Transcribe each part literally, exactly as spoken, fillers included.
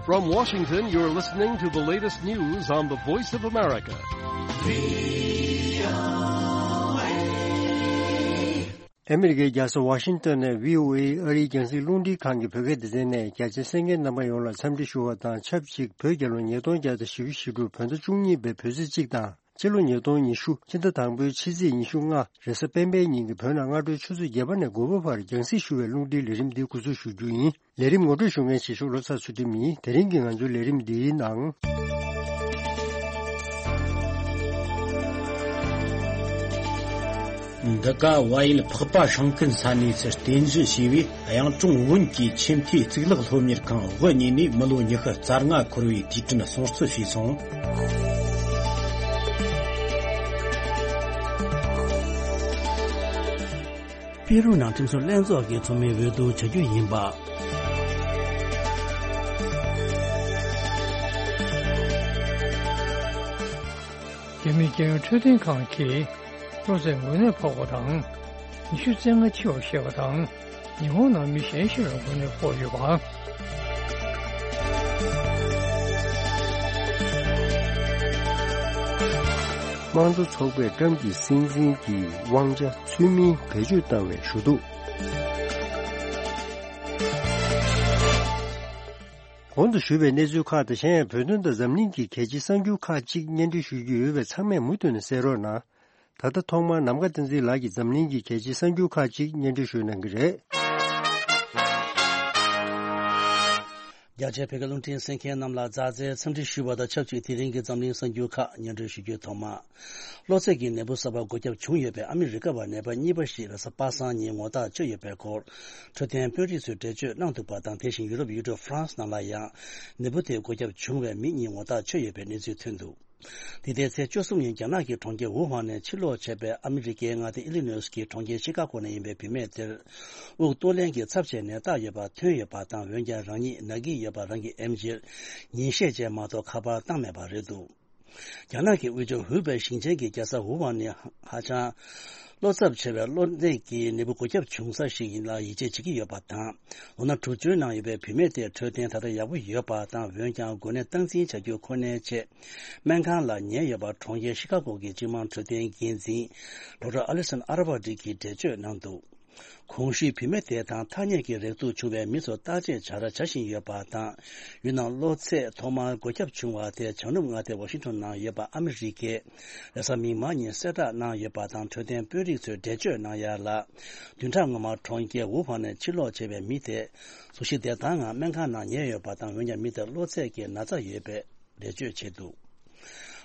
From Washington, you're listening to the latest news on the Voice of America. ཨ་མི་རི་ཀའི་རྒྱལ་ས་ཝ་ཤིང་ཏོན་ནས་བྷི་ཨོ་ཨེ་ཨ་རིའི་རྒྱང་སྲིང་རླུང་འཕྲིན་ཁང་གི་བོད་སྐད་སྡེ་ཚན་ནས་རྒྱ་ཆེའི་གསན་མཁན་རྣམ་པ་ཡོངས་ལ་འཚམས་འདྲི་ཞུ་བ་དང་ཆབས་ཅིག་བོད་རྒྱལ་ལོ་ཉིས་སྟོང་བརྒྱ་དང་བཞི་བཅུ་ཞེ་དྲུག་བོད་ཟླ་བཅུ་གཉིས་པའི་བོད་ཚེས་གཅིག་དང་། སྤྱི་ལོ་ཉིས་སྟོང་ཉི་ཤུ། ཕྱི་ཟླ་དང་པོའི་ཕྱི་ཚེས་ཉི་ཤུ་ལྔ། རེས་གཟའ་སྤེན་པའི་ཉིན་གྱི་བོད་ནང་སྔ་དྲོའི་ཆུ་ཚོད་བརྒྱད་པ་ནས་དགུ་པ་བར་རྒྱང་སྲིང་ཞུ་བའི་རླུང་འཕྲིན་ལས་རིམ་འདི་འགོ་འཛུགས་ཞུ་རྒྱུ་ཡིན། ལས་རིམ་ངོ་སྤྲོད་ཞུ་མཁན་གཞིས་བཞུགས་བློ་བཟང་ཚུལ་ཁྲིམས་ཡིན། དེ་རིང་གི་ང་ཚོའི་ལས་རིམ་འདིའི་ནང་། འདི་ག་བལ་ཡུལ་འཕགས་པ་སྲང་ཀན་ས་གནས་སུ་རྟེན་གཞི་བྱས་པའི་གཡུང་དྲུང་བོན་གྱི་ཆེས་མཐོའི་གཙུག་ལག་སློབ་གཉེར་ཁང་དབུ་བརྙེས་ནས་མི་ལོ་ཉི་ཤུ་རྩ་ལྔ་འཁོར་བའི་དུས་དྲན་སྲུང་བརྩི་བྱས་སོང་། པེ་རུ་ནང་ཁྲིམས་སྲུང་ལྷན་ཚོགས་ཀྱི་ཚོགས་མི་འོས་བསྡུ་བྱ་རྒྱུ་ཡིན་པ། རྒྱ་མིའི་རྒྱལ་ཡོངས་འཕྲོད་བསྟེན་ཁང་གིས་གློ་ཚད་འགོས་ནད་ཕོག་པ་དང་། ཉི་ཤུ་རྩ་ལྔ་འཆི་བ་བཤད་པ་དང་། ཉི་ཧོང་ནང་མི་གཞན་ཞིག་ལ་འགོས་ནད་ཕོག་ཡོད་པ། དམངས་གཙོ་ཚོགས་པས་ཊམ་གྱི་སྲིད་འཛིན་གྱི་དབང་ཆ་ཚུལ་མིན་བེད་སྤྱོད་བཏང་བའི་ཞུ་གཏུག་གོང་དུ་ཞུས་པའི་གནས་ཚུལ་ཁག་དང་གཞན་ཡང་བོད་དོན་དང་འཛམ་གླིང་གི་གལ་ཆེའི་གསར་འགྱུར་ཁག་ཅིག་སྙན་སྒྲོན་ཞུ་རྒྱུ་ཡོད་པས་ཚང་མས་མུ་མཐུད་ནས་གསན་རོགས་གནང་། ད་ལྟ་ཐོག་མར་ནམ་མཁའ་བསྟན་འཛིན་ལགས་ཀྱིས་འཛམ་གླིང་གི་གལ་ཆེའི་གསར་འགྱུར་ཁག་ཅིག་སྙན་སྒྲོན་ཞུ་གནང་གི་རེད། རྒྱ་ཆེའི་བོད་སྐད་རླུང་འཕྲིན་གསན་མཁན་རྣམས་ལ་མཛའ་བརྩེའི་འཚམས་འདྲི་ཞུ་བ་དང་ཆབས་ཅིག་དེ་རིང་གི་འཛམ་གླིང་གསར་འགྱུར་ཁག་སྙན་སྒྲོན་ཞུ་རྒྱུའི་ཐོག་མར། གློ་ཚད་ཀྱི་ནད་འབུ་གསར་པ་འགོས་ཁྱབ་བྱུང་ཡོད་པའི་ཨ་མི་རི་ཀ་བ་ནད་པ་གཉིས་པ་ཞིག་རེས་གཟའ་པ་སངས་ཉིན་ངོ་རྟགས་ཆོད་ཡོད་པའི་སྐོར། འཕྲོད་བསྟེན་དཔོན་རིགས་ཚོས་འགྲེལ་བརྗོད་གནང་འདུག་པ་དང་། དེ་བཞིན་ཡུ་རོབ་ཡུལ་གྲུ་ཧྥ་རན་སི་ནང་ལ་ཡང་། ནད་འབུ་དེ་འགོས་ཁྱབ་བྱུང་བའི་མི་གཉིས་ངོ་རྟགས་ཆོད་ཡོད་པའི་གནས་ཚུལ་ཐོན་འདུག་འདི་ཟླའི་ཚེས་བཅུ་གསུམ་ཉིན་རྒྱ་ནག་གི་གྲོང་ཁྱེར་ཝུ་ཧན་ནས་ཕྱིར་ལོག་བྱས་པའི་ཨ་མི་རི་ཀའི་མངའ་སྡེ་ཨི་ལི་ནོས་ཀྱི་གྲོང་ཁྱེར་ཤི་ཀ་གོ་ནས་ཡིན་པའི་བུད་མེད་དེར། དབུགས་གཏོང་ལེན་གྱི་ཚབས་ཆེའི་ནད་རྟགས་ཡོད་པ་ཐོན་ཡོད་པ་དང་། འོན་ཀྱང་རང་ཉིད་ན་གི་ཡོད་པ་རང་གིས་ཨེམ་ཆིར་ཉིན་ཤས་རྗེས་མ་གཏོགས་ཁ་པར་བཏང་མེད་པ་རེད་འདུག་རྒྱ་ནག་གི་དབུས་ཕྱོགས་ཧུའུ་པེ་ཞིང་ཆེན་གྱི་རྒྱལ་ས་ཝུ་ཧན་ནི་ཧ་ཅང་བློ་འཚབ་ཆེ་བའི་གློ་ནད་ཀྱི་ནད་འབུ་འགོས་ཁྱབ་བྱུང་ས་ཞིག་ཡིན་ལ་ཡིད་ཆེས་བྱེད་ཀྱི་ཡོད་པ་དང་། ལོ་ན་དྲུག་ཅུའི་ནང་ཡོད་པའི་བུད་མེད་དེའི་འཕྲོད་བསྟེན་ད་ལྟ་ཡག་པོ་ཡོད་པ་དང་། འོན་ཀྱང་འགོས་ནད་སྟངས་འཛིན་བྱ་རྒྱུ་ཁོ་ནའི་ཆེད་སྨན་ཁང་ལ་ཉལ་ཡོད་པ་གྲོང་ཁྱེར་ཤི་ཀ་གོ་གི་སྤྱི་དམངས་འཕྲོད་བསྟེན་འགན་འཛིན་ཌོག་ཊར་ཨ་ལི་སན་ཨ་ར་བ་ཏི་གིས་འགྲེལ་བརྗོད་གནང་འདུག་གོང་ཞུས་བུད་མེད་དེ་དང་ཐ་སྙད་ཀྱི་རེག་དུག་བྱུང་བའི་མི་ཚོ་བརྟག་དཔྱད་བྱ་ར་བྱ་བཞིན་ཡོད་པ་དང་། ཡུལ་ནང་གློ་ཚད་ཐོག་མར་འགོས་ཁྱབ་བྱུང་བ་དེ་བྱང་ནུབ་མངའ་སྡེ་ཝ་ཤིང་ཊོན་ནང་ཡོད་པ་ཨ་མི་རི་ཀའི་རེས་གཟའ་མིག་དམར་ཉིན་གསལ་བསྒྲགས་གནང་ཡོད་པ་དང་། འཕྲོད་བསྟེན་དཔོན་རིགས་ཚོས་འགྲེལ་བརྗོད་གནང་ཡ་ལ། བདུན་ཕྲག་སྔོན་མ་གྲོང་ཁྱེར་ཝུ་ཧན་ནས་ཕྱིར་ལོག་བྱས་པའི་མི་དེ་གཟུགས་གཞི་བདེ་ཐང་ངང་སྨན་ཁང་ནང་ཉལ་ཡོད་པ་དང་། འོན་ཀྱང་མི་དེར་གློ་ཚད་ཀྱི་ན་ཚ་ཡོད་པའི་འགྲེལ་བརྗོད་བྱས་འདུག་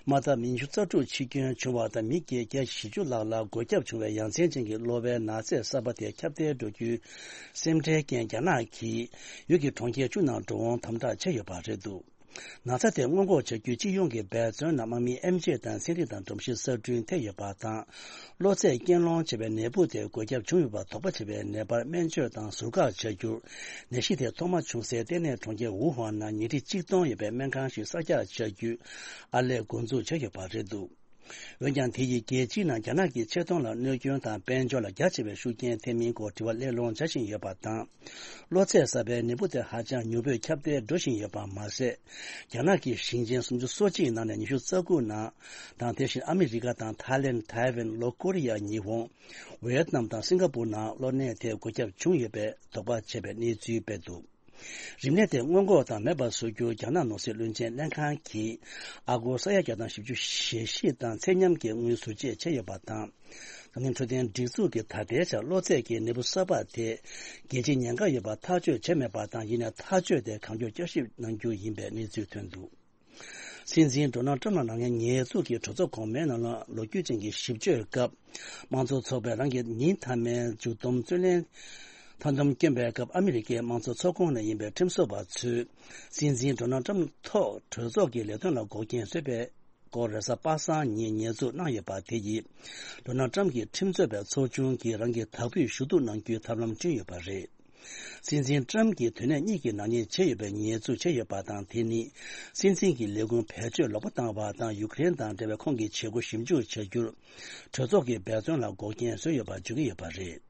དམའ་ཐབས་ཉི་ཤུ་རྩ་དྲུག་འཆི་སྐྱོན་བྱུང་བ་དང་། མི་བརྒྱད་བརྒྱ་བཞི་བཅུ་ལྷག་ལ་འགོས་ཁྱབ་བྱུང་བའི་ཡ་མཚན་ཅན་གྱི་གློ་བའི་ན་ཚས་གསར་པ་དེ་ཁྱབ་གདལ་འགྲོ་རྒྱུའི་སེམས་ཁྲལ་རྐྱེན། རྒྱ་ནག་གིས་ཡུལ་གྱི་གྲོང་ཁྱེར་བཅུ་ནང་འགྲོ་འོང་དམ་དྲག་བྱས་ཡོད་པ་རེད་འདུག་ན་ཚ་དེ་སྔོན་འགོག་བྱ་རྒྱུའི་སྤྱི་ཡོངས་ཀྱི་འབད་བརྩོན་ནང་དམག་མིའི་ཨེམ་ཆི་དང་ཚན་རིག་དང་སྒྲོམ་གཞི་གསར་སྐྲུན་ཐེབས་ཡོད་པ་དང་། གློ་ཚད་རྐྱེན་སློང་བྱས་པའི་ནད་འབུ་དེ་འགོས་ཁྱབ་བྱུང་ཡོད་པ་དོགས་པ་བྱས་པའི་ནད་པར་སྨན་བཅོས་དང་ཟུར་བཀག་བྱ་རྒྱུར། ནད་གཞི་དེ་ཐོག་མ་བྱུང་སའི་ལྟེ་གནས་གྲོང་ཁྱེར་ཝུ་ཧན་ནང་ཉལ་ཁྲི་གཅིག་སྟོང་ཡོད་པའི་སྨན་ཁང་ཞིག་གསར་རྒྱག་བྱ་རྒྱུའི་ཨར་ལས་འགོ་འཛུགས་བྱས་ཡོད་པ་རེད་འདུག་འོན་ཀྱང་། དེ་ཡིས་རྒྱལ་སྤྱིའི་ནང་རྒྱ་ནག་གི་ཆེ་མཐོང་ལ་གནོད་སྐྱོན་དང་དཔལ་འབྱོར་ལ་རྒྱ་ཆེ་བའི་ཤུགས་རྐྱེན་ཐེབས་མིན་སྐོར་དྲི་བ་གླེང་སློང་བྱ་བཞིན་ཡོད་པ་དང་། གློ་ཚད་གསར་པའི་ནད་འབུ་དེ་ཧ་ཅང་མྱུར་པོས་ཁྱབ་གདལ་འགྲོ་བཞིན་ཡོད་པ་མ་ཟད། རྒྱ་ནག་གི་ཞིང་ཆེན་སུམ་ཅུ་སོ་གཅིག་ནང་ནས་ཉི་ཤུ་རྩ་དགུ་ནང་དང་། དེ་བཞིན་ཨ་མི་རི་ཀ་དང་ཐའི་ལེན། ཐའེ་ཝན། ལྷོ་ཀོ་རི་ཡ། ཉི་ཧོང་། ཝེ་ཏི་ནམ་དང་སིང་ག་པུར་ནང་གློ་ནད་དེ་འགོས་ཁྱབ་བྱུང་ཡོད་པའི་དོགས་པ་བྱས་པའི་གནས་ཚུལ་སྤེལ་འདུག་རིམས་ནད་དེ་སྔོན་འགོག་དང་མེད་པར་བཟོ་རྒྱུར་རྒྱ་ནག་ནོར་སྲིད་བློན་ཆེན་ལྷན་ཁང་གིས་ཨ་སྒོར་ས་ཡ་བརྒྱ་དང་བཞི་བཅུ་ཞེ་བཞི་དང་ཚད་མཉམ་གྱི་དངུལ་ཟུར་བཅད་བྱས་ཡོད་པ་དང་། འཛམ་གླིང་འཕྲོད་བསྟེན་སྒྲིག་འཛུགས་ཀྱིས་ད་ལྟའི་ཆར་གློ་ཚད་ཀྱི་ནད་འབུ་གསར་པ་དེ་རྒྱལ་སྤྱིའི་ཉེན་ཁ་ཡོད་པ་ཐག་གཅོད་བྱས་མེད་པ་དང་། ཡིན་ནའི་ཐག་གཅོད་དེ་གང་མགྱོགས་བསྐྱར་ཞིབ་གནང་རྒྱུ་ཡིན་པའི་གནས་ཚུལ་ཐོན་འདུག་སྲིད་འཛིན་ཌོ་ནལ་ཊམ་ལ་ཉེ་དུས་ཀྱི་གྲོས་ཚོགས་གོང་མའི་ནང་ལ་ལོ་རྒྱུས་ཅན་གྱི་ཞིབ་དཔྱོད་སྐབས། དམངས་གཙོ་ཚོགས་པས་རང་གི་ཉིན་མཐའ་མའི་མཇུག་སྡོམ་རྩོད་ལེན་མཐའ་སྡོམ་བསྐྱོན་པའི་སྐབས། ཨ་མི་རི་ཀའི་དམངས་གཙོ་ཚོགས་ཁོངས་ནས་ཡིན་པའི་ཁྲིམས་བཟོ་བ་ཚོས་སྲིད་འཛིན་ཌོ་ནལ་ཊམ་ཐོག་གྲོས་ཚོགས་ཀྱི་ལས་དོན་ལ་འགོག་རྐྱེན་བཟོས་པའི་སྐོར་རེས་གཟའ་པ་སངས་ཉིན་ཉེས་འཛུགས་གནང་ཡོད་པ་དེ་ཡིས། ཌོ་ནལ་ཊམ་གྱི་ཁྲིམས་རྩོད་པའི་ཚོགས་ཆུང་གིས་རང་གི་དག་ཕུད་ཞུ་གཏུག་གནང་རྒྱུའི་ཐབས་ལམ་བསྐྲུན་ཡོད་པ་རེད། སྲིད་འཛིན་ཊམ་གྱིས་དུས་ནས་གཉིས་ཀྱི་ནག་ཉེས་བྱས་ཡོད་པའི་ཉེས་འཛུགས་བྱས་ཡོད་པ་དང་། དེ་ནི་སྲིད་འཛིན་གྱི་ལས་ཁུངས་བེད་སྤྱོད་ལོག་པ་བཏང་བ་དང་། ཡུཀ་རེན་དང་འབྲེལ་བའི་ཁོང་གི་བྱེད་སྒོ་ཞིབ་འཇུག་བྱ་རྒྱུར་གྲོས་ཚོགས་ཀྱི་འབད་བརྩོན་ལ་འགོག་རྐྱེན་བཟོས་ཡོད་པར་བརྗོད་ཀྱི་ཡོད་པ་རེད།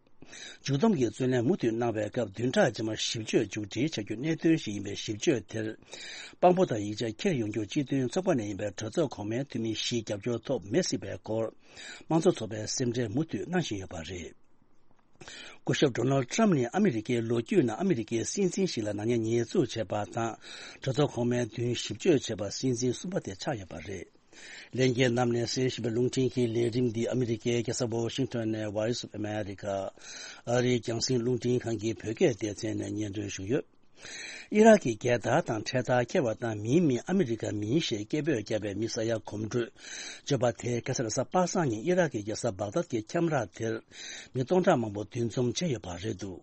མཇུག་བསྡོམས་ཀྱི་རྩོད་ལེན་མུ་མཐུད་གནང་བའི་སྐབས་བདུན་ཕྲག་རྗེས་མར་ཞིབ་དཔྱོད་མཇུག་སྒྲིལ་བྱ་རྒྱུ་གནད་དོན་ཞིག་ཡིན་པའི་ཞིབ་དཔྱོད་དེར། དཔང་པོ་དང་ཡིག་ཆ་འཁྱེར་ཡོང་རྒྱུར་སྤྱི་མཐུན་ཚོགས་པ་ནས་ཡིན་པའི་གྲོས་ཚོགས་གོང་མའི་འཐུས་མི་བཞིའི་རྒྱབ་སྐྱོར་ཐོབ་མི་སྲིད་པའི་སྐོར། དམངས་གཙོ་ཚོགས་པས་སེམས་ཁྲལ་མུ་མཐུད་གནང་བཞིན་ཡོད་པ་རེད། སྐུ་ཞབས་ཌོ་ནལ་ཊམ་ནི་ཨ་མི་རི་ཀའི་ལོ་རྒྱུས་ནང་ཨ་མི་རི་ཀའི་སྲིད་འཛིན་ཞིག་ལ་ནག་ཉེས་ཉེས་འཛུགས་བྱས་པ་དང་། གྲོས་ཚོགས་གོང་མའི་མདུན་ཞིབ་དཔྱོད་བྱས་པ་སྲིད་འཛིན་གསུམ་པ་དེ་ཆགས་ཡོད་པ་རེད། ལྷན་རྒྱས་རྣམས་ནས་གསན་བཞིན་པའི་རླུང་འཕྲིན་གྱི་ལས་རིམ་འདི་ཨ་མི་རི་ཀའི་རྒྱལ་ས་ཝ་ཤིང་ཊོན་ནས་Voice of America ཨ་རིའི་རྒྱང་སྲིང་རླུང་འཕྲིན་ཁང་གི་བོད་སྐད་སྡེ་ཚན་ནས་སྙན་སྒྲོན་ཞུས་ཡོད། ཨི་རག་གི་རྒྱལ་དར་དང་འཕྲེད་དར་འཁྱེར་བ་དང་མིའི་མིང་ཨ་མི་རི་ཀ་མིང་ཞེས་སྐད་འབོད་བརྒྱབ་པའི་མི་ས་ཡ་གོམ་བགྲོད་བརྗོད་པ་དེ་ཁ་སང་རེས་གཟའ་པ་སངས་ཉིན་ཨི་རག་གི་རྒྱལ་ས་བག་དཱད་ཀྱི་ཁྱམས་ར་དེར་མི་སྟོང་ཕྲག་མང་པོ་འདུ་འཛོམས་བྱས་ཡོད་པ་རེད་འདུག་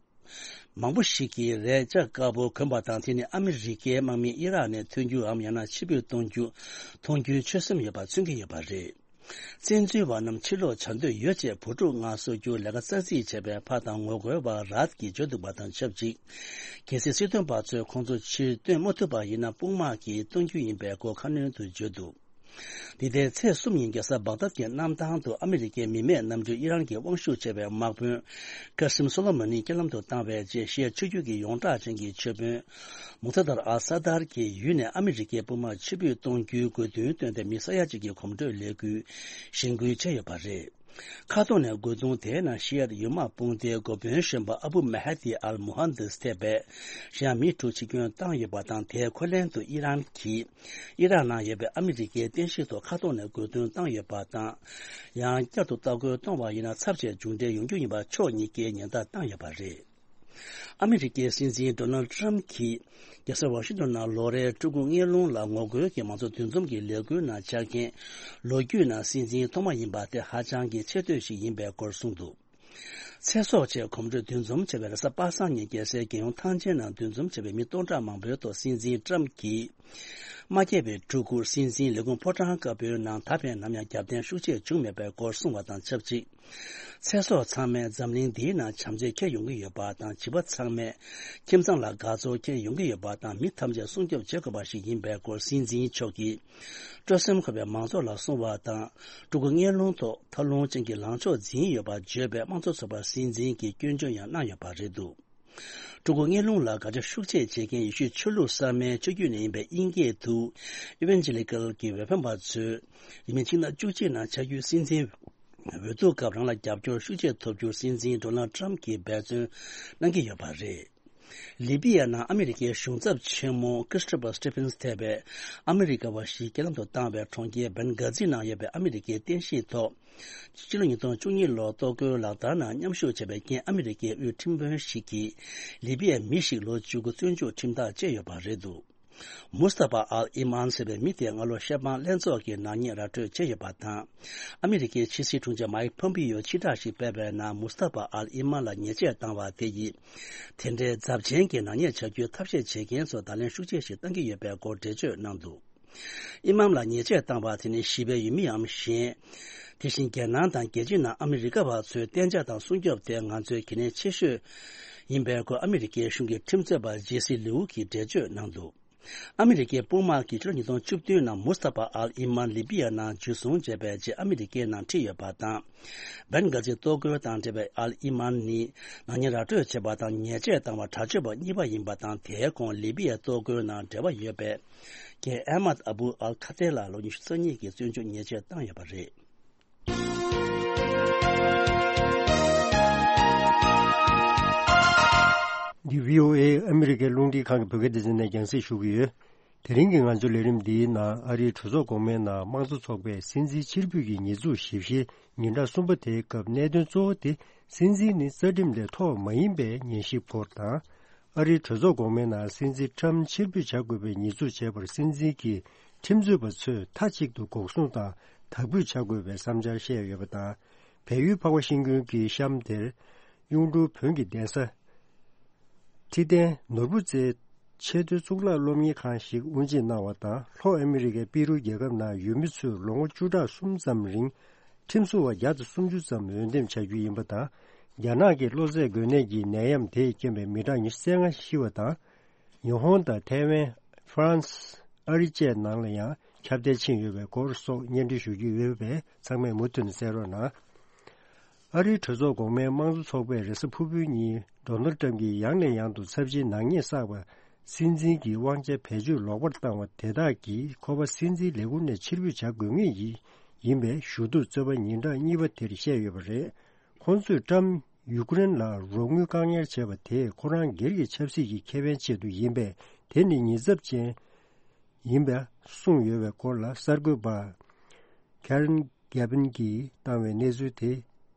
མང་པོ་ཞིག་གིས་རས་ལྕགས་དཀར་པོ་གོན་པ་དང་དེ་ནི་ཨ་མི་རི་ཀའི་དམག་མི་ཨི་རག་ནས་ཐོན་རྒྱུའམ་ཡང་ན་ཕྱིར་འབུད་གཏོང་རྒྱུ་མཐོང་རྒྱུའི་ཆོད་སེམས་ཡོད་པ་མཚོན་གྱི་ཡོད་པ་རེད། བཙན་འཛུལ་བ་རྣམས་ཕྱིར་ལོག་བྱ་འདོད་ཡོད་ཅེས་བུ་ཕྲུག་མངགས་གསོ་རྒྱུར་ལས་ཀ་རྩ་རྩིས་བྱས་པའི་ཕ་དང་ངོ་རྒོལ་བ་རཱད་ཀྱིས་བརྗོད་འདུག་པ་དང་ཆབས་ཅིག་གལ་སྲིད་སྲིད་དོན་པ་ཚོས་ཁོང་ཚོ་ཕྱིར་བཏོན་མ་ཐུབ་པ་ཡིན་ན་དཔུང་དམག་གིས་གཏོང་རྒྱུ་ཡིན་པའི་སྐོར་ཁ་སྣོན་དུ་བརྗོད་འདུག་འདི་ལྟའི་ཚེས་གསུམ་ཉིན་རྒྱལ་ས་བག་དཱད་ཀྱི་གནམ་ཐང་དུ་ཨ་མི་རི་ཀའི་མི་མེད་གནམ་གྲུས་ཨི་རན་གྱི་དབང་ཤུགས་ཆེ་བའི་དམག་དཔོན་ཀ་སིམ་སོ་ལོ་མོ་ནི་རྐྱེན་ལམ་དུ་བཏང་བའི་རྗེས་ཤི་ཡ་ཆོས་བརྒྱུད་ཀྱི་ཡོངས་གྲགས་ཅན་གྱི་མཆོད་དཔོན་མུག་ཐ་དར་ཨ་ས་དར་གྱི་ཡུལ་ནས་ཨ་མི་རི་ཀའི་དཔུང་དམག་ཕྱིར་འབུད་གཏོང་རྒྱུའི་དགོས་འདུན་བཏོན་ཏེ་མི་ས་ཡ་གཅིག་གི་གོམ་བགྲོད་ལས་འགུལ་གཞེན་སྐུལ་བྱས་ཡོད་པ་རེད། ཁ་ཐོག་ནས་རྒོལ་རྡུང་དེའི་ནང་ཤི་ཡ་ཡུལ་དམག་དཔུང་སྡེའི་འགོ་དཔོན་གཞོན་པ་ཨ་བུ་མ་ཧ་དི་ཨལ་མུ་ཧན་དིས་ཐེ་བས་ཤི་ཡ་མི་དྲུག་འཆི་སྐྱོན་བཏང་ཡོད་པ་དང་དེའི་འཁོན་ལན་དུ་ཨི་རན་གྱིས་ཨི་རག་ནང་ཡོད་པའི་ཨ་མི་རི་ཀའི་རྟེན་གཞི་ཐོག་ཁ་ཐོག་ནས་རྒོལ་རྡུང་བཏང་ཡོད་པ་དང་། ཡང་བསྐྱར་དུ་ལྟ་སྐོར་གཏོང་བ་ཡིན་ན་ཚབས་ཆེ་མཇུག་འབྲས་ཡོང་རྒྱུ་ཡིན་པ་ཕྱོགས་གཉིས་ཀས་ཉེན་བརྡ་བཏང་ཡོད་པ་རེད། ཨ་མི་རི་ཀའི་སྲིད་འཛིན་ཌོ་ནལ་ཌི་ཊརམ་གྱིས་རྒྱལ་ས་ཝ་ཤིང་ཏོན་ནང་ལོ་རེའི་སྤྲུལ་སྐུ་སྔས་ལུང་ལ་ངོ་རྒོལ་གྱི་མང་གཙོ་འདུ་འཛོམས་ཀྱི་ལས་འགུལ་ནང་བཅར་མཁན་ལོ་རྒྱུས་ནང་སྲིད་འཛིན་ཐོག་མ་ཡིན་པ་དེ་ཧ་ཅང་གི་ཆེ་བསྟོད་ཞིག་ཡིན་པའི་སྐོར་གསུངས་འདུག་ཚེ་སྲོག་ཆེད་གོམ་བགྲོད་འདུ་འཛོམས་བྱས་པའི་རེས་གཟའ་པ་སངས་ཉིན་རྒྱལ་སའི་རྒྱལ་ཡོངས་ཐང་ཆེན་ནང་འདུ་འཛོམས་བྱས་པའི་མི་སྟོང་ཕྲག་མང་པོའི་ཐོག་སྲིད་འཛིན་ཊརམ་གྱིས། མ་སྐྱེས་པའི་ཕྲུ་གུར་སྲིད་འཛིན་ལས་ཁུངས་ཕོ་བྲང་དཀར་པོའི་ནང་ད་ཕན་ནམ་ཡང་རྒྱབ་རྟེན་ཤུགས་ཆེ་བྱུང་མེད་པའི་སྐོར་གསུངས་པ་དང་ཆབས་ཅིག་ཚེ་སྲོག་ཚང་མས་འཛམ་གླིང་འདིའི་ནང་བྱམས་བརྩེ་འཁྱེར་ཡོང་གི་ཡོད་པ་དང་བྱིས་པ་ཚང་མས་ཁྱིམ་ཚང་ལ་དགའ་ཚོར་འཁྱེར་ཡོང་གི་ཡོད་པ་དང་མི་ཐམས་ཅད་སྲུང་སྐྱོབ་བྱེད་དགོས་པ་ཞིག་ཡིན་པའི་སྐོར་སྲིད་འཛིན་མཆོག་གིས། སྤྲོ་སེམས་འཁོལ་བའི་མང་ཚོགས་ལ་གསུངས་པ་དང་། ཕྲུ་གུ་སྔས་ལུང་ཐོག་ཐབས་ལམ་ཅན་གྱི་ལངས་ཕྱོགས་འཛིན་ཡོད་པར་བརྗོད་པའི་དམངས་གཙོ་ཚོགས་པ་སྲིད་འཛིན་གྱིས་སྐྱོན་བརྗོད་ཡང་གནང་ཡོད་པ་རེད་འདུག་ཕྲུ་གུ་སྔས་ལུང་ལ་དགག་བྱ་ཤུགས་ཆེ་བྱེད་མཁན་ཡེ་ཤུའི་ཆོས་ལུགས་གསར་མའི་ཆོས་བརྒྱུད་ནས་ཡིན་པའི་དབྱིན་སྐད་དུ་Evangelical གྱི་འོས་འཕེན་པ་ཚོས་ཡིན་མིན་ཕྱི་ཟླ་བཅུ་གཅིག་ནང་ཆགས་རྒྱུའི་སྲིད་འཛིན་འོས་བསྡུ་སྐབས་རང་ལ་རྒྱབ་སྐྱོར་ཤུགས་ཆེ་ཐོབ་རྒྱུར་སྲིད་འཛིན་ཌོ་ནལ་ཊརམ་གྱིས་འབད་བརྩོན་གནང་གི་ཡོད་པ་རེད། ལི་པི་ཡ་ནང་ཨ་མི་རི་ཀའི་གཞུང་ཚབ་ཆེན་མོ་Christopher Stevens ཐེ་བའི་ཨ་མི་རི་ཀ་བ་ཞིག་རྐྱེན་ལམ་དུ་བཏང་བའི་གྲོང་ཁྱེར་བན་གྷ་ཛི་ནང་ཡོད་པའི་ཨ་མི་རི་ཀའི་རྟེན་གཞི་ཐོག་ཕྱི་ལོ་ཉིས་སྟོང་བཅུ་གཉིས་ལོར་གཏོར་རྒོལ་ལག་བསྟར་ནང་མཉམ་ཞུགས་བྱས་པའི་རྐྱེན་ཨ་མི་རི་ཀའི་དབུས་ཁྲིམས་དཔོན་ཞིག་གིས་ལི་པི་ཡའི་མི་ཞིག་ལོ་བཅུ་དགུ་བཙོན་འཇུག་ཁྲིམས་ཐག་བཅད་ཡོད་པ་རེད་འདུག་མུ་སྟ་ཕ་ཨལ་ཨི་མཱན་ཟེར་བའི་མི་དེ་སྔ་ལོ་ཤ་སྤང་ལྷན་ཚོགས་ཀྱི་ནག་ཉེས་ར་སྤྲོད་བྱས་ཡོད་པ་དང་། ཨ་མི་རི་ཀའི་ཕྱི་སྲིད་དྲུང་ཆེ་མཱིག་ཕོམ་པིའོ་ཕྱིར་བསྒྲགས་ཤིག་སྤེལ་བའི་ནང་མུ་སྟ་ཕ་ཨལ་ཨི་མཱན་ལ་ཉེས་ཆད་བཏང་བ་དེ་ཡིས། དེ་འདྲའི་ཚབས་ཆེན་གྱི་ནག་ཉེས་བྱ་རྒྱུའི་ཐབས་ཤེས་བྱེད་མཁན་ཚོར་བརྡ་ལན་ཤུགས་ཆེ་ཞིག་བཏང་གི་ཡོད་པའི་སྐོར་འགྲེལ་བརྗོད་གནང་འདུག་ཨི་མཱམ་ལ་ཉེས་ཆད་བཏང་བ་དེ་ནི་ཞི་བའི་ཡུལ་མིའམ་གཞན། དེ་བཞིན་རྒྱལ་ནང་དང་རྒྱལ་སྤྱི་ནང་ཨ་མི་རི་ཀ་བ་ཚོའི་གཏན་འཇགས་དང་སྲུང་སྐྱོབ་དེ་ང་ཚོའི་གལ་གནད་ཆེ་ཤོས་ཡིན་པའི་སྐོར་ཨ་མི་རི་ཀའི་གཞུང་གི་ཁྲིམས་རྩོད་པ་ཇེ་སི་ལིའུ་གིས་འགྲེལ་བརྗོད་གནང་འདུག་ཨ་མི་རི་ཀའི་དཔུང་དམག་གིས་ཕྱི་ལོ་ཉིས་སྟོང་བཅུ་བདུན་ནང་མུ་སྟ་ཕ་ཨལ་ཨི་མཱན་ལི་པི་ཡ་ནང་འཇུ་བཟུང་བྱས་པའི་རྗེས་ཨ་མི་རི་ཀའི་ནང་ཁྲིད་ཡོད་པ་དང་། བན་གྷ་ཛི་གཏོར་རྒོལ་དང་འབྲེལ་བའི་ཨལ་ཨི་མཱན་ནི་ནག་ཉེས་ར་སྤྲོད་བྱས་པ་དང་ཉེས་ཆད་བཏང་བ་དྲག་སྤྱོད་པ་གཉིས་པ་ཡིན་པ་དང་དེའི་གོང་ལི་པི་ཡའི་གཏོར་རྒོལ་ནང་འབྲེལ་བ་ཡོད་པའི་རྒན་ཨེ་མད་ཨ་བུ་ཨལ་ཁ་ཏེ་ལ་ལོ་ཉི་ཤུ་རྩ་གཉིས་ཀྱི་བཙོན་འཇུག་ཉེས་ཆད་བཏང་ཡོད་པ་རེད། འདི་བྷི་ཨོ་ཨེ་ཨ་མི་རི་ཀའི་རླུང་འཕྲིན་ཁང་གི་བོད་སྐད་སྡེ་ཚན་ནས་རྒྱང་སྲིང་ཞུ་གི་ཡོད། དེ་རིང་གི་ང་ཚོའི་ལས་རིམ་འདིའི་ནང་ཨ་རིའི་གྲོས་ཚོགས་གོང་མའི་ནང་དམངས་གཙོ་ཚོགས་པས་སྲིད་འཛིན་ཕྱིར་འབུད་ཀྱི་ཉེས་འཛུགས་ཞིབ་བཤེར་ཉིན་གྲངས་གསུམ་པ་དེའི་སྐབས་གནད་དོན་གཙོ་བོ་དེ་སྲིད་འཛིན་ནི་རྩ་ཁྲིམས་ལས་ཐོག་མ་ཡིན་པའི་ངེས་ཤེས་སྐོར་དང་། ཨ་རིའི་གྲོས་ཚོགས་གོང་མའི་ནང་སྲིད་འཛིན་ཊྲམ་ཕྱིར་འབུད་བྱ་དགོས་པའི་ཉེས་འཛུགས་བྱས་པར་སྲིད་འཛིན་གྱི་ཁྲིམས་རྩོད་པ་ཚོས་མཐའ་གཅིག་ཏུ་འགོག་སྲུང་དང་དག་འབུད་བྱ་དགོས་པའི་བསམ་འཆར་བཤད་ཡོད་པ་དང་། བལ་ཡུལ་འཕགས་པ་ཤིང་ཀུན་གྱི་གཤམ་དེར་གཡུང་དྲུང་བོན་གྱི་གདན་ས། ཁྲི་བརྟན་ནོར་བུ་རྩེའི་ཆེས་མཐོའི་གཙུག་ལག་སློབ་གཉེར་ཁང་ཞིག་དབུ་འབྱེད་གནང་བ་དང་། ལྷོ་ཨ་མི་རི་ཀའི་པི་རུ་རྒྱལ་ཁབ་ནང་ཡུལ་མི་ཚོས་ལོ་ངོ་བཅུ་ཕྲག་གསུམ་ཙམ་རིང་ཁྲིམས་སྲུང་བ་བརྒྱ་དང་སུམ་ཅུ་ཙམ་འོས་འདེམས་བྱ་རྒྱུ་ཡིན་པ་དང་། རྒྱ་ནག་གི་གློ་ཚད་འགོས་ནད་ཀྱི་ནད་ཡམས་དེས་རྐྱེན་པས་མི་གྲངས་ཉི་ཤུ་རྩ་ལྔ་ཤི་བ་དང་། ཉི་ཧོང་དང་ཐའེ་ཝན། ཧྥ་རན་སི། ཨ་རི་བཅས་ནང་ལ་ཡང་ཁྱབ་གདལ་ཕྱིན་ཡོད་པའི་སྐོར་སོགས་སྙན་སྒྲོན་ཞུ་རྒྱུ་ཡོད་པས་ཚང་མས་མུ་མཐུད་ནས་གསན་རོགས་གནང་། ཨ་རིའི་གྲོས་ཚོགས་གོང་མའི་དམངས་གཙོ་ཚོགས་པས་རེས་གཟའ་ཕུར་བུའི་ཉིན་ཌོ་ནལ་ཊམ་གྱིས་ཡང་ནས་ཡང་དུ་ཚབས་ཆེའི་ནག་ཉེས་བསགས་པ། སྲིད་འཛིན་གྱི་དབང་ཆ་བེད་སྤྱོད་ལོག་པར་བཏང་བ་དེ་དག་གིས་ཁོ་པ་སྲིད་འཛིན་ལས་ཁུངས་ནས་ཕྱིར་འབུད་བྱ་དགོས་ངེས་ཡིན་ཡིན་པའི་ཞུ་གཏུག་རྩོད་པ་ཉིན་གྲངས་གཉིས་པ་དེར་བཤད་ཡོད་པ་རེད། ཁོང་ཚོས་ཀྲམ་ཡུཀ་རེན་ལ་རོགས་དངུལ་བཀག་ཉར་བྱས་པ་དེས་ཁོ་རང་སྒེར་གྱི་ཆབ་སྲིད་ཀྱི་ཁེ་ཕན་ཆེད་དུ་ཡིན་པས། དེ་ནི་ཉེས་ཚབས་ཅན་ཡིན་པ་གསུངས་ཡོད་པའི་སྐོར་ལ་གསར་འགོད་པ་ཁེ་རན་གྷེ་བིན་གྱིས་བཏང་བའི་གནས་ཚུལ་དེ་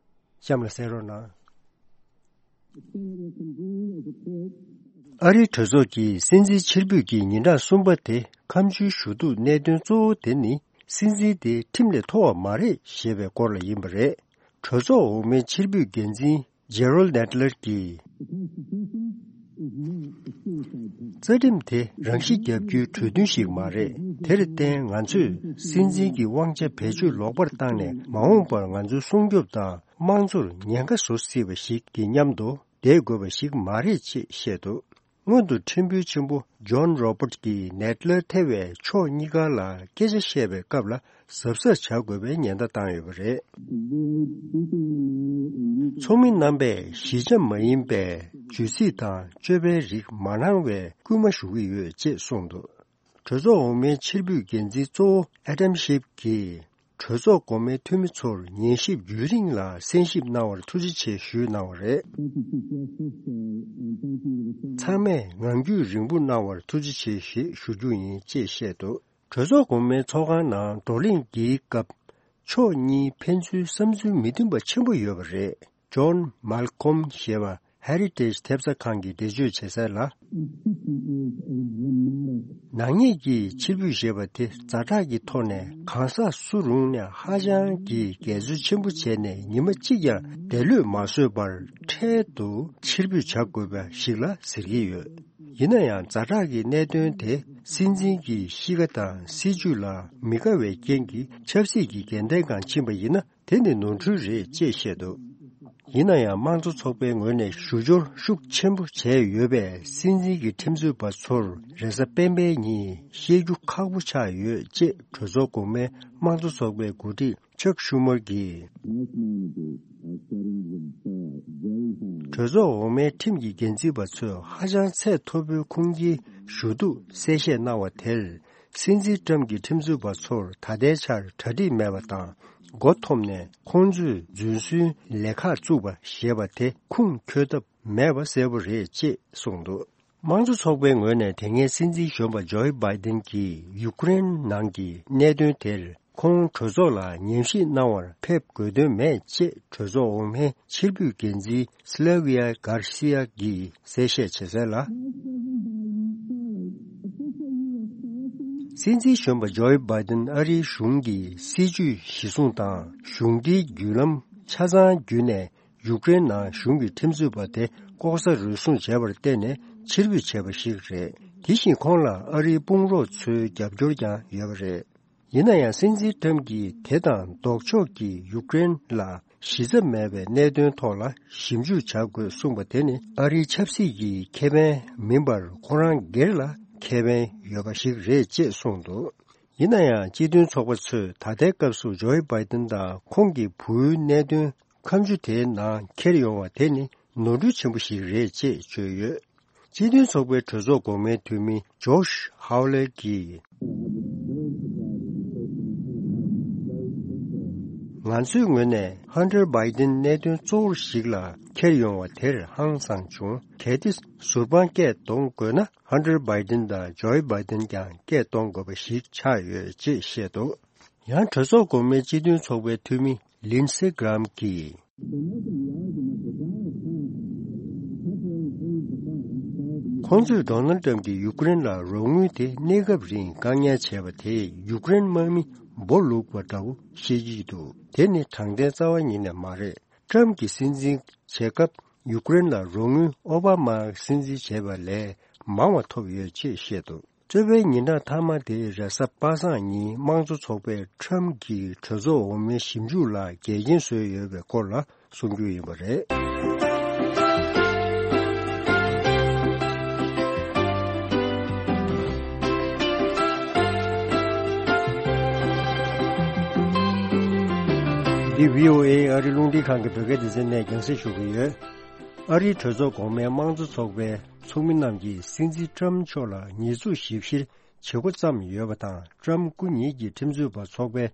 གཤམ་ལ་གསན་རོགས་གནང་། ཨ་རིའི་གྲོས་ཚོགས་ཀྱིས་སྲིད་འཛིན་ཕྱིར་འབུད་ཀྱི་ཉིན་གྲངས་གསུམ་པ་དེ་ཁ་མཆུའི་ཞུ་གཏུག་གནད་དོན་གཙོ་བོ་དེ་ནི་སྲིད་འཛིན་དེ་ཁྲིམས་ལས་མཐོ་བ་མ་རེད་ཞེས་པའི་སྐོར་ལ་ཡིན་པ་རེད། གྲོས་ཚོགས་འོག་མའི་ཕྱིར་འབུད་འགན་འཛིན་ཇེ་རོལ་ནེ་ཏི་ལར་གྱིས། རྩ་ཁྲིམས་དེ་རང་ཤི་བརྒྱབ་རྒྱུའི་གྲོས་མཐུན་ཞིག་མ་རེད། དེར་བརྟེན་ང་ཚོས་སྲིད་འཛིན་གྱི་དབང་ཆ་བེད་སྤྱོད་ལོག་པར་བཏང་ནས་མ་འོངས་པར་ང་ཚོའི་སྲུང་སྐྱོབ་དང་དམངས་གཙོར་ཉེན་ཁ་བཟོ་སྲིད་པ་ཞིག་གི་མཉམ་དུ་བསྡད་དགོས་པ་ཞིག་མ་རེད་ཅེས་བཤད་འདུག་སྔོན་དུ་ཁྲིམས་དཔོན་ཆེན་པོ་ཇོན་རོ་པར་གྱིས་ནེ་ཏི་ལར་ཐེ་བའི་ཕྱོགས་གཉིས་ཀ་ལ་སྐད་ཆ་བཤད་པའི་སྐབས་ལ་གཟབ་གཟབ་བྱ་དགོས་པའི་ཉེན་བརྡ་བཏང་ཡོད་པ་རེད། ཚོགས་མི་རྣམ་པས་གཞིས་ཆགས་མ་ཡིན་པའི་བརྗོད་ཚིག་དང་སྤྱོད་པའི་རིགས་མ་གནང་བའི་སྐུལ་མ་ཞུ་གི་ཡོད་ཅེས་གསུངས་འདུག་གྲོས་ཚོགས་འོག་མའི་ཕྱིར་འབུད་འགན་འཛིན་གཙོ་བོ་ཨེ་ཌམ་ཤིབ་ཀྱིས། གྲོས་ཚོགས་གོང་མའི་འཐུས་མི་ཚོར་ཉན་ཞིབ་རྒྱུན་རིང་ལ་གསན་ཞིབ་གནང་བར་ཐུགས་རྗེ་ཆེ་ཞུས་གནང་བ་རེད། ཚང་མས་ངང་རྒྱུད་རིང་པོ་གནང་བར་ཐུགས་རྗེ་ཆེ་ཞེས་ཞུ་རྒྱུ་ཡིན་ཅེས་བཤད་འདུག་གྲོས་ཚོགས་གོང་མའི་ཚོགས་ཁང་ནང་བགྲོ་གླེང་གི་སྐབས་ཕྱོགས་གཉིས་ཕན་ཚུན་བསམ་ཚུལ་མི་མཐུན་པ་ཆེན་པོ་ཡོད་པ་རེད། ཇོན་མལ་ཁོམ་ཞེས་པ་ཧེ་རི་ཊེཇ་ཐེབས་རྩ་ཁང་གིས་འགྲེལ་བརྗོད་བྱེད་གསལ་ལ། ནག་ཉེས་ཀྱིས་ཕྱིར་འབུད་ཞེས་པ་དེ་ཛ་དྲག་གི་ཐོག་ནས་གང་ཟག་སུ་རུང་ནས་ཧ་ཅང་གི་འགལ་འཛོལ་ཆེན་པོ་བྱས་ནས་ཉི་མ་གཅིག་ཀྱང་འདས་ལོས་མ་བཟོས་པར་འཕྲལ་དུ་ཕྱིར་འབུད་བྱ་དགོས་པ་ཞིག་ལ་ཟེར་གྱི་ཡོད། ཡིན་ན་ཡང་ཛ་དྲག་གི་གནད་དོན་དེ་སྲིད་འཛིན་གྱི་གཤིས་ཀ་དང་སྲིད་བྱུས་ལ་མི་དགའ་བའི་རྐྱེན་གྱིས་ཆབ་སྲིད་ཀྱི་འགལ་ཟླའི་སྒང་ཕྱིན་པ་ཡིན་ན། དེ་ནི་ནོར་འཁྲུལ་རེད་ཅེས་བཤད་འདུག་ཡིན་ན་ཡང་དམངས་གཙོ་ཚོགས་པའི་ངོས་ནས་ཞུ་སྦྱོར་ཤུགས་ཆེན་པོ་བྱས་ཡོད་པས་སྲིད་འཛིན་གྱི་ཁྲིམས་རྩོད་པ་ཚོར་རེས་གཟའ་སྤེན་པའི་ཉིན་བཤད་རྒྱུ་ཁག་པོ་ཆགས་ཡོད་ཅེས་གྲོས་ཚོགས་གོང་མའི་དམངས་གཙོ་ཚོགས་པའི་འགོ་ཁྲིད་ཅག་ཤུ་མར་གྱིས། གྲོས་ཚོགས་འོག་མའི་ཁྲིམས་ཀྱི་འགན་འཛིན་པ་ཚོས་ཧ་ཅང་ཚད་མཐོ་པོའི་ཁུངས་སྐྱེལ་ཞུ་གཏུག་གསལ་བཤད་གནང་བ་དེར། སྲིད་འཛིན་ཏྲམ་གྱི་ཁྲིམས་རྩོད་པ་ཚོར་ད་ལྟའི་ཆར་གྲ་སྒྲིག་མེད་པ་དང་། མགོ་འཐོམས་ནས་ཁོང་ཚོས་རྫུན་བཟོའི་ལས་ཁག་བཙུགས་པ་ཞེས་པ་དེ་ཁུངས་འཁྱོལ་ཐབས་མེད་པ་གསལ་པོ་རེད་ཅེས་གསུངས་འདུག་དམངས་གཙོ་ཚོགས་པའི་ངོས་ནས་དེ་སྔའི་སྲིད་འཛིན་གཞོན་པ་ཇོ་ཨི་བྷའི་ཏིན་གྱིས་ཡུཀ་རེན་ནང་གི་གནད་དོན་དེར་ཁོང་གྲོས་ཚོགས་ལ་ཉམས་ཞིབ་གནང་བར་ཕེབས་དགོས་དོན་མེད་ཅེས་གྲོས་ཚོགས་འོག་མའི་ཕྱིར་འབུད་འགན་འཛིན་སི་ལ་ཝི་ཡ་གྷར་སི་ཡ་གིས་གསལ་བཤད་བྱས་གསལ་ལ། སྲིད་འཛིན་གཞོན་པ་ཇོ་ཨི་བྷའི་ཏིན་ཨ་རིའི་གཞུང་གི་སྲིད་ཇུས་གཞི་བཟུང་དང་གཞུང་འབྲེལ་བརྒྱུད་ལམ་ཆ་ཚང་བརྒྱུད་ནས་ཡུཀ་རེན་ནང་གཞུང་གི་ཁྲིམས་རྩོད་པ་དེ་ལྐོག་ཟ་རུལ་སུངས་བྱས་པར་བརྟེན་ནས་ཕྱིར་འབུད་བྱས་པ་ཞིག་རེད། དེ་བཞིན་ཁོང་ལ་ཨ་རིའི་དཔུང་རོགས་ཚོའི་རྒྱབ་སྐྱོར་ཀྱང་ཡོད་པ་རེད། ཡིན་ན་ཡང་སྲིད་འཛིན་ཏྲམ་གྱིས་དེ་དང་ལྡོག་ཕྱོགས་ཀྱིས་ཡུཀ་རེན་ལ་གཞི་རྩ་མེད་པའི་གནད་དོན་ཐོག་ལ་ཞིབ་འཇུག་བྱ་དགོས་གསུངས་པ་དེ་ནི་ཨ་རིའི་ཆབ་སྲིད་ཀྱི་ཁེ་ཕན་མིན་པར་ཁོ་རང་སྒེར་ལ་ཁེ་ཕན་ཡོད་པ་ཞིག་རེད་ཅེས་གསུངས་འདུག་ཡིན་ན་ཡང་སྤྱི་མཐུན་ཚོགས་པ་ཚོས་ད་ལྟའི་སྐབས་སུ་ཇོ་ཨི་བྷའི་ཏིན་དང་ཁོང་གི་བུའི་གནད་དོན་ཁ་མཆུ་དེའི་ནང་འཁྱེར་ཡོང་བ་དེ་ནི་ནོར་འཁྲུལ་ཆེན་པོ་ཞིག་རེད་ཅེས་བརྗོད་ཡོད། སྤྱི་མཐུན་ཚོགས་པའི་གྲོས་ཚོགས་གོང་མའི་འཐུས་མི་ཇོཤ་ཧའོ་ལེ་གིས། ང་ཚོའི་ངོས་ནས་ཧན་ཏར་བྷའི་ཏིན་གནད་དོན་གཙོ་བོ་ཞིག་ལ་འཁྱེར་ཡོང་བ་དེར་ཧང་སངས་བྱུང་། གལ་ཏེ་ཟུར་དཔང་སྐད་གཏོང་དགོས་ན་ཧན་ཏར་བྷའི་ཏིན་དང་ཇོ་ཨི་བྷའི་ཏིན་ཀྱང་སྐད་གཏོང་དགོས་པ་ཞིག་ཆགས་ཡོད་ཅེས་བཤད་འདུག་ཡང་གྲོས་ཚོགས་གོང་མའི་སྤྱི་མཐུན་ཚོགས་པའི་འཐུས་མི་ལིན་སེ་གྷ་རམ་གྱིས། ཁོང་ཚོས་ཌོ་ནལ་ཏྲམ་གྱིས་ཡུཀ་རེན་ལ་རོགས་དངུལ་དེ་གནས་སྐབས་རིང་བཀག་ཉར་བྱས་པ་དེས་ཡུཀ་རེན་དམག་མི་སྦོ་ལུག་པ་འདྲ་བོ་བཤད་ཀྱི་འདུག་དེ་ནི་དྲང་བདེན་རྩ་བ་ཉིད་ནས་མ་རེད། ཏྲམ་གྱིས་སྲིད་འཛིན་བྱེད་སྐབས་ཡུཀ་རེན་ལ་རོགས་དངུལ་ཨོ་བྷ་མ་སྲིད་འཛིན་བྱས་པ་ལས་མང་བ་ཐོབ་ཡོད་ཅེས་བཤད་འདུག་རྩོད་པའི་ཉིན་གྲངས་མཐའ་མ་དེ་རེས་གཟའ་པ་སངས་ཉིན་དམངས་གཙོ་ཚོགས་པས་ཁྲམ་གྱིས་གྲོས་ཚོགས་འོག་མའི་ཞིབ་འཇུག་ལ་འགལ་རྐྱེན་བཟོས་ཡོད་པའི་སྐོར་ལ་གསུང་རྒྱུ་ཡིན་པ་རེད། འདི་བྷི་ཨོ་ཨེ་ཨ་རིའི་རླུང་འཕྲིན་ཁང་གི་བོད་སྐད་སྡེ་ཚན་ནས་རྒྱང་སྲིང་ཞུ་གི་ཡོད། ཨ་རིའི་གྲོས་ཚོགས་གོང་མའི་དམངས་གཙོ་ཚོགས་པའི་ཚོགས་མི་རྣམས་ཀྱིས་སྲིད་འཛིན་ཊམ་མཆོག་ལ་ཉེས་འཛུགས་ཞིབ་བཤེར་བྱེད་འགོ་བརྩམས་ཡོད་པ་དང་། ཊམ་སྐུ་ཉིད་ཀྱི་ཁྲིམས་རྩོད་པ་ཚོགས་པའི་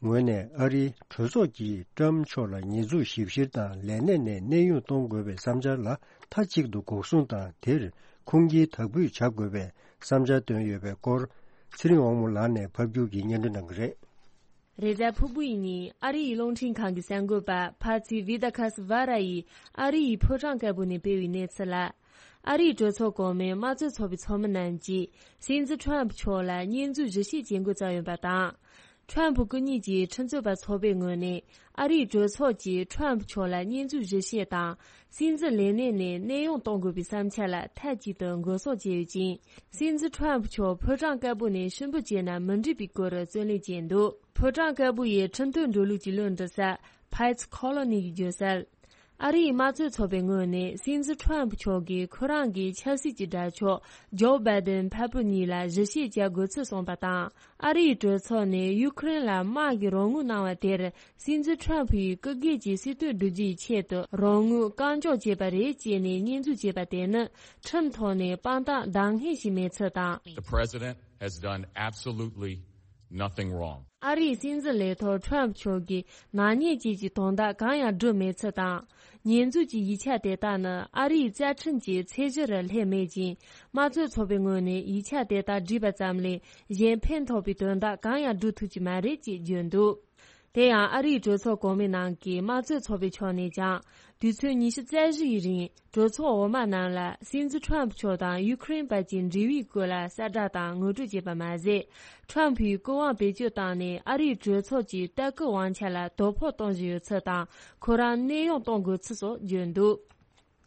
ངོས་ནས་ཨ་རིའི་གྲོས་ཚོགས་ཀྱིས་ཊམ་མཆོག་ལ་ཉེས་འཛུགས་ཞིབ་བཤེར་དང་ལས་གནས་ནས་གནས་དབྱུང་གཏོང་དགོས་པའི་བསམ་འཆར་ལ་མཐའ་གཅིག་ཏུ་འགོག་སྲུང་དང་། དེར་ཁུངས་སྐྱེལ་དག་འབུལ་བྱ་དགོས་པའི་བསམ་འཆར་བཏོན་ཡོད་པའི་སྐོར། ཚེ་རིང་དབང་མོ་ལགས་ནས་ཕབ་སྒྱུར་གྱིས་སྙན་སྒྲོན་གནང་གི་རེད། རེས་གཟའ་ཕུར་བུ་ཡི་ཉིན་ཨ་རིའི་རླུང་འཕྲིན་ཁང་གི་གསར་འགོད་པ་ཕ་ཚི་བི་ད་ཁ་སི་ཝ་ར་ཡིས་ཨ་རི་ཡི་ཕོ་བྲང་དཀར་པོ་ནས་སྤེལ་བའི་གནས་ཚུལ་ལ། ཨ་རིའི་གྲོས་ཚོགས་གོང་མའི་དམངས་གཙོ་ཚོགས་པའི་ཚོགས་མི་རྣམས་ཀྱིས་སྲིད་འཛིན་ཁྲོམ་ཕུ་མཆོག་ལ་ཉེས་འཛུགས་ཞིབ་བཤེར་བྱེད་འགོ་བརྩམས་ཡོད་པ་དང་། ཁྲོམ་ཕུ་སྐུ་ཉིད་ཀྱི་ཁྲིམས་རྩོད་པ་ཚོགས་པའི་ངོས་ནས་ཨ་རིའི་གྲོས་ཚོགས་ཀྱིས་ཁྲོམ་ཕུ་མཆོག་ལ་ཉེས་འཛུགས་ཞིབ་བཤེར་དང་། སྲིད་འཛིན་ལས་གནས་ནས་གནས་དབྱུང་གཏོང་དགོས་པའི་བསམ་འཆར་ལ་མཐའ་གཅིག་ཏུ་འགོག་སྲུང་བྱས་ཡོད་ཅིང་། སྲིད་འཛིན་ཁྲོམ་ཕུ་མཆོག་ཕོ་བྲང་དཀར་པོ་ནས་ཕྱིར་འབུད་བྱས་ན་མི་འགྲིག་པའི་སྐོར་རྩོད་ལེན་བྱས་འདུག་ཕོ་བྲང་དཀར་པོ་ཡི་ཁྲིམས་དོན་འགྲོ་ལུགས་ཀྱི་བློ་འདྲི་ས་Pyatt Colony་གིས་བརྗོད་གསལ། ཨ་རིའི་དམངས་གཙོའི་ཚོགས་པའི་ངོས་ནས་སྲིད་འཛིན་ཁྲོམ་ཕུ་མཆོག་གིས་ཁོ་རང་གི་ཆབ་སྲིད་ཀྱི་དགྲ་ཕྱོགས་ཇོ་བྷའི་ཏིན་ཕ་བུ་གཉིས་ལ་ཞིབ་བཤེར་བྱ་དགོས་ཚུལ་གསུངས་པ་དང་། ཨ་རིའི་གྲོས་ཚོགས་ནས་ཡུ་ཁུ་རེན་ལ་དམག་གི་རོགས་དངུལ་གནང་བ་དེར། སྲིད་འཛིན་ཁྲོམ་ཕུ་ཡིས་སྐུ་སྒེར་གྱི་སྲིད་དོན་བསྒྲུབ་རྒྱུའི་ཆེད་དུ་རོགས་དངུལ་བཀག་འཇོག་བྱས་པ་རེད་ཅེས་ནས་ཉེས་འཛུགས་བྱས་པ་དེ་ནི་ཁྲིམས་ཐོག་ནས་དཔང་རྟགས་འདང་ངེས་ཤིག་མེད་ཚུལ་དང་། The president has done absolutely nothing wrong. ཨ་རིའི་སྲིད་འཛིན་ལས་ཐོག་ཁྲོམ་ཕུ་མཆོག་གིས་ནག་ཉེས་བཅས་ཀྱི་དོན་དག་གང་ཡང་བསྒྲུབས་མེད་ཚུལ་དང་། ཉེས་འཛུགས་ཀྱི་ཡིག་ཆ་དེ་དག་ནི་ཨ་རིའི་རྩ་ཁྲིམས་ཀྱི་ཚད་གཞི་རུ་སླེབས་མེད་ཅིང་། དམངས་གཙོའི་ཚོགས་པའི་ངོས་ནས་ཡིག་ཆ་དེ་དག་བསྒྲིགས་པ་ཙམ་ལས་གཞན་ཕན་ཐོགས་པའི་དོན་དག་གང་ཡང་བསྒྲུབ་ཐུབ་ཀྱི་མ་རེད་ཅེས་བརྗོད་འདུག་དེ་ཡང་ཨ་རིའི་གྲོས་ཚོགས་གོང་མའི་ནང་གི་དམངས་གཙོའི་ཚོགས་པའི་ཕྱོགས་ནས་ཀྱང་། དུས་ཚོད་ཉི་ཤུ་རྩ་བཞི་ཡི་རིང་གྲོས་ཚོགས་འོག་མ་རྣམས་ལ་སྲིད་འཛིན་ཁྲོམ་ཕུ་མཆོག་དང་ཡུ་ཁུ་རེན་བར་གྱི་འབྲེལ་བའི་སྐོར་ལ་གསལ་བསྒྲགས་དང་ངོ་སྤྲོད་བྱས་པ་མ་ཟད། ཁྲོམ་ཕུའི་སྐུ་དབང་བེད་སྤྱོད་བཏང་ནས་ཨ་རིའི་གྲོས་ཚོགས་ཀྱི་ལྟ་སྐུལ་དབང་ཆ་ལ་དོ་ཕོག་གཏོང་བཞིན་ཡོད་ཚུལ་དང་། ཁོ་རང་གནས་དབྱུང་གཏོང་དགོས་ཚུལ་སོགས་བརྗོད་འདུག་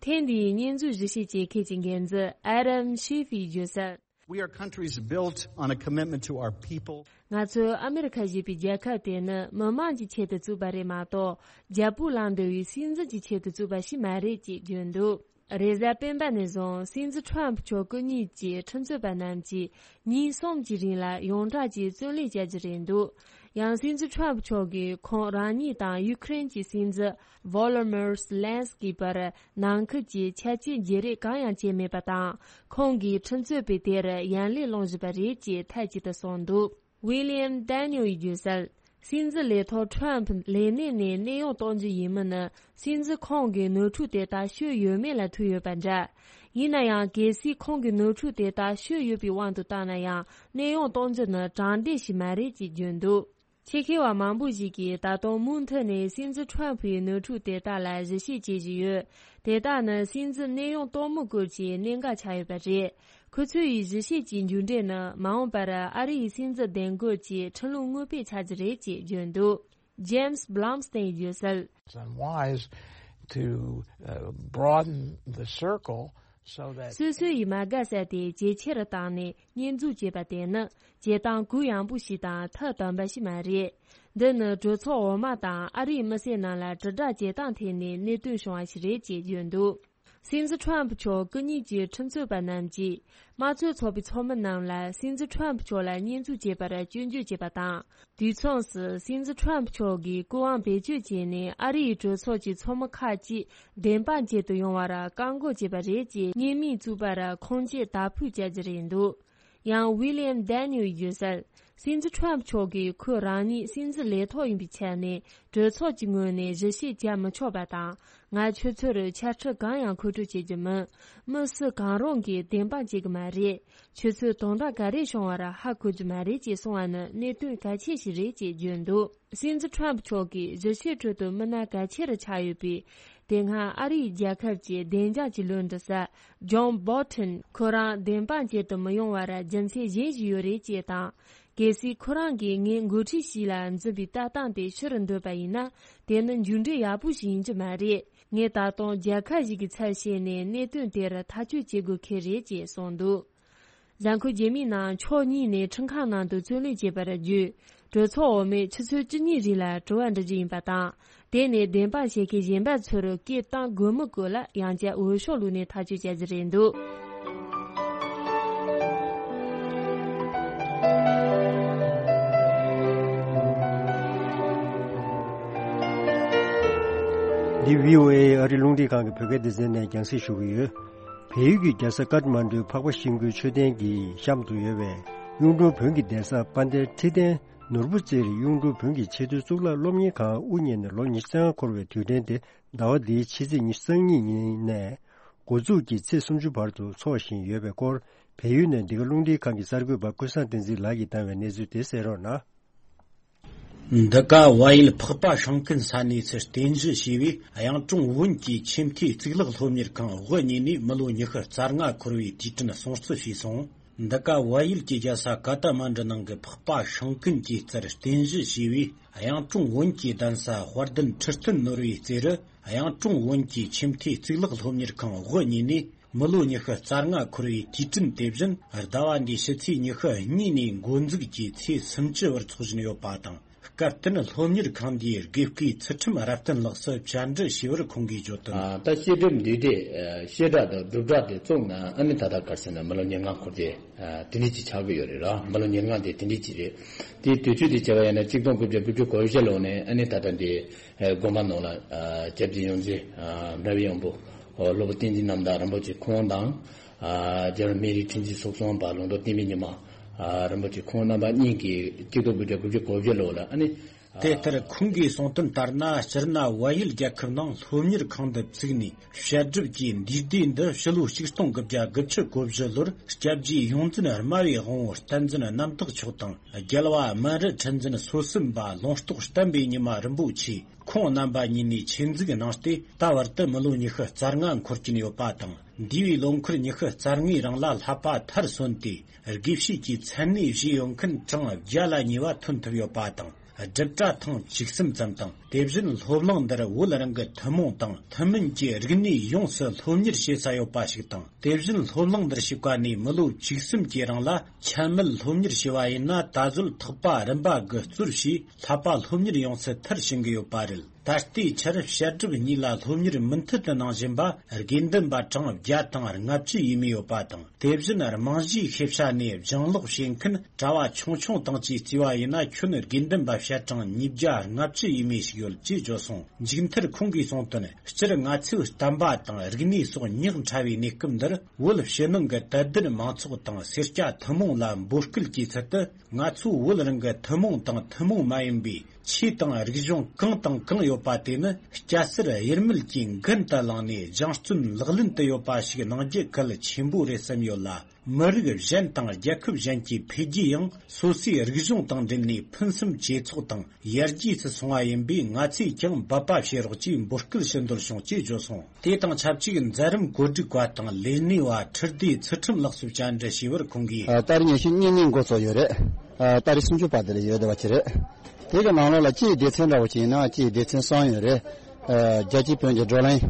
ཐེངས་འདིའི་ཉེས་འཛུགས་ཞིབ་བཤེར་བྱེད་མཁན་གྱི་འགན་འཛིན་ཨ་རམ་ཤི་ཧྥིས་བརྗོད་གསལ། We are countries built on a commitment to our people. ང་ཚོ་ཨ་མེ་རི་ཁ་ཞེས་པའི་རྒྱལ་ཁབ་དེ་ནི་མི་དམངས་ཀྱི་ཆེད་དུ་བཙུགས་པ་རེད་མ་གཏོགས། རྒྱལ་པོ་ལངས་འདོད་པའི་སྲིད་འཛིན་གྱི་ཆེད་དུ་བཙུགས་པ་ཞིག་མ་རེད་ཅེས་བརྗོད་འདུག་རེས་གཟའ་སྤེན་པ་ནས་བཟུང་སྲིད་འཛིན་ཁྲོམ་ཕུ་མཆོག་སྐུ་ཉིད་ཀྱི་ཁྲིམས་རྩོད་པ་རྣམས་ཀྱིས་ཉིན་གསུམ་གྱི་རིང་ལ་ཡོངས་གྲགས་ཀྱི་བཙོན་ལས་བྱ་རྒྱུ་རེད་འདུག་ཡང་སྲིད་འཛིན་ཁྲོམ་ཕུ་མཆོག་གིས་ཁོང་རང་ཉིད་དང་ཡུ་ཁུ་རེན་གྱི་སྲིད་འཛིན་Volodymyr Zelensky་བར་ནང་ཁུལ་གྱི་ཆ་རྐྱེན་བརྗེ་རེས་གང་ཡང་བྱས་མེད་པ་དང་། ཁོང་གིས་ཁྲིམས་རྩོད་པས་དེར་ཡ་ལན་སློང་བཞིན་པ་རེད་ཅེས་མཐའ་གཅིག་ཏུ་གསུངས་འདུག William Daniel་ཡིས་བརྗོད་གསལ། སྲིད་འཛིན་ལས་ཐོག་ཁྲོམ་ཕུ་ལས་གནས་ནས་གནས་དབྱུང་གཏོང་རྒྱུ་ཡིན་མིན་ནི། སྲིད་འཛིན་ཁོང་གི་ནོར་འཁྲུལ་དེ་དག་ཤོད་ཡོད་མེད་ལ་ཐུག་ཡོད་པ་འདྲ། ཡིན་ན་ཡང་། གལ་སྲིད་ཁོང་གི་ནོར་འཁྲུལ་དེ་དག་ཤོད་ཡོད་པའི་དབང་དུ་བཏང་ན་ཡང་། གནས་དབྱུང་གཏོང་རྒྱུ་ནི་དྲང་བདེན་ཞིག་མ་རེད་ཅེས་བརྗོད་འདུག་ཆེད་མཁས་པ་མང་པོ་ཞིག་གིས་ད་དུང་མུ་མཐུད་ནས་སྲིད་འཛིན་ཁྲོམ་ཕུའི་ནོར་འཁྲུལ་དེ་དག་ལ་ཞིབ་བཤེར་བྱེད་བཞིན་ཡོད། དེ་དག་ནི་སྲིད་འཛིན་གནས་དབྱུང་གཏོང་མུས་སྐོར་གྱི་གནད་འགག་ཆགས་ཡོད་པ་རེད། ཁོ་ཚོ་ཡི་ཞིབ་བཤེར་གྱི་མཇུག་འབྲས་ནི་མ་འོངས་པར་ཨ་རི་ཡི་སྲིད་འཛིན་གདན་འགོད་ཀྱི་ཁྲིམས་ལུགས་དངོས་དཔེ་ཆགས་རྒྱུ་རེད་ཅེས་བརྗོད་འདུག James Blumstein་ཡིས་བརྗོད་གསལ། It's unwise to, uh, broaden the circle so that སོ་སོ་ཡི་མ་དགའ་ས་དེ་ཇེ་ཆེ་རུ་བཏང་ནས་ཉེས་འཛུགས་བྱེད་པ་དེ་ནི་བྱེད་སྟངས་གུ་ཡངས་པོ་ཞིག་དང་ཐབས་དམ་པ་ཞིག་མ་རེད། འདི་ནི་གྲོས་ཚོགས་འོག་མ་དང་ཨ་རིའི་མི་སེར་རྣམས་ལ་དྲིལ་བསྒྲགས་བྱེད་སྟངས་ཐད་ནས་གནད་དོན་བྱུང་བ་ཞིག་རེད་ཅེས་བརྗོད་འདུག་སྲིད་འཛིན་ཁྲོམ་ཕུ་མཆོག་སྐུ་ཉིད་ཀྱི་ཁྲིམས་རྩོད་པ་རྣམས་ཀྱིས་དམངས་གཙོའི་ཚོགས་པའི་ཚོགས་མི་རྣམས་ལ་སྲིད་འཛིན་ཁྲོམ་ཕུ་མཆོག་ལ་ཉེས་འཛུགས་བྱས་པར་སྐྱོན་བརྗོད་བྱས་པ་དང་། དུས་མཚུངས་སུ་སྲིད་འཛིན་ཁྲོམ་ཕུ་མཆོག་གིས་སྐུ་དབང་བེད་སྤྱོད་བྱས་ནས་ཨ་རིའི་གྲོས་ཚོགས་ཀྱི་ཚོགས་མི་ཁག་ཅིག་བདེན་དཔང་ཅན་དུ་ཡོང་བར་བཀག་འགོག་བྱས་པ་རེད་ཅེས་བརྙན་མིང་བཙུགས་པར་ཁུངས་སྐྱེལ་དག་ཕུལ་བྱ་རྒྱུ་རེད་འདུག་ཡང་William Daniel་ཡིས་བརྗོད་གསལ། སྲིད་འཛིན་ཁྲོམ་ཕུ་མཆོག་གིས་ཁོས་རང་ཉིད་སྲིད་འཛིན་ལས་ཐོག་ཡིན་པའི་ཆ་ནས་གྲོས་ཚོགས་ཀྱི་ངོས་ནས་ཞིབ་བཤེར་བྱ་མི་ཆོག་པ་དང་། ང་ཁྱོད་ཚོར་ཕྱག་ཁྲིད་གང་ཡང་མཁོ་སྤྲོད་བྱེད་རྒྱུ་མིན། མི་སུ་གང་རུང་གིས་བདེན་དཔང་བྱེད་ཀྱི་མ་རེད། ཁྱོད་ཚོས་དོན་དག་ག་རེ་བྱུང་བར་ཧ་གོ་རྒྱུ་མ་རེད་ཅེས་གསུངས་པ་ནི་གནད་དོན་གལ་ཆེ་ཞིག་རེད་ཅེས་བརྗོད་འདུག་སྲིད་འཛིན་ཁྲོམ་ཕུ་མཆོག་གིས་ཞིབ་བཤེར་ཁྲོད་དུ་མི་སྣ་གལ་ཆེ་རུ་ཆགས་ཡོད་པའི། དེ་སྔ་ཨ་རིའི་རྒྱལ་ཁབ་ཀྱི་བདེ་འཇགས་ཀྱི་བློ་འདྲི་ས་John Bolton་ཁོ་རང་བདེན་དཔང་བྱེད་དུ་མི་ཡོང་བར་རྒྱུ་མཚན་གཞན་ཞིག་ཡོད་རེད་ཅེས་དང་། གལ་སྲིད་ཁོ་རང་གིས་ངས་འགོ་ཁྲིད་ཞིག་ལ་འཛིན་པའི་ལྟ་སྟངས་དེ་ཕྱིར་འདོད་པ་ཡིན་ན། དེ་ནི་མཇུག་འབྲས་ཡག་པོ་ཞིག་ཡིན་རྒྱུ་མ་རེད། ངས་ད་དུང་རྒྱལ་ཁབ་ཞིག་གི་ཚབ་བྱས་ནས་གནད་དོན་དེར་ཐག་གཅོད་བྱེད་དགོས་ཁེལ་རེད་ཅེས་གསུངས་འདུག་གཟའ་འཁོར་རྗེས་མའི་ནང་ཕྱོགས་གཉིས་ནས་ཁྲིམས་ཁང་ནང་དུ་རྩོད་གླེང་བྱས་པ་བརྒྱུད། གྲོས་ཚོགས་འོག་མས་ཆུ་ཚོད་བཅུ་གཉིས་རིང་ལ་དྲི་བ་འདྲི་རྒྱུ་ཡིན་པ་དང་། དེ་ནས་བདེན་དཔང་བྱེད་མཁན་གཞན་པ་ཚོར་སྐད་བཏང་དགོས་མི་སྐོར་ལ་ཡང་བསྐྱར་འོས་ཤོག་བླུགས་ནས་ཐག་གཅོད་བྱ་རྒྱུ་རེད་འདུག་འདི་བྷི་ཨོ་ཨེ་ཨ་རི་རླུང་འཕྲིན་ཁང་གི་བོད་སྐད་སྡེ་ཚན་ནས་རྒྱང་སྲིང་ཞུ་གི་ཡོད། བལ་ཡུལ་གྱི་རྒྱལ་ས་ཀཏ་མན་ཌུའི་འཕགས་པ་ཤིང་ཀུན་མཆོད་རྟེན་གྱི་གཤམ་དུ་ཡོད་པའི་གཡུང་དྲུང་བོན་གྱི་གདན་ས་དཔལ་ལྡན་ཁྲི་བརྟན་ནོར་བུ་རྩེའི་གཡུང་དྲུང་བོན་གྱི་ཆེས་མཐོའི་གཙུག་ལག་སློབ་གཉེར་ཁང་དབུ་བརྙེས་ནས་ལོ་ཉི་ཤུ་རྩ་ལྔ་འཁོར་བའི་དུས་དྲན་དེ་ཟླ་བ་འདིའི་ཕྱི་ཚེས་ཉི་ཤུ་རྩ་གཉིས་ཉིན་ནས་འགོ་འཛུགས་ཀྱིས་ཚེས་སུམ་ཅུ་བར་དུ་འཚོགས་བཞིན་ཡོད་པའི་སྐོར། བལ་ཡུལ་ནས་འདི་ག་རླུང་འཕྲིན་ཁང་གི་གསར་འགོད་པ་ཀུན་བཟང་བསྟན་འཛིན་ལགས་ཀྱིས་བཏང་བའི་གནས་ཚུལ་དེ་གསན་རོགས་གནང་། འདི་ག་བལ་ཡུལ་འཕགས་པ་ཤིང་ཀུན་ས་གནས་སུ་རྟེན་གཞི་བྱས་པའི་གཡུང་དྲུང་བོན་གྱི་ཆེས་མཐོའི་གཙུག་ལག་སློབ་གཉེར་ཁང་དབུ་བརྙེས་ནས་མི་ལོ་ཉི་ཤུ་རྩ་ལྔ་འཁོར་བའི་དུས་དྲན་སྲུང་བརྩི་ཞུས་སོང་། འདི་ག་བལ་ཡུལ་གྱི་རྒྱལ་ས་ཀ་ཏ་མན་ཌུ་ནང་གི་འཕགས་པ་ཤིང་ཀུན་གྱི་རྩར་རྟེན་གཞི་བྱས་པའི་གཡུང་དྲུང་བོན་གྱི་གདན་ས་དཔལ་ལྡན་ཁྲི་བརྟན་ནོར་བུའི་རྩེ་རུ་གཡུང་དྲུང་བོན་གྱི་ཆེས་མཐོའི་གཙུག་ལག་སློབ་གཉེར་ཁང་དབུ་བརྙེས་ནས། མི་ལོ་ཉི་ཤུ་རྩ་ལྔ་འཁོར་བའི་དུས་དྲན་དེ་བཞིན་ཟླ་བ་འདིའི་ཕྱི་ཚེས་ཉི་ཤུ་གཉིས་ནས་འགོ་འཛུགས་ཀྱིས་ཚེས་སུམ་ཅུ་བར་འཚོགས་བཞིན་ཡོད་པ་དང་། སྐབས་དེར་སློབ་གཉེར་ཁང་འདིའི་དགེ་བསྐོས་ཚུལ་ཁྲིམས་རབ་བརྟན་ལགས་སུ་བཅར་འདྲི་ཞུས་པར་ཁོང་གིས་བརྗོད་དོན། ཨ། ད་བཤད་སྒྲུབ་འདུས་སྡེ་ཨ་བཤད་གྲྭ་དང་སྒྲུབ་གྲྭ་དེ་བཙུགས་ན་ཨ་ནི་ད་ལྟ་ག་རེ་ཟེར་ན་མི་ལོ་ཉེར་ལྔ་འཁོར་དེ་ཨ་དེ་འདྲ་ཅིག་ཆགས་ཀྱི་ཡོད་རེད་ར། མི་ལོ་ཉེར་ལྔ་དེ་དེ་འདྲ་ཅིག་རེད། དེའི་དུས་ཚོད་དེ་བྱས་པ་ཡིན་ན་གཅིག་སྟོང་དགུ་བརྒྱ་དགུ་བཅུ་གོ་བཞི་ལོ་ནས་ཨ་ནི་ད་ལྟ་འདི་ཨ་དགོན་པ་ནང་ལ་ཨ་སྐྱབས་རྗེ་ཡོངས་འཛིན་ཨ་འབྲས་བུ་ཡོན་པོ་ཨོ་སློབ་དཔོན་བསྟན་འཛིན་རྣམ་དག་རིན་པོ་ཆེ་ཁོང་དང་། ཨ་རྒྱལ་བ་སྨན་རིའི་ཁྲི་འཛིན་ཚོགས་གཙོ་པ་ལུང་རྟོགས་བསྟན་པའི་ཉི་མ་ཨ་རིན་པོ་ཆེ་ཁོང་རྣམ་པ་གཉིས་ཀྱིས་གཅིག་སྟོང་དགུ་བརྒྱ་དགུ་བཅུ་གོ་བཞི་ལོ་ལ་ཨ་ནི། དེ་ལྟར་ཁོང་གིས་གསུངས་དོན་ལྟར་ན། སྤྱིར་ན་བལ་ཡུལ་རྒྱལ་ཁབ་ནང་སློབ་གཉེར་ཁང་འདི་བཙུགས་ནས་བཤད་སྒྲུབ་ཀྱི་འདུས་སྡེ་འདི་ཕྱི་ལོ་ཆིག་སྟོང་དགུ་བརྒྱ་དགུ་བཅུ་གོ་བཞི་ལོར་སྐྱབས་རྗེ་ཡོངས་འཛིན་སྨྲ་བའི་དབང་པོ་བསྟན་འཛིན་རྣམ་དག་མཆོག་དང་། རྒྱལ་བ་སྨན་རི་ཁྲི་འཛིན་སོ་གསུམ་པ་ལུང་རྟོགས་བསྟན་པའི་ཉི་མ་རིན་པོ་ཆེ་ཁོང་རྣམ་པ་གཉིས་ནས་ཆེད་འཛུགས་གནང་སྟེ། ད་བར་དུ་མི་ལོ་ཉི་ཤུ་རྩ་ལྔ་འཁོར་གྱིན་ཡོད་པ་དང་། འདས་པའི་ལོ་འཁོར་ཉི་ཤུ་རྩ་ལྔའི་རིང་ལ་བསླབ་པ་མཐར་སོན་ཏེ། དགེ་བཤེས་ཀྱི་མཚན་གནས་བཞེས་ཡོད་མཁན་གྲངས་བརྒྱ་ལ་ཉེ་བ་ཐོན་ཐུབ་ཡོད་པ་དང་། སྒྲུབ་གྲྭ་ཐེངས་བཅུ་གསུམ་ཙམ་དང་། དེ་བཞིན་སློབ་གླིང་འདིར་བོད་རང་གི་ཐུན་མོང་དང་ཐུན་མིན་གྱི་རིག་གནས་ཡོངས་སུ་སློབ་གཉེར་བྱེད་ས་ཡོད་པ་ཞིག་དང་། དེ་བཞིན་སློབ་གླིང་འདིར་ཞུགས་པ་ནས་མི་ལོ་བཅུ་གསུམ་གྱི་རིང་ལ་ཆད་མེད་སློབ་གཉེར་བྱས་པ་ཡིན་ན། ད་གཟོད་ཐེག་པ་རིམ་པ་དགུ་གཙོར་བྱས་བསླབ་པ་སློབ་གཉེར་ཡོངས་སུ་མཐར་ཕྱིན་གྱི་ཡོད་པ་རེད། ད་ལྟའི་ཆར་བཤད་སྒྲུབ་གཉིས་ལ་སློབ་གཉེར་མུ་མཐུད་དུ་གནང་བཞིན་པ་དགེ་འདུན་པ་གྲངས་བརྒྱ་དང་ལྔ་བཅུ་ཡས་མས་ཡོད་པ་དང་། དེ་བཞིན་རྨང་གཞིའི་ཤེས་བྱ་ནས་སྦྱང་ཀློག་བྱེད་མཁན་གྲྭ་བ་ཆུང་ཆུང་དང་བཅས་བརྩིས་པ་ཡིན་ན། ཁྱོན་དགེ་འདུན་པ་བཤད་གྲངས་ཉིས་བརྒྱ་ལྔ་བཅུ་ཡས་མས་ཤིག་ཡོད་ཅེས་བརྗོད་སོང་། མཇུག་མཐར་ཁོང་གིས་གསུངས་དོན། སྤྱིར་ང་ཚོས་བསྟན་པ་དང་རིག་གནས་སོགས་ཉག་ཕྲ་བའི་གནས་སྐབས་འདིར། བོད་ཕྱི་ནང་གི་དད་ལྡན་མང་ཚོགས་དང་སེར་སྐྱ་ཐུན་མོང་ལ་འབོད་སྐུལ་གྱི་ཚུལ་དུ། ང་ཚོས་བོད་རང་གི་ཐུན་མོང་དང་ཐུན་མོང་མ་ཡིན་པའི་ཆོས་དང་རིག་གཞུང་གང་དང་གང་ཡོད་པ་དེ་ནི། སྐྱ་སེར་དབྱེར་མེད་ཀྱིས་འགན་དུ་བླངས་ནས་སྦྱང་བརྩོན་ལག་ལེན་དུ་ཡོད་པ་ཞིག་གནང་རྒྱུ་གལ་ཆེན་པོ་རེད་བསམ་ཡོད་ལ། མི་རིགས་གཞན་དང་རྒྱལ་ཁབ་གཞན་གྱི་འཕེལ་རྒྱས་ཡང་སོ་སོའི་རིག་གཞུང་དང་འབྲེལ་ནས་ཕུན་སུམ་ཇེ་ཚོགས་དང་ཡར་རྒྱས་སུ་སོང་བ་ཡིན་པས། ང་ཚོས་ཀྱང་འབད་པ་བྱེད་རོགས་ཅེས་འབོད་སྐུལ་ཞུ་འདོད་བྱུང་ཅེས་བརྗོད་སོང་། དེ་དང་ཆབས་ཅིག་མཛད་རིམ་གོ་སྒྲིག་པ་དང་ལས་སྣེ་བ་ཁྲི་ལྡེ་ཚུལ་ཁྲིམས་ལགས་སུ་བཅར་འདྲི་ཞུས་པར་ཁོང་གིས། ཨ། ཏ་རིག་ཉི་ཤུ་གཉིས་ཉིན་འགོ་ཚུགས་ཡོད་རེད། ཨ། ཏ་རིག་སུམ་ཅུ་པ་དེ་ལ་ཡོད་བསྡད་པ་ཅིག་རེད། དེ་གི་ནང་ལོགས་ལ་སྤྱིའི་སྡེ་ཚན་འདྲ་བོ་ཅིག་ཡིན་ན་སྤྱིའི་སྡེ་ཚན་གསུམ་ཡོད་རེད། ཨ། རྒྱལ་སྤྱིའི་བོན་གྱི་བགྲོ་གླེང་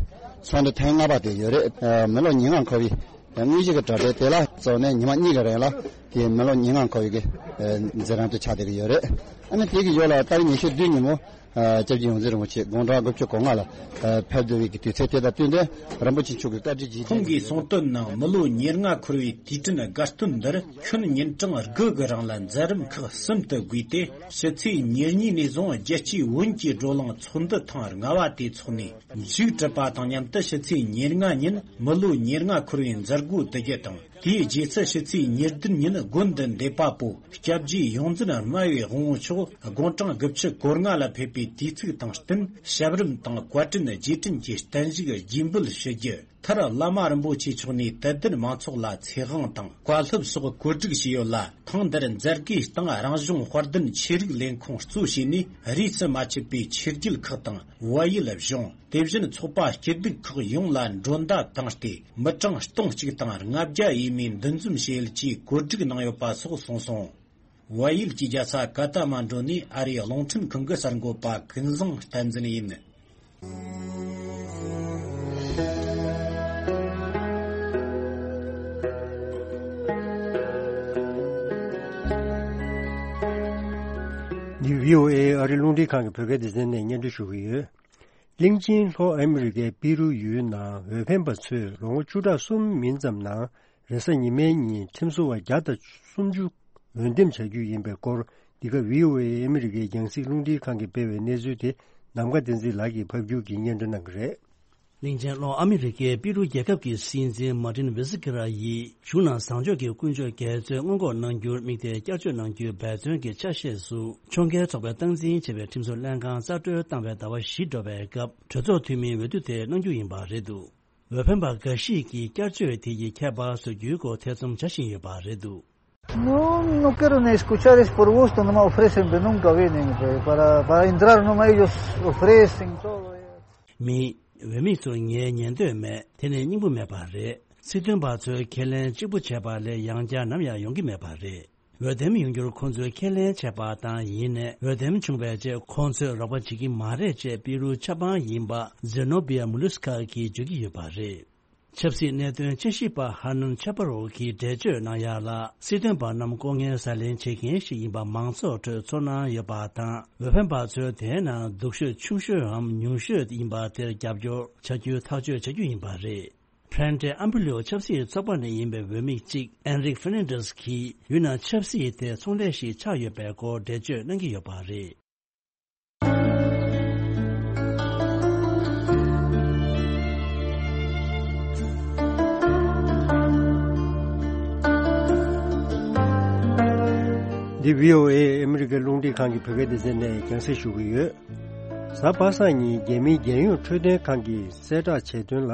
ཚོགས་འདུ་ཐེངས་ལྔ་པ་དེ་ཡོད་རེད། ཨ། མི་ལོ་ཉེར་ལྔ་འཁོར་བའི་དངོས་གཞི་གི་གྲ་སྒྲིག་དེ་ལ་གཙོ་ནས་ཉི་མ་གཉིས་ཀྱི་རིང་ལ་དེ་མི་ལོ་ཉེར་ལྔ་འཁོར་བའི་གི་ཨ་མཛད་རིམ་དུ་ཆགས་བསྡད་ཀྱི་ཡོད་རེད། ཨ་ནི་དེ་གི་ཡོད་ལ་ཏ་རིག་ཉི་ཤུ་བདུན་ཉིན་མོ། ཨ། སྐྱབས་རྗེ་ཡོངས་འཛིན་རིན་པོ་ཆེ་དགུང་གྲངས་དགུ་བཅུ་གོ་ལྔ་ལ། ཨ། ཕེབས་འདུག་པའི་དུས་ཚོད་དེ་དང་བསྟུན་ཏེ་རིན་པོ་ཆེ་མཆོག་གི་བཀའ་དྲིན་རྗེས་དྲན་ཁོང་གིས་གསུངས་དོན་ནང་། མི་ལོ་ཉེར་ལྔ་འཁོར་བའི་དུས་དྲན་དགའ་སྟོན་འདིར་ཁྱོན་ཉིན་གྲངས་དགུ་གི་རིང་ལ་མཛད་རིམ་ཁག་གསུམ་དུ་བགོས་ཏེ། ཕྱི་ཚེས་ཉེར་གཉིས་ནས་བཟུང་རྒྱལ་སྤྱིའི་བོན་གྱི་བགྲོ་གླེང་ཚོགས་འདུ་ཐེངས་ལྔ་པ་དེ་འཚོགས་ནས། མཇུག་གྲུབ་པ་དང་མཉམ་དུ་ཕྱི་ཚེས་ཉེར་ལྔ་ཉིན་མི་ལོ་ཉེར་ལྔ་འཁོར་བའི་མཛད་སྒོ་དུ་རྒྱུ་དང་། དེའི་རྗེས་སུ་ཕྱི་ཚེས་ཉེར་བདུན་ཉིན་དགོན་འདི་འདེབས་པ་པོ་སྐྱབས་རྗེ་ཡོངས་འཛིན་སྨྲ་བའི་དབང་པོ་མཆོག་དགུང་གྲངས་དགུ་བཅུ་གོ་ལྔ་ལ་ཕེབས་པའི་དུས་ཚིགས་དང་བསྟུན། ཞབས་རིམ་དང་བཀའ་དྲིན་རྗེས་དྲན་གྱི་བརྟན་བཞུགས་རྒྱས་འབུལ་ཞུ་རྒྱུ། མཐར་བླ་མ་རིན་པོ་ཆེ་མཆོག་ནས་དད་ལྡན་མང་ཚོགས་ལ་ཚེ་དབང་དང་བཀའ་སློབ་སོགས་གོ་སྒྲིག་བྱས་ཡོད་ལ། ཐེངས་འདིར་མཛད་སྒོའི་སྟེང་རང་གཞུང་དཔལ་ལྡན་ཆོས་རིག་ལས་ཁུངས་གཙོ་བྱས་ནས་རིས་སུ་མ་ཆད་པའི་ཆོས་བརྒྱུད་ཁག་དང་བལ་ཡུལ་གཞུང་། དེ་བཞིན་ཚོགས་པ་སྐྱིད་སྡུག་ཁག་ཡོངས་ལ་མགྲོན་བརྡ་བཏང་སྟེ། མི་གྲངས་སྟོང་གཅིག་དང་ལྔ་བརྒྱ་ཡས་མས་འདུ་འཛོམས་བྱེད་ཡུལ་གྱི་གོ་སྒྲིག་གནང་ཡོད་པ་སོགས་གསུངས་སོང་། བལ་ཡུལ་གྱི་རྒྱལ་ས་ཀ་ཐ་མན་ཌུ་ནས་ཨ་རིའི་རླུང་འཕྲིན་ཁང་གི་གསར་འགོད་པ་ཀུན་བཟང་བསྟན་འཛིན་ཡིན། འདི་བྷི་ཨོ་ཨེ་ཨ་རིའི་རླུང་འཕྲིན་ཁང་གི་བོད་སྐད་སྡེ་ཚན་ནས་སྙན་སྒྲོན་ཞུ་གི་ཡོད། གླིང་ཆེན་ལྷོ་ཨ་མི་རི་ཀའི་པི་རུ་ཡུལ་ནང་འོས་འཕེན་པ་ཚོས་ལོ་ངོ་བཅུ་ཕྲག་གསུམ་མིན་ཙམ་ནང་རེས་གཟའ་ཉི་མའི་ཉིན་ཁྲིམས་བཟོ་བ་བརྒྱ་དང་སུམ་ཅུ་འོས་འདེམས་བྱ་རྒྱུ་ཡིན་པའི་སྐོར། འདི་ག་བྷི་ཨོ་ཨེ་ཨ་མི་རི་ཀའི་རྒྱང་སྲིང་རླུང་འཕྲིན་ཁང་གིས་སྤེལ་བའི་གནས་ཚུལ་དེ་ ནམ་མཁའ་བསྟན་འཛིན་ལགས་ཀྱིས་ཕབ་སྒྱུར་གྱིས་སྙན་སྒྲོན་གནང་གི་རེད། གླིང་ཆེན་ལྷོ་ཨ་མི་རི་ཀའི་པི་རུ་རྒྱལ་ཁབ་ཀྱི་སྲིད་འཛིན་མར་ཏིན་ཝེ་སི་ཀི་ར་ཡིས་གཞུང་ནང་བཟང་ཕྱོགས་ཀྱི་ཀུན་སྤྱོད་འགལ་རྩོད་སྔོན་འགོག་གནང་རྒྱུར་དམིགས་ཏེ་བསྐྱར་བཅོས་གནང་རྒྱུའི་འབད་བརྩོན་གྱི་ཆ་ཤས་སུ་ཕྱོགས་འགལ་ཚོགས་པས་སྟངས་འཛིན་བྱས་པའི་ཁྲིམས་བཟོ་ལྷན་ཁང་རྩ་སྤྲོད་བཏང་བའི་ཟླ་བ་བཞི་འགྲོ་བའི་སྐབས་གྲོས་ཚོགས་འཐུས་མིའི་འོས་བསྡུ་དེ་གནང་རྒྱུ་ཡིན་པ་རེད་འདུག་འོས་འཕེན་པ་འགའ་ཞིག་གིས་བསྐྱར་བཅོས་དེ་ཡི་ཁྱད་པར་བཟོ་རྒྱུའི་སྐོར་ཐེ་ཚོམ་བྱ་བཞིན་ཡོད་པ་རེད་འདུག No, no quiero ni escuchar, es por gusto, no me ofrecen de nunca vienen, pues, para, para entrar no me ellos ofrecen todo. མི། འོས་མི་ཚོར་ངས་ཉན་འདོད་མེད། དེ་ནི་སྙིང་པོ་མེད་པ་རེད། སྲིད་དོན་པ་ཚོས་ཁས་ལེན་གཅིག་པུ་བྱས་པ་ལས་ཡང་བསྐྱར་ནམ་ཡང་ཡོང་གི་མེད་པ་རེད། འོས་འདེམས་ཡོང་རྒྱུར་ཁོང་ཚོས་ཁས་ལེན་བྱས་པ་དང་ཡིན་ནའི་འོས་འདེམས་བྱུང་བའི་རྗེས་ཁོང་ཚོས་རོགས་པ་བྱེད་ཀྱི་མ་རེད་ཅེས་པི་རུའི་ཆབ་འབངས་ཡིན་པ་ཛེ་ནོ་བི་ཡ་མུ་ལུས་ཁ་གིས་བརྗོད་ཀྱི་ཡོད་པ་རེད། ཆབ་སྲིད་གནད་དོན་དཔྱད་ཞིབ་པ་ཧར་ནོན་ཆ་པ་རོ་གིས་འགྲེལ་བརྗོད་གནང་ཡག་ལ། སྲིད་དོན་པ་རྣམས་ལྐོག་རྔན་ཟ་ལེན་བྱེད་མཁན་ཞིག་ཡིན་པ་མང་ཚོགས་ཁྲོད་ཚོར་སྣང་ཡོད་པ་དང་། འོས་འཕེན་པ་ཚོས་དེའི་ནང་སྡུག་ཤོས་ཆུང་ཤོས་འམ་ཉུང་ཤོས་ཡིན་པ་དེར་རྒྱབ་སྐྱོར་བྱ་རྒྱུའི་ཐག་གཅོད་བྱ་རྒྱུ་ཡིན་པ་རེད། Frente Amplio་ཆབ་སྲིད་ཚོགས་པ་ནས་ཡིན་པའི་འོས་མི་གཅིག་Enrique Fernandez གིས་ཡུལ་ནང་ཆབ་སྲིད་དེ་ཚོང་ལས་ཤིག་ཆགས་ཡོད་པའི་སྐོར་འགྲེལ་བརྗོད་གནང་གི་ཡོད་པ་རེད། འདི་བྷི་ཨོ་ཨེ་ཨ་མི་རི་ཀའི་རླུང་འཕྲིན་ཁང་གི་བོད་སྐད་སྡེ་ཚན་ནས་རྒྱང་སྲིང་ཞུ་གི་ཡོད། གཟའ་པ་སངས་ཉིན་རྒྱ་མིའི་རྒྱལ་ཡོངས་འཕྲོད་བསྟེན་ཁང་གིས་གསལ་བསྒྲགས་བྱས་དོན་ལ།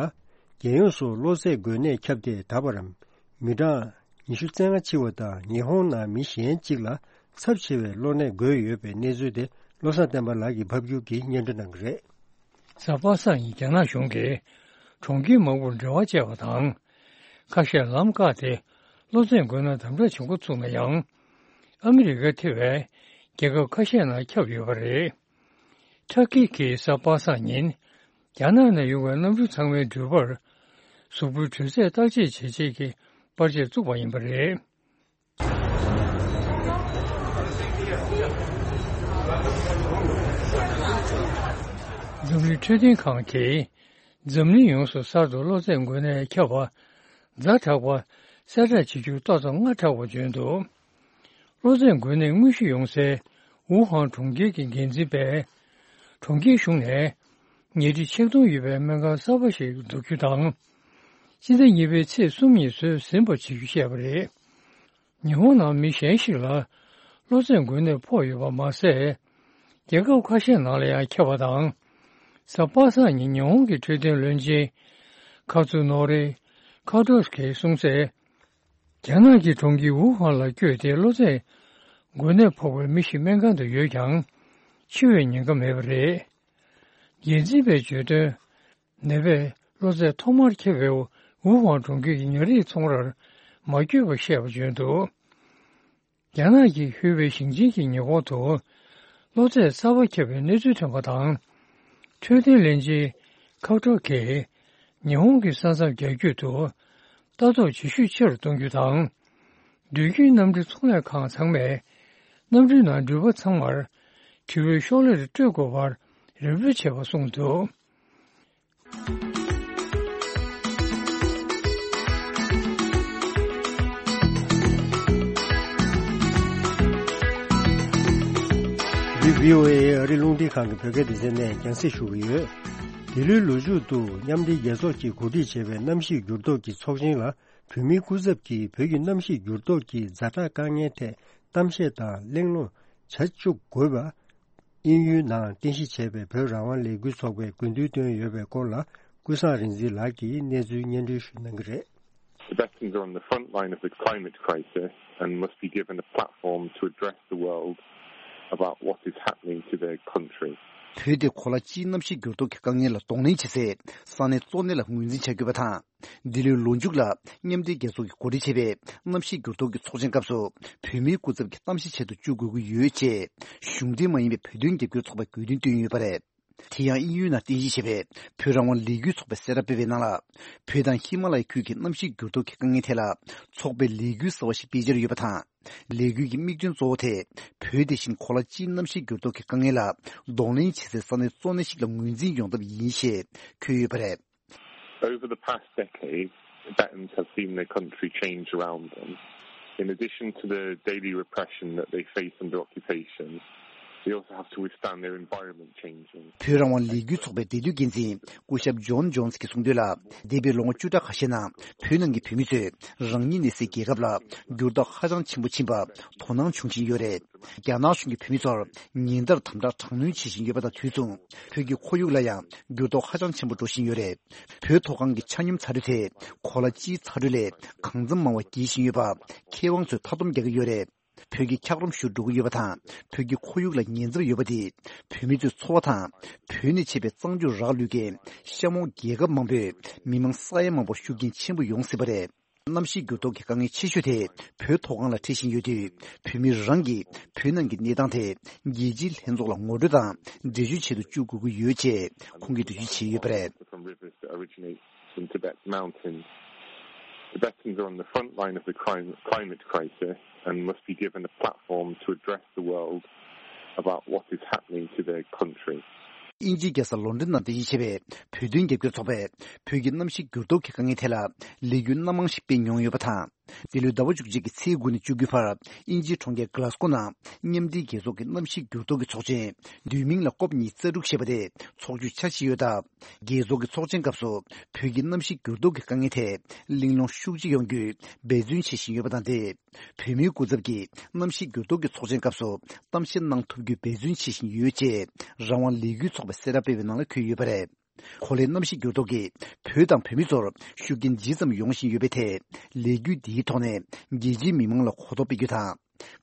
རྒྱལ་ཡོངས་སུ་གློ་ཚད་འགོས་ནད་ཁྱབ་སྟེ་ད་བར་མི་གྲངས་ཉི་ཤུ་རྩ་ལྔ་འཆི་བ་དང་ཉི་ཧོང་ནང་མི་གཞན་གཅིག་ལ་ཚབས་ཆེ་བའི་གློ་ནད་འགོས་ཡོད་པའི་གནས་ཚུལ་དེ་བློ་བཟང་བསྟན་པ་ལགས་ཀྱིས་ཕབ་སྒྱུར་གྱིས་སྙན་སྒྲོན་གནང་གི་རེད། གཟའ་པ་སངས་ཉིན་རྒྱ་ནག་གཞུང་གིས་གྲོང་ཁྱེར་མང་པོར་འབྲེལ་བ་བཅད་པ་དང་། ཁ་ཤས་ལམ་བཀག་སྟེ་གློ་ཚད་འགོས་ན་དམ་དྲག་བྱེད་འགོ་ཚུགས་ན་ཡང་། ཨ་མི་རི་ཀ་ཐེ་བའི་རྒྱལ་ཁབ་ཁ་ཤས་ནང་ཁྱབ་ཡོད་པ་རེད། ཊར་ཀི་གིས་གཟའ་པ་སངས་ཉིན། རྒྱ་ནག་ནས་ཡོང་བའི་གནམ་གྲུ་ཚང་མའི་འགྲུལ་པར། གཟུགས་པོའི་དྲོད་ཚད་བརྟག་དཔྱད་བྱེད་ཆེད་ཀྱི་པར་ཆས་བཙུགས་པ་ཡིན་པ་རེད། འཛམ་གླིང་འཕྲོད་བསྟེན་ཁང་གིས། འཛམ་གླིང་ཡོངས་སུ་གསར་དུ་གློ་ཚད་འགོས་ནད་ཁྱབ་པ། ཛ་དྲག་པ། གསལ་བསྒྲགས་བྱེད་རྒྱུར་ཏོག་ཙམ་སྔ་དྲགས་པ་བྱོན་འདུག་གློ་ཚད་འགོས་ནད་དངོས་གཞི་ཡོང་སའི་ཝུ་ཧན་གྲོང་ཁྱེར་གྱི་འགན་འཛིན་པས། གྲོང་ཁྱེར་གཞུང་ནས་ཉལ་ཁྲི་ཆིག་སྟོང་ཡོད་པའི་སྨན་ཁང་གསར་པ་ཞིག་འཛུགས་རྒྱུ་དང་། སྤྱི་ཟླ་གཉིས་པའི་ཚེས་གསུམ་ཉིན་བཟོས་ཟིན་པ་བྱེད་རྒྱུ་བཤད་པ་རེད། ཉི་ཧོང་ནང་མི་གཞན་ཞིག་ལ་གློ་ཚད་འགོས་ནད་ཕོག་ཡོད་པ་མ་ཟད། རྒྱལ་ཁབ་ཁ་ཤས་ནང་ལ་ཡང་ཁྱབ་པ་དང་། གཟའ་པ་སངས་ཉིན་ཉི་ཧོང་གི་འཕྲོད་བསྟེན་བློན་ཆེན་ཁ་ཚུ་ནོ་རི་ཁ་ཏོ་སི་གིས་གསུངས་གསལ། རྒྱ་ནག་གི་གྲོང་ཁྱེར་ཝུ་ཧན་ལ་བསྐྱོད་དེ་གློ་ཚད་འགོས་ནད་ཕོག་པའི་མི་ཞིག་སྨན་ཁང་དུ་ཡོད་ཀྱང་། འཆི་བའི་ཉེན་ཁ་མེད་པ་རེད། འགན་འཛིན་པས་བརྗོད་དོན། ནད་པས་གློ་ཚད་ཐོག་མར་ཁྱབ་པའི་ཝུ་ཧན་གྲོང་ཁྱེར་གྱི་ཉ་རིགས་ཚོང་རར་མ་བསྐྱོད་པར་བཤད་པ་བརྗོད་འདུག་རྒྱ་ནག་གི་ཧུའེ་ཝེ་ཞིང་ཆེན་གྱི་ཉེ་འཁོར་དུ་གློ་ཚད་གསར་པ་ཁྱབ་པའི་གནས་ཚུལ་ཐོན་པ་དང་། འཕྲོད་བསྟེན་བློན་ཆེན་ཁའོ་ཀྲོ་གིས་ཉི་ཧོང་གི་ས་མཚམས་རྒྱ་སྐྱོད་དུ་ལྟ་རྟོག་བྱེད་ཤུགས་ཆེ་རུ་གཏོང་རྒྱུ་དང་། འགྲུལ་སྐྱོད་གནམ་གྲུ་ཚོང་ལས་ཁང་ཚང་མས་གནམ་གྲུའི་ནང་འགྲུལ་པ་ཚང་མར་དྲི་བའི་ཤོག་ལེར་སྤྲོད་དགོས་པར་རེ་འབོད་བྱས་པ་གསུངས་འདུག་འདི་བྷི་ཨོ་ཨེ་ཨ་རི་རླུང་འཕྲིན་ཁང་གི་བོད་སྐད་སྡེ་ཚན་ནས་རྒྱང་སྲིང་ཞུ་གི་ཡོད། འདི་ལོའི་ལོ་མཇུག་ཏུ་མཉམ་འབྲེལ་རྒྱལ་ཚོགས་ཀྱིས་གོ་སྒྲིག་བྱས་པའི་གནམ་གཤིས་འགྱུར་ལྡོག་གི་ཚོགས་ཆེན་ལ་བོད་མིའི་སྐུ་ཚབ་ཀྱིས་བོད་ཀྱི་གནམ་གཤིས་འགྱུར་ལྡོག་གི་ཛ་དྲག་དཀའ་ངལ་ཐད་གཏམ་བཤད་དང་གླེང་སློང་བྱ་བཅུག་དགོས་པ། དབྱིན་ཡུལ་ནང་རྟེན་གཞི་བྱས་པའི་བོད་རང་དབང་ལས་འགུལ་ཚོགས་པས་དགོས་འདུན་བཏོན་ཡོད་པའི་སྐོར་ལ་ཀུན་བཟང་རིག་འཛིན་ལགས་ཀྱིས་གནས་ཚུལ་སྙན་སྒྲོན་ཞུ་གནང་གི་རེད། Tibetans are on the front line of the climate crisis and must be given a platform to address the world about what is happening to their country. བོད་དེ་གོ་ལ་སྤྱིའི་གནམ་གཤིས་འགྱུར་ལྡོག་གི་དཀའ་ངལ་ལ་གདོང་ལེན་བྱེད་སའི་ས་གནས་གཙོ་གནད་ལ་ངོས་འཛིན་བྱ་དགོས་པ་དང་། འདི་ལོའི་ལོ་མཇུག་ལ་མཉམ་འབྲེལ་རྒྱལ་ཚོགས་ཀྱིས་གོ་སྒྲིག་བྱས་པའི་གནམ་གཤིས་འགྱུར་ལྡོག་གི་ཚོགས་ཆེན་སྐབས་སུ་བོད་མིའི་སྐུ་ཚབ་ཀྱིས་གཏམ་བཤད་བྱེད་དུ་བཅུག་དགོས་ཀྱི་ཡོད་ཅེས་གཞུང་འབྲེལ་མ་ཡིན་པའི་བོད་དོན་རྒྱབ་སྐྱོར་ཚོགས་པས་དགོས་འདུན་བཏོན་ཡོད་པ་རེད། དེ་ཡང་དབྱིན་ཡུལ་ནང་རྟེན་གཞི་བྱས་པའི་བོད་རང་དབང་ལས་འགུལ་ཚོགས་པས་གསལ་བསྒྲགས་སྤེལ་བའི་ནང་ལ། བོད་དང་ཧི་མ་ལ་ཡའི་ཁུལ་གྱི་གནམ་གཤིས་འགྱུར་ལྡོག་གི་དཀའ་ངལ་ཐད་ལ་ཚོགས་པས་ལས་འགུལ་གསར་བ་ཞིག་སྤེལ་འཆར་ཡོད་པ་དང་། ལས་འགུལ་གྱི་དམིགས་དོན་གཙོ་བོ་དེ་བོད་དེ་བཞིན་གོ་ལ་སྤྱིའི་གནམ་གཤིས་འགྱུར་ལྡོག་གི་དཀའ་ངལ་ལ་གདོང་ལེན་བྱེད་སའི་ས་གནས་གཙོ་གནད་ཞིག་ལ་ངོས་འཛིན་ཡོང་ཐབས་ཡིན་ཞེས་འཁོད་ཡོད་པ་རེད། Over the past decade, Tibetans have seen their country change around them. In addition to the daily repression that they face under occupation, They also have to withstand their environment changing. བོད་རང་དབང་ལས་འགུལ་ཚོགས་པའི་འབྲེལ་མཐུད་འགན་འཛིན་སྐུ་ཞབས་ཇོན་ཇོན་སི་གིས་གསུངས་དོན་ལ། འདས་པའི་ལོ་ངོ་བཅུ་ཕྲག་ཁ་ཤས་ནང་བོད་ནང་གི་བོད་མི་ཚོས་རང་ཉིད་གནས་སའི་རྒྱལ་ཁབ་ལ་འགྱུར་ལྡོག་ཧ་ཅང་ཆེན་པོ་ཕྱིན་པ་དོ་སྣང་བྱུང་བཞིན་ཡོད་རེད། རྒྱ་ནག་གཞུང་གིས་བོད་མི་ཚོར་ཉིན་ལྟར་དམ་དྲག་དྲག་གནོན་བྱེད་བཞིན་ཡོད་པ་དང་དུས་མཚུངས། བོད་ཀྱི་ཁོར་ཡུག་ལ་ཡང་འགྱུར་ལྡོག་ཧ་ཅང་ཆེན་པོ་འགྲོ་བཞིན་ཡོད་རེད། བོད་མཐོ་སྒང་གི་ཆ་སྙོམས་ཚ་དྲོད་དེ་གོ་ལ་སྤྱིའི་ཚ་དྲོད་ལས་གང་འཚམ་མང་བ་རྒྱས་བཞིན་ཡོད་པ་མཁས་དབང་ཚོས་མཐའ་སྡོམ་རྒྱག་གི་ཡོད་རེད། བོད་ཀྱི་འཁྱགས་རོམ་ཤུགས་འགྲོ་གི་ཡོད་པ་དང་། བོད་ཀྱི་ཁོར་ཡུག་ལ་ཉེན་ཚབས་ཡོད་པ་དེས་བོད་མི་ཚོའི་འཚོ་བ་དང་། བོད་ནས་མཆེད་པའི་གཙང་ཆུ་རག་ལུས་མཁན་གཤམ་འོག་རྒྱལ་ཁབ་མང་པོའི་མི་མང་ས་ཡ་མང་པོར་ཤུགས་རྐྱེན་ཆེན་པོ་ཡོང་སྲིད་པ་རེད། གནམ་གཤིས་འགྱུར་ལྡོག་གི་དཀའ་ངལ་ཆེ་ཤོས་དེ་བོད་མཐོ་སྒང་ལ་འཕྲད་བཞིན་ཡོད་དུས། བོད་མི་རང་གིས་བོད་ནང་གི་གནས་སྟངས་དེ་རྒྱལ་སྤྱིའི་ལྷན་ཚོགས་ལ་ངོ་སྤྲོད་དང་འགྲེལ་བརྗོད་བྱེད་དུ་བཅུག་དགོས་ཀྱི་ཡོད་ཅེས་ཁོང་གིས་འགྲེལ་བརྗོད་བྱས་ཡོད་པ་རེད། From rivers that originate from Tibet's mountains. Tibetans are on the front line of the crime, climate crisis and must be given a platform to address the world about what is happening to their country. དབྱིན་ཇིའི་རྒྱལ་ས་ལོན་ཌོན་ནང་རྟེན་གཞི་བྱས་པའི་བོད་དོན་རྒྱབ་སྐྱོར་ཚོགས་པས་བོད་ཀྱི་གནམ་གཤིས་འགྱུར་ལྡོག་གི་དཀའ་ངལ་ཐད་ལ་ལས་འགུལ་སྣ་མང་ཞིག་སྤེལ་མྱོང་ཡོད་པ་དང་། འདི་ལོའི་ཟླ་བ་བཅུ་གཅིག་གི་ཚེས་དགུ་ནས་བཅུ་དགུའི་བར་དབྱིན་ཇིའི་གྲོང་ཁྱེར་གྷ་ལ་སྒོ་ནང་མཉམ་འབྲེལ་རྒྱལ་ཚོགས་ཀྱི་གནམ་གཤིས་འགྱུར་ལྡོག་གི་ཚོགས་ཆེན། བསྡུས་མིང་ལ་ཀོབ་ཉི་ཤུ་རྩ་དྲུག་ཞེས་པ་དེ་ཚོགས་རྒྱུའི་འཆར་གཞི་ཡོད་སྟབས། རྒྱལ་ཚོགས་ཀྱི་ཚོགས་ཆེན་སྐབས་སུ་བོད་ཀྱི་གནམ་གཤིས་འགྱུར་ལྡོག་གི་དཀའ་ངལ་ཐད་གླེང་སློང་ཤུགས་ཆེ་ཡོང་རྒྱུའི་འབད་བརྩོན་བྱེད་བཞིན་ཡོད་པ་དང་། དེས་བོད་མིའི་སྐུ་ཚབ་ཀྱིས་གནམ་གཤིས་འགྱུར་ལྡོག་གི་ཚོགས་ཆེན་སྐབས་སུ་གཏམ་བཤད་གནང་ཐུབ་རྒྱུའི་འབད་བརྩོན་བྱེད་བཞིན་ཡོད་ཅེས་རང་དབང་ལས་འགུལ་ཚོགས་པས་གསལ་བསྒྲགས་སྤེལ་བའི་ནང་ལ་འཁོད་ཡོད་པ་རེད། གོ་ལའི་གནམ་གཤིས་འགྱུར་ལྡོག་གིས་བོད་དང་བོད་མི་ཚོར་ཤུགས་རྐྱེན་ཇི་ཙམ་ཡོང་བཞིན་ཡོད་པའི་ཐད། ལས་འགུལ་འདིའི་ཐོག་ནས་རྒྱལ་སྤྱིའི་མི་མང་ལ་གོ་རྟོགས་སྤེལ་རྒྱུ་དང་།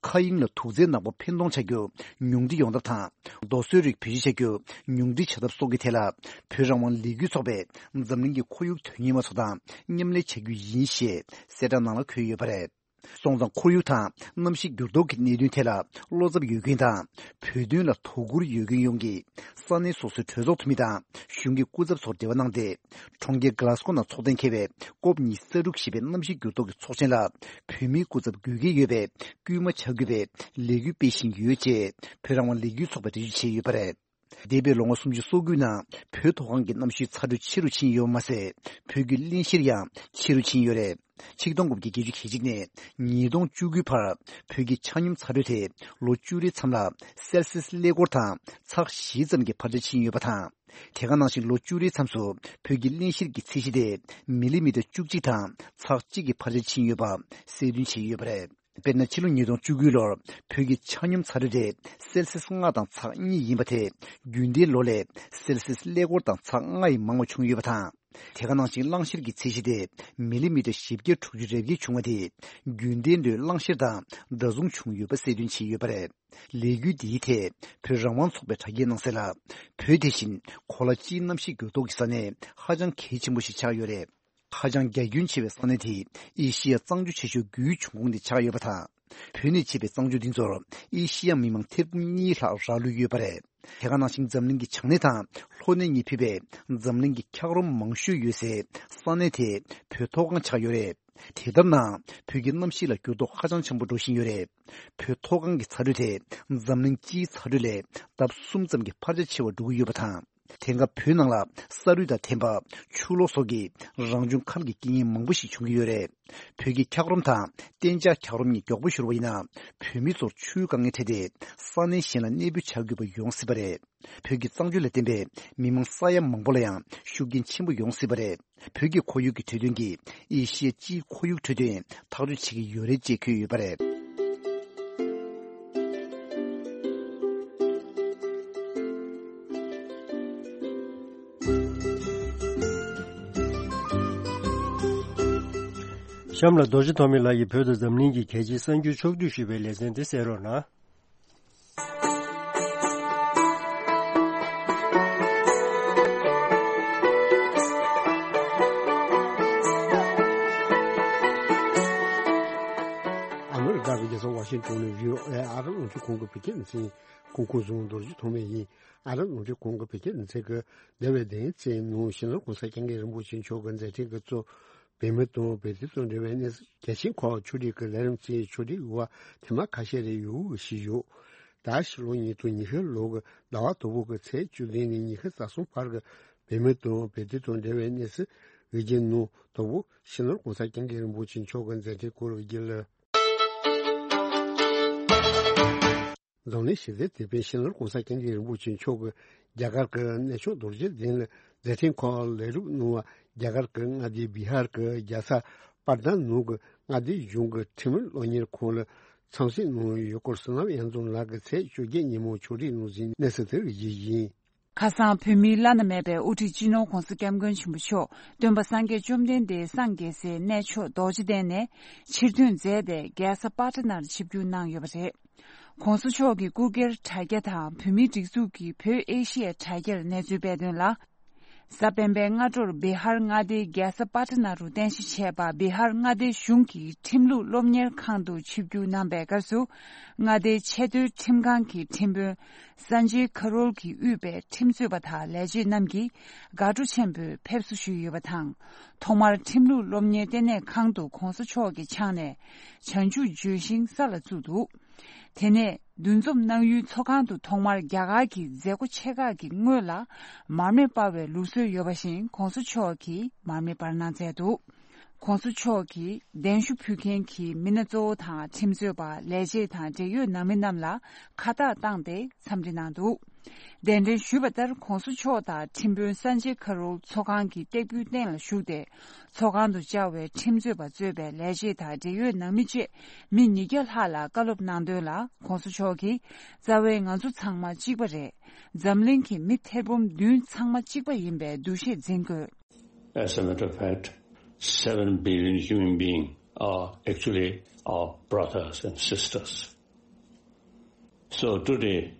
མཁའ་དབྱིངས་ལ་དུག་རྫས་ནག་པོ་འཕེན་གཏོང་བྱ་རྒྱུ་ཉུང་འཕྲི་ཡོང་ཐབས་དང་། རྡོ་སོལ་རིགས་བེད་སྤྱོད་བྱ་རྒྱུ་ཉུང་འཕྲི་བྱ་ཐབས་སོགས་ཀྱི་ཐད་ལ། བོད་རང་དབང་ལས་འགུལ་ཚོགས་པས་འཛམ་གླིང་གི་ཁོར་ཡུག་དོན་གཉེར་བ་ཚོ་དང་མཉམ་ལས་བྱ་རྒྱུ་ཡིན་ཞེས་གསལ་བསྒྲགས་ནང་ལ་འཁོད་ཡོད་པ་རེད། སོང་ཙང་ཁོར་ཡུག་དང་གནམ་གཤིས་འགྱུར་ལྡོག་གི་གནད་དོན་ཐད་ལ་བློ་འཚབ་ཡོད་མཁན་དང་། བོད་དོན་ལ་དོ་ཁུར་ཡོད་མཁན་ཡོངས་ཀྱིས་ས་གནས་སོ་སོའི་གྲོས་ཚོགས་འཐུས་མི་དང་གཞུང་གི་སྐུ་ཚབ་ཚོར་འབྲེལ་བ་གནང་སྟེ། གྲོང་ཁྱེར་གྷ་ལ་སྒོ་ནང་འཚོགས་གཏན་འཁེལ་བའི་ཀོབ་ཉི་ཤུ་རྩ་དྲུག་ཞེས་པའི་གནམ་གཤིས་འགྱུར་ལྡོག་གི་ཚོགས་ཆེན་ལ་བོད་མིའི་སྐུ་ཚབ་དགོས་གལ་ཡོད་པས་སྐུལ་མ་བྱ་དགོས་པའི་ལས་འགུལ་སྤེལ་བཞིན་ཡོད་ཅེས་བོད་རང་དབང་ལས་འགུལ་ཚོགས་པས་འགྲེལ་བརྗོད་བྱས་ཡོད་པ་རེད། འདས་པའི་ལོ་ངོ་སུམ་ཅུ་སོ་དགུའི་ནང་བོད་མཐོ་སྒང་གི་གནམ་གཤིས་ཚ་དྲོད་ཆེ་རུ་ཕྱིན་ཡོད་པ་མ་ཟད། བོད་ཀྱི་གླེང་གཞིར་ཡང་ཆེ་རུ་ཕྱིན་ཡོད་རེད། ཆིག་སྟོང་དགུ་བརྒྱ་བརྒྱད་ཅུ་གྱ་གཅིག་ནས་ཉིས་སྟོང་བཅུ་དགུའི་བར་བོད་ཀྱི་ཆ་སྙོམས་ཚ་དྲོད་དེ་ལོ་བཅུ་རེའི་མཚམས་ལ་སེལ་སིས་ཀླད་ཀོར་དང་ཚེག་བཞི་ཙམ་གྱི་འཕར་ཆ་ཕྱིན་ཡོད་པ་དང་། དེ་ག་ནང་བཞིན་ལོ་བཅུ་རེའི་མཚམས་སུ་བོད་ཀྱི་གླེང་གཞིར་གྱི་ཚད་གཞི་དེ་མི་ལི་མི་ཊར་བཅུ་གཅིག་དང་ཚེག་གཅིག་གི་འཕར་ཆ་ཕྱིན་ཡོད་པ་གསལ་སྟོན་བྱས་ཡོད་པ་རེད། དཔེར་ན། ཕྱི་ལོ་ཉིས་སྟོང་བཅུ་དགུ་ལོར་བོད་ཀྱི་ཆ་སྙོམས་ཚ་དྲོད་དེ་སེལ་སིས་ལྔ་དང་ཚེག་གཉིས་ཡིན་པ་དེ་རྒྱུན་ལྡན་ལོ་ལས་སེལ་སིས་ཀླད་ཀོར་དང་ཚེག་ལྔ་ཡིས་མང་བ་བྱུང་ཡོད་པ་དང་། དེ་ག་ནང་བཞིན་གླང་ཤེར་གྱི་ཚད་གཞི་དེ་མི་ལི་མི་ཊར་བཞི་བརྒྱ་དྲུག་ཅུ་རེ་བརྒྱད་བྱུང་བ་དེ་རྒྱུན་ལྡན་ལོའི་གླང་ཤེར་དང་འདྲ་མཚུངས་བྱུང་ཡོད་པ་གསལ་སྟོན་བྱས་ཡོད་པ་རེད། ལས་འགུལ་འདིའི་ཐད་བོད་རང་དབང་ཚོགས་པས་དྲ་རྒྱའི་ནང་གསལ་ལ། བོད་དེ་བཞིན་གོ་ལ་སྤྱིའི་གནམ་གཤིས་འགྱུར་ལྡོག་གི་ས་གནས་ཧ་ཅང་གལ་ཆེན་པོ་ཞིག་ཆགས་ཡོད་རེད། ཧ་ཅང་རྒྱ་ཁྱོན་ཆེ་བའི་ས་གནས་དེ་ཨེ་ཤི་ཡ་གཙང་ཆུ་ཆེ་ཤོས་དགུའི་འབྱུང་ཁུངས་དེ་ཆགས་ཡོད་པ་དང་། བོད་ནས་མཆེད་པའི་གཙང་ཆུ་འདི་ཚོར་ཨེ་ཤི་ཡ་མི་མང་ཐེར་འབུམ་གཉིས་ལྷག་རག་ལུས་ཡོད་པ་རེད། དེ་ག་ནང་བཞིན་འཛམ་གླིང་གི་བྱང་སྣེ་དང་ལྷོ་སྣེ་གཉིས་ཕུད་པའི་འཛམ་གླིང་གི་འཁྱགས་རོམ་མང་ཤོས་ཡོད་སའི་ས་གནས་དེ་བོད་མཐོ་སྒང་ཆགས་ཡོད་རེད། དེ་ལྟར་ན། བོད་ཀྱི་གནམ་གཤིས་ལ་འགྱུར་ལྡོག་ཧ་ཅང་ཆེན་པོ་འགྲོ་བཞིན་ཡོད་རེད། བོད་མཐོ་སྒང་གི་ཚ་དྲོད་དེ་འཛམ་གླིང་སྤྱིའི་ཚ་དྲོད་ལས་ལྡབ་གསུམ་ཙམ་གྱི་འཕར་ཆ་ཆེ་བ་འགྲོ་གི་ཡོད་པ་དང་། དེང་སྐབས་བོད་ནང་ལ་ས་རུད་དང་ཐན་པ། ཆུ་ལོག་སོགས་ཀྱི་རང་བྱུང་ཁམས་ཀྱི་རྐྱེན་ངན་མང་པོ་ཞིག་བྱུང་གི་ཡོད་རེད། བོད་ཀྱི་འཁྱགས་རོམ་དང་གཏན་འཇགས་འཁྱགས་རོམ་གཉིས་མགྱོགས་པོ་ཤོར་བ་ཡིན་ན། བོད་མི་ཚོར་ཆུའི་དཀའ་ངལ་འཕྲད་དེ་ས་གནས་གཞན་ལ་གནས་སྤོས་བྱ་དགོས་པ་ཡོང་སྲིད་པ་རེད། བོད་ཀྱི་གཙང་ཆུ་ལ་བརྟེན་པའི་མི་མང་ས་ཡ་མང་པོ་ལ་ཡང་ཤུགས་རྐྱེན་ཆེན་པོ་ཡོང་སྲིད་པ་རེད། བོད་ཀྱི་ཁོར་ཡུག་གི་གྲོས་དོན་གྱིས་ཨེ་ཤི་ཡའི་སྤྱིའི་ཁོར་ཡུག་འཕྲོད་བསྟེན་ཐག་གཅོད་བྱེད་ཀྱི་ཡོད་རེད་ཅེས་འཁོད་ཡོད་པ་རེད། གཤམ་ལ་རྡོ་རྗེ་ཐོགས་མེད་ལགས་ཀྱིས་བོད་དང་འཛམ་གླིང་གི་གལ་ཆེའི་གསར་འགྱུར་ཕྱོགས་བསྡུས་ཞུས་པའི་ལེ་ཚན་དེ་གསན་རོགས་གནང་། ཨ་མི་རི་ཀ་གི་རྒྱལ་ས་ཝ་ཤིང་ཏོན་ནས་བྷི་ཨོ་ཨེ་ཨ་རི་རླུང་འཕྲིན་ཁང་གི་བོད་སྐད་སྡེ་ཚན་གོང་འཁོད་བཟུང་རྡོ་རྗེ་ཐོགས་མེད་ཡིན། ཨ་རི་རླུང་འཕྲིན་ཁང་གི་བོད་སྐད་སྡེ་ཚན་གྱི་འདས་པའི་བདུན་ཕྲག་ནང་སྤྱི་ནོར་༸གོང་ས་༸སྐྱབས་མགོན་རིན་པོ་ཆེ་མཆོག་གི་མཛད་འཕྲིན་གྱིས་གཙོས་བོད་མི་དང་བོད་དོན་དང་འབྲེལ་བའི་གནས་ཚུལ་གལ་ཆེན་ཁག་ཕྱོགས་སྒྲིག་གི་ལས་རིམ་གྱི་ཕྱོགས་སྒྲིག་ཡོད་པ་ཐེངས་མ་ཁ་ཤས་རེ་ཡོད་ཞུས་ཡོད། ད་ཕྱི་ལོ་ཉིས་སྟོང་ཉི་ཤུ་ལོ་གི་ཟླ་བ་དང་པོ་གི་ཚེས་བཅུ་བདུན་ནས་ཉི་ཤུ་རྩ་གསུམ་བར་གྱི་བོད་མི་དང་བོད་དོན་དང་འབྲེལ་བའི་གནས་ཚུལ་འོས་བསྡུའི་ནང་དང་པོ་སྤྱི་ནོར་༸གོང་ས་༸སྐྱབས་མགོན་རིན་པོ་ཆེ་མཆོག་གི་མཛད་འཕྲིན་སྐོར་བརྗོད་ལ། འཛམ་གླིང་ཞི་བདེའི་དེད་དཔོན་སྤྱི་ནོར་༸གོང་ས་༸སྐྱབས་མགོན་རིན་པོ་ཆེ་མཆོག་གིས་རྒྱ་གར་གྱི་གནས་མཆོག་རྡོ་རྗེ་གདན་ལ་མཛད་འཕྲིན་ཁག་ལེགས་གྲུབ་གནང་བ། རྒྱ་གར་གྱི་མངའ་སྡེ་བི་ཧར་གྱི་རྒྱལ་ས་པར་དན་ནང་གི་མངའ་སྡེ་གཞུང་གི་ཁྲིམས་སློབ་གཉེར་ཁང་ལ་འཚམས་གཟིགས་གནང་ཡོད་སྐོར། བསོད་ནམས་གཡང་འཛོམས་ལགས་ཀྱིས་ཚེས་བཅོ་བརྒྱད་ཉིན་མོ་ཕྱོགས་སྒྲིག་གནང་ཟིན་གནས་ཚུལ་དེ་རིགས་ཞུ་རྒྱུ་ཡིན། ཁ་སང་བོད་མིའི་བླ་ན་མེད་པའི་དབུ་ཁྲིད་སྤྱི་ནོར་༸གོང་ས་༸སྐྱབས་མགོན་ཆེན་པོ་མཆོག་སྟོན་པ་སངས་རྒྱས་བཅོམ་ལྡན་འདས་སངས་རྒྱས་སའི་གནས་མཆོག་རྡོ་རྗེ་གདན་ནས་ཕྱིར་ཐོན་མཛད་དེ། རྒྱལ་ས་པ་ཊ་ནར་ཆིབས་བསྒྱུར་གནང་ཡོད་པ་རེད།༸གོང་ས་མཆོག་གི་སྐུ་སྒེར་དྲ་རྒྱ་དང་བོད་མིའི་སྒྲིག་འཛུགས་ཀྱི་བོད་ཨེ་ཤི་ཡ་དྲ་རྒྱར་གནས་ཚུལ་སྤེལ་དོན་ལ། གཟའ་སྤེན་པའི་སྔ་དྲོར་བི་ཧར་མངའ་སྡེའི་རྒྱལ་ས་པ་ཊ་ན་རུ་རྟེན་གཞི་བྱས་པ་བི་ཧར་མངའ་སྡེ་གཞུང་གི་ཁྲིམས་ལུགས་སློབ་གཉེར་ཁང་དུ་ཆིབས་བསྒྱུར་གནང་པའི་སྐབས་སུ། མངའ་སྡེའི་ཆེས་མཐོའི་ཁྲིམས་ཁང་གི་ཁྲིམས་དཔོན་སན་ཇེ་ཁ་རོལ་གྱིས་དབུས་པའི་ཁྲིམས་རྩོད་པ་དང་ལས་བྱེད་རྣམས་ཀྱིས་དགའ་སྤྲོ་ཆེན་པོས་ཕེབས་བསུ་ཞུས་ཡོད་པ་དང་། ཐོག་མར་ཁྲིམས་ལུགས་སློབ་གཉེར་ལྟེ་གནས་ཁང་དུ་༸གོང་ས་མཆོག་གི་ཕྱག་ནས་བྱང་ཆུབ་ལྗོན་ཤིང་ས་ལ་བཙུགས་འདུག་དེ་ནས་འདུ་འཛོམས་གནང་ཡུལ་ཚོགས་ཁང་དུ་ཐོག་མར་རྒྱ་གར་གྱི་མཛད་སྒོ་ཆེ་ཁག་གི་སྔོན་ལ་མར་མེ་སྤར་བའི་ལུགས་སྲོལ་ཡོད་པ་བཞིན་༸གོང་ས་མཆོག་གིས་མར་མེ་སྤར་གནང་མཛད་འདུག ༸གོང་ས་མཆོག་གིས་གདན་ཞུ་ཕུལ་མཁན་གྱི་མི་སྣ་གཙོ་བོ་དང་ཁྲིམས་རྩོད་པ། ལས་བྱེད་དང་འབྲེལ་ཡོད་ནང་མི་རྣམས་ལ་ཁ་བཏགས་བཏང་སྟེ་འཚམས་འདྲི་གནང་འདུག་གདན་འདྲེན་ཞུས་པ་ལྟར་༸གོང་ས་མཆོག་དང་ཁྲིམས་དཔོན་སན་ཇེ་ཁ་རོལ་ཚོགས་ཁང་གི་སྟེགས་བུའི་སྟེང་ལ་བཞུགས་ཏེ། ཚོགས་ཁང་དུ་བཅར་བའི་ཁྲིམས་རྩོད་པ་གཙོས་པའི་ལས་བྱེད་དང་འབྲེལ་ཡོད་ནང་མི་བཅས་མི་ཉིས་བརྒྱ་ལྷག་ལ་བཀའ་སློབ་གནང་དོན་ལ། ༸གོང་ས་མཆོག་གིས། རྩ་བའི་ང་ཚོ་ཚང་མ་གཅིག་པ་རེད། འཛམ་གླིང་གི་མི་ཐེར་འབུམ་བདུན་ཚང་མ་གཅིག་པ་ཡིན་པའི་འདུ་ཤེས་འཛིན་དགོས། As a matter of fact, seven billion human beings are actually our brothers and sisters. So today,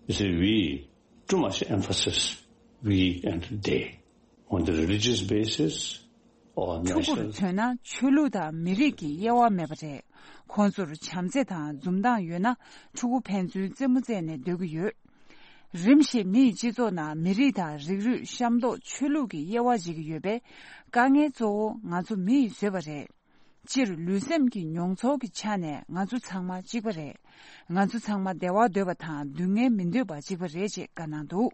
you see, we too much emphasis we and they on the religious basis or ཕྲུ་གུར་national མཚོན་ན་ཆོས་ལུགས་དང་མི་རིགས་ཀྱི་དབྱེ་བ་མེད་པ་རེད། ཁོང་ཚོར་བྱམས་བརྩེ་དང་འཛུམ་མདངས་ཡོད་ན་ཕྲུ་གུ་ཕན་ཚུན་རྩེད་མོ་རྩེས་ནས་སྡོད་ཀྱི་ཡོད། རིམ་བཞིན་མི་ཡི་སྤྱི་ཚོགས་ནང་མི་རིགས་དང་རིགས་རུས་ཤམ་ཐོག་ཆོས་ལུགས་ཀྱི་དབྱེ་བ་འབྱེད་ཀྱི་ཡོད་པས། དཀའ་ངལ་གཙོ་བོ་ང་ཚོ་མི་ཡིས་བཟོས་པ་རེད། སྤྱིར་ལུས་སེམས་ཀྱི་མྱོང་ཚོར་གྱི་ཆ་ནས་ང་ཚོ་ཚང་མ་གཅིག་པ་རེད། ང་ཚོ་ཚང་མ་བདེ་བ་འདོད་པ་དང་སྡུག་བསྔལ་མི་འདོད་པ་གཅིག་པ་རེད་ཅེས་བཀའ་གནང་འདུག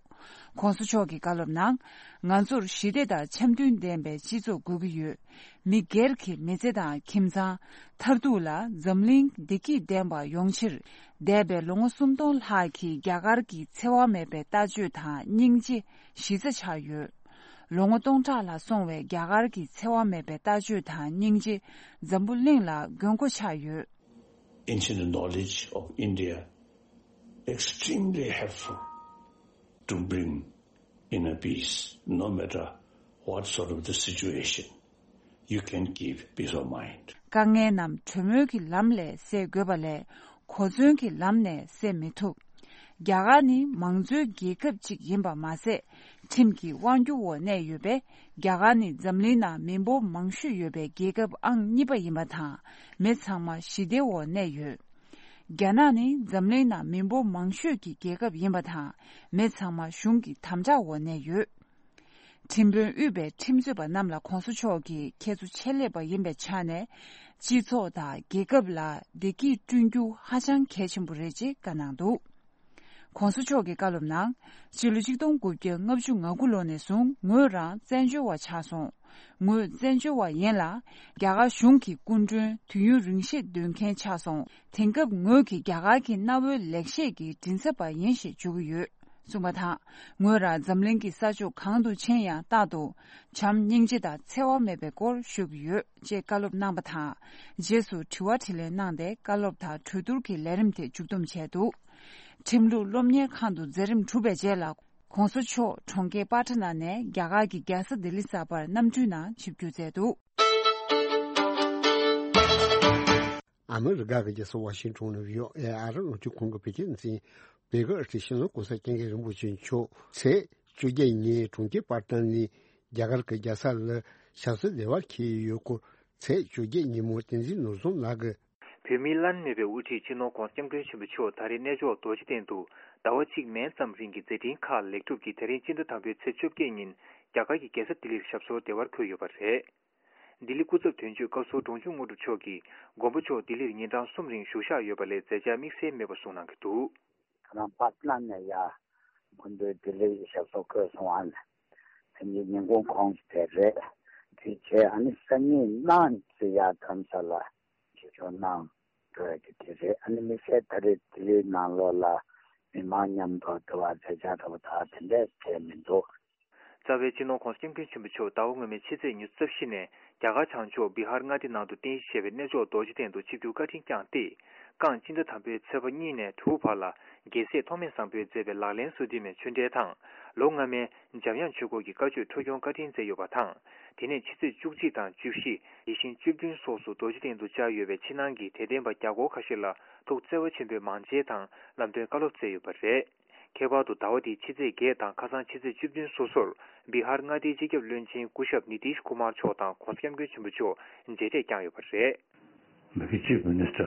༸གོང་ས་མཆོག་གི་བཀའ་སློབ་ནང་། ང་ཚོར་ཞི་བདེ་དང་འཆམ་མཐུན་ལྡན་པའི་སྤྱི་ཚོགས་དགོས་ཀྱི་ཡོད། མི་སྒེར་གྱི་མི་ཚེ་དང་ཁྱིམ་ཚང་། མཐར་ཐུག་ལ་འཛམ་གླིང་བདེ་སྐྱིད་ལྡན་པ་ཡོང་ཕྱིར། འདས་པའི་ལོ་ངོ་སུམ་སྟོང་ལྷག་གི་རྒྱ་གར་གྱི་འཚེ་བ་མེད་པའི་ལྟ་སྤྱོད་དང་སྙིང་རྗེ་གཞི་རྩ་ཆགས་ཡོད། ལོ་ངོ་སྟོང་ཕྲག་ལ་སོང་བའི་རྒྱ་གར་གྱི་འཚེ་བ་མེད་པའི་ལྟ་སྤྱོད་དང་སྙིང་རྗེ་འཛམ་བུ་གླིང་ལ་མགོན་སྐོར་ཆགས་ཡོད། Ancient knowledge of India extremely helpful to bring inner peace, no matter what sort of the situation. You can give peace of mind. དཀའ་ངལ་རྣམས་གྲོས་མོལ་གྱི་ལམ་ལས་སེལ་དགོས་པ་ལས་གོ་མཚོན་གྱི་ལམ་ནས་སེལ་མི་ཐུབ། རྒྱ་གར་ནི་མང་གཙོའི་རྒྱལ་ཁབ་ཅིག་ཡིན་པ་མ་ཟད། ཁྲིམས་ཀྱི་དབང་སྒྱུར་འོག་གནས་ཡོད་པས། རྒྱ་གར་ནི་འཛམ་གླིང་ནང་མི་འབོར་མང་ཤོས་ཡོད་པའི་རྒྱལ་ཁབ་ཨང་གཉིས་པ་ཡིན་པ་དང་། མི་ཚང་མ་ཞི་བདེ་འོག་གནས་ཡོད། རྒྱ་ནག་ནི་འཛམ་གླིང་ནང་མི་འབོར་མང་ཤོས་ཀྱི་རྒྱལ་ཁབ་ཡིན་པ་དང་། མི་ཚང་མ་གཞུང་གི་དམ་དྲག་འོག་གནས་ཡོད། ཁྲིམས་དཔོན་དབུས་པའི་ཁྲིམས་རྩོད་པ་རྣམས་ལ་༸གོང་ས་མཆོག་གིས་ཁྱེད་ཚོ་ཆེད་ལས་པ་ཡིན་པའི་ཆ་ནས། སྤྱི་ཚོགས་དང་རྒྱལ་ཁབ་ལ་བདེ་སྐྱིད་བསྐྲུན་རྒྱུ་ཧ་ཅང་གལ་ཆེན་པོ་རེད་ཅེས་བཀའ་གནང་འདུག ༸གོང་ས་མཆོག་གི་བཀའ་སློབ་ནང་། སྤྱི་ལོ་ཆིག་སྟོང་དགུ་བརྒྱ་ལྔ་བཅུ་ང་དགུ་ལོ་ནས་བཟུང་ངོས་རང་བཙན་བྱོལ་བ་ཆགས་སོང་། ངོས་བཙན་བྱོལ་བ་ཡིན་ལ། རྒྱ་གར་གཞུང་གི་སྐུ་མགྲོན་དུས་ཡུན་རིང་ཤོས་སྡོད་མཁན་ཆགས་སོང་། དེང་སྐབས་ངོས་ཀྱིས་རྒྱ་གར་གྱི་གནའ་བོའི་ལེགས་བཤད་ཀྱི་མགྲིན་ཚབ་པ་ཡིན་ཞེས་བརྗོད་ཀྱི་ཡོད། གསུངས་པ་དང་། ངོས་རང་འཛམ་གླིང་གི་ས་ཕྱོགས་གང་དུ་ཕྱིན་ཡང་རྟག་ཏུ་བྱམས་སྙིང་རྗེ་དང་འཚེ་བ་མེད་པའི་སྐོར་ཤོད་ཀྱི་ཡོད་ཅེས་བཀའ་སློབ་གནང་པ་དང་། རྗེས་སུ་དྲི་བ་དྲིས་ལན་གནང་སྟེ་བཀའ་སློབ་དང་གྲོས་བསྡུར་གྱི་ལས་རིམ་དེ་མཇུག་བསྡོམས་བྱས་འདུག་ཁྲིམས་ལུགས་སློབ་གཉེར་ཁང་དུ་མཛད་རིམ་གྲུབ་པའི་རྗེས་ལ། ༸གོང་ས་མཆོག་གྲོང་ཁྱེར་པ་ཊ་ན་ནས་རྒྱ་གར་གྱི་རྒྱལ་ས་ལྡི་ལི་གསར་པར་གནམ་གྲུའི་ནང་ཆིབས་བསྒྱུར་མཛད་འདུག་ཨ་མི་རི་ཀ་གི་རྒྱལ་ས་ཝ་ཤིང་ཊོན་ནས་བྷི་ཨོ་ཨེ་ཨ་རི་རླུང་འཕྲིན་ཁང་གི་བོད་སྐད་སྡེ་ཚན། བོད་ཀྱི་ཨ་རི་སྤྱི་ནོར་༸གོང་ས་༸སྐྱབས་མགོན་རིན་པོ་ཆེ་མཆོག་ཚེས་བཅོ་བརྒྱད་ཉིན་གྲོང་ཁྱེར་པར་ཊན་ནས་རྒྱ་གར་གྱི་རྒྱལ་ས་ལ་ཞབས་སོར་བདེ་བར་འཁེལ་ཡོད་སྐོར། ཚེས་བཅོ་བརྒྱད་ཉིན་མོ་བསྟན་འཛིན་ནོར་བཟང་ལགས་ཀྱིས། བོད་མིའི་བླ་ན་མེད་པའི་དབུ་ཁྲིད་སྤྱི་ནོར་༸གོང་ས་༸སྐྱབས་མགོན་ཆེན་པོ་མཆོག་ད་རེས་གནས་མཆོག་རྡོ་རྗེ་གདན་དུ་ཟླ་བ་གཅིག་མན་ཙམ་རིང་གི་མཛད་འཕྲིན་ཁག་ལེགས་གྲུབ་ཀྱིས་དེ་རིང་སྤྱི་ཟླ་དང་པོའི་ཚེས་བཅོ་བརྒྱད་ཉིན་རྒྱ་གར་གྱི་རྒྱལ་ས་ལྡི་ལིར་ཞབས་སོར་བདེ་བར་འཁོད་ཡོད་པ་རེད། ལྡི་ལི་སྐུ་ཚབ་དོན་གཅོད་བཀའ་ཟུར་འབྲོང་ཆུང་དངོས་གྲུབ་མཆོག་གིས་མགོན་པོ་མཆོག་ལྡི་ལིར་ཉིན་གྲངས་གསུམ་རིང་བཞུགས་ཞག་ཡོད་པ་ལས་མཛད་འཆར་དམིགས་བསལ་མེད་པ་གསུངས་གནང་གི་འདུག་ཁོ་རང་པ་ཊ་ན་ནས་ཡར་མགོན་པོའི་ལྡི་ལིར་ཞབས་སོར་འཁོད་སོང་བ་ནས། དེ་ནས་ཉིན་གུང་གོང་དེ་རེད། དེ་རྗེས་ཨ་ནི་སང་ཉིན་གནངས་ཚེ་ཡར་དྷ་རམ་ས་ལ་ཆིབས་བསྒྱུར་གནང་ འགྲོ་ཡ་གི་དེ་རེད། ཨ་ནི་དམིགས་བསལ་ད་རེས་ལྡི་ལིའི་ནང་ལོགས་ལ་མི་མང་མཉམ་དུ་འདུ་བ་མཛད་འཆར་འདྲ་བོ་ད་དེ་འདྲས་བྱས་མི་འདུག། རྩ་བའི་སྤྱི་ནོར་༸གོང་ས་༸སྐྱབས་མགོན་ཆེན་པོ་མཆོག་ཟླ་བ་སྔོན་མའི་ཕྱི་ཚེས་ཉི་ཤུ་རྩ་བཞི་ནས་རྒྱ་གར་བྱང་ཕྱོགས་བི་ཧར་མངའ་སྡེ་ནང་དུ་རྟེན་གཞི་བྱས་པའི་གནས་མཆོག་རྡོ་རྗེ་གདན་དུ་ཆིབས་བསྒྱུར་བཀའ་དྲིན་བསྐྱངས་ཏེ། རྐང་སྤྱི་ཟླ་དང་པོའི་ཚེས་པ་གཉིས་ནས་དྲུག་བར་ལ་རྒྱལ་སྲས་ཐོགས་མེད་བཟང་པོས་མཛད་པའི་ལག་ལེན་སོ་བདུན་མའི་ཆོས་འབྲེལ་དང་། ལོ་སྔ་མའི་འཇམ་དབྱངས་ཆོས་འཁོར་གྱི་བཀའ་ཆོས་འཁྲུངས་སྐྱོང་བཀའ་དྲིན་མཛད་ཡོད་པ་དང་། དེ་ནས་ཕྱི་ཚེས་བཅུ་གཅིག་དང་བཅུ་བཞི། ཡིད་བཞིན་བཅུ་བདུན་སོགས་སུ་རྡོ་རྗེ་གདན་དུ་བཅར་ཡོད་པའི་ཕྱི་ནང་གི་དད་ལྡན་པ་བརྒྱ་སྐོར་ཁ་ཤས་ལ་ཐུགས་བརྩེ་བ་ཆེན་པོས་མང་མཇལ་དང་ལམ་སྟོན་བཀའ་སློབ་སྩལ་ཡོད་པ་རེད། ཁྱད་པར་དུ་ཟླ་བ་འདིའི་ཕྱི་ཚེས་བརྒྱད་དང་ཁ་སང་ཕྱི་ཚེས་བཅུ་བདུན་སོ་སོར་བི་ཧར་མངའ་སྡེའི་སྤྱི་ཁྱབ་བློན་ཆེན་སྐུ་ཞབས་ནི་ཏིཤ་ཀུ་མར་མཆོག་དང་༸གོང་ས་༸སྐྱབས་མགོན་ཆེན་པོ་མཆོག་མཇལ་འཕྲད་བསྐྱངས་ཡོད་པ་རེད། མི་གི་ཅིབ་མི་ནི་སི་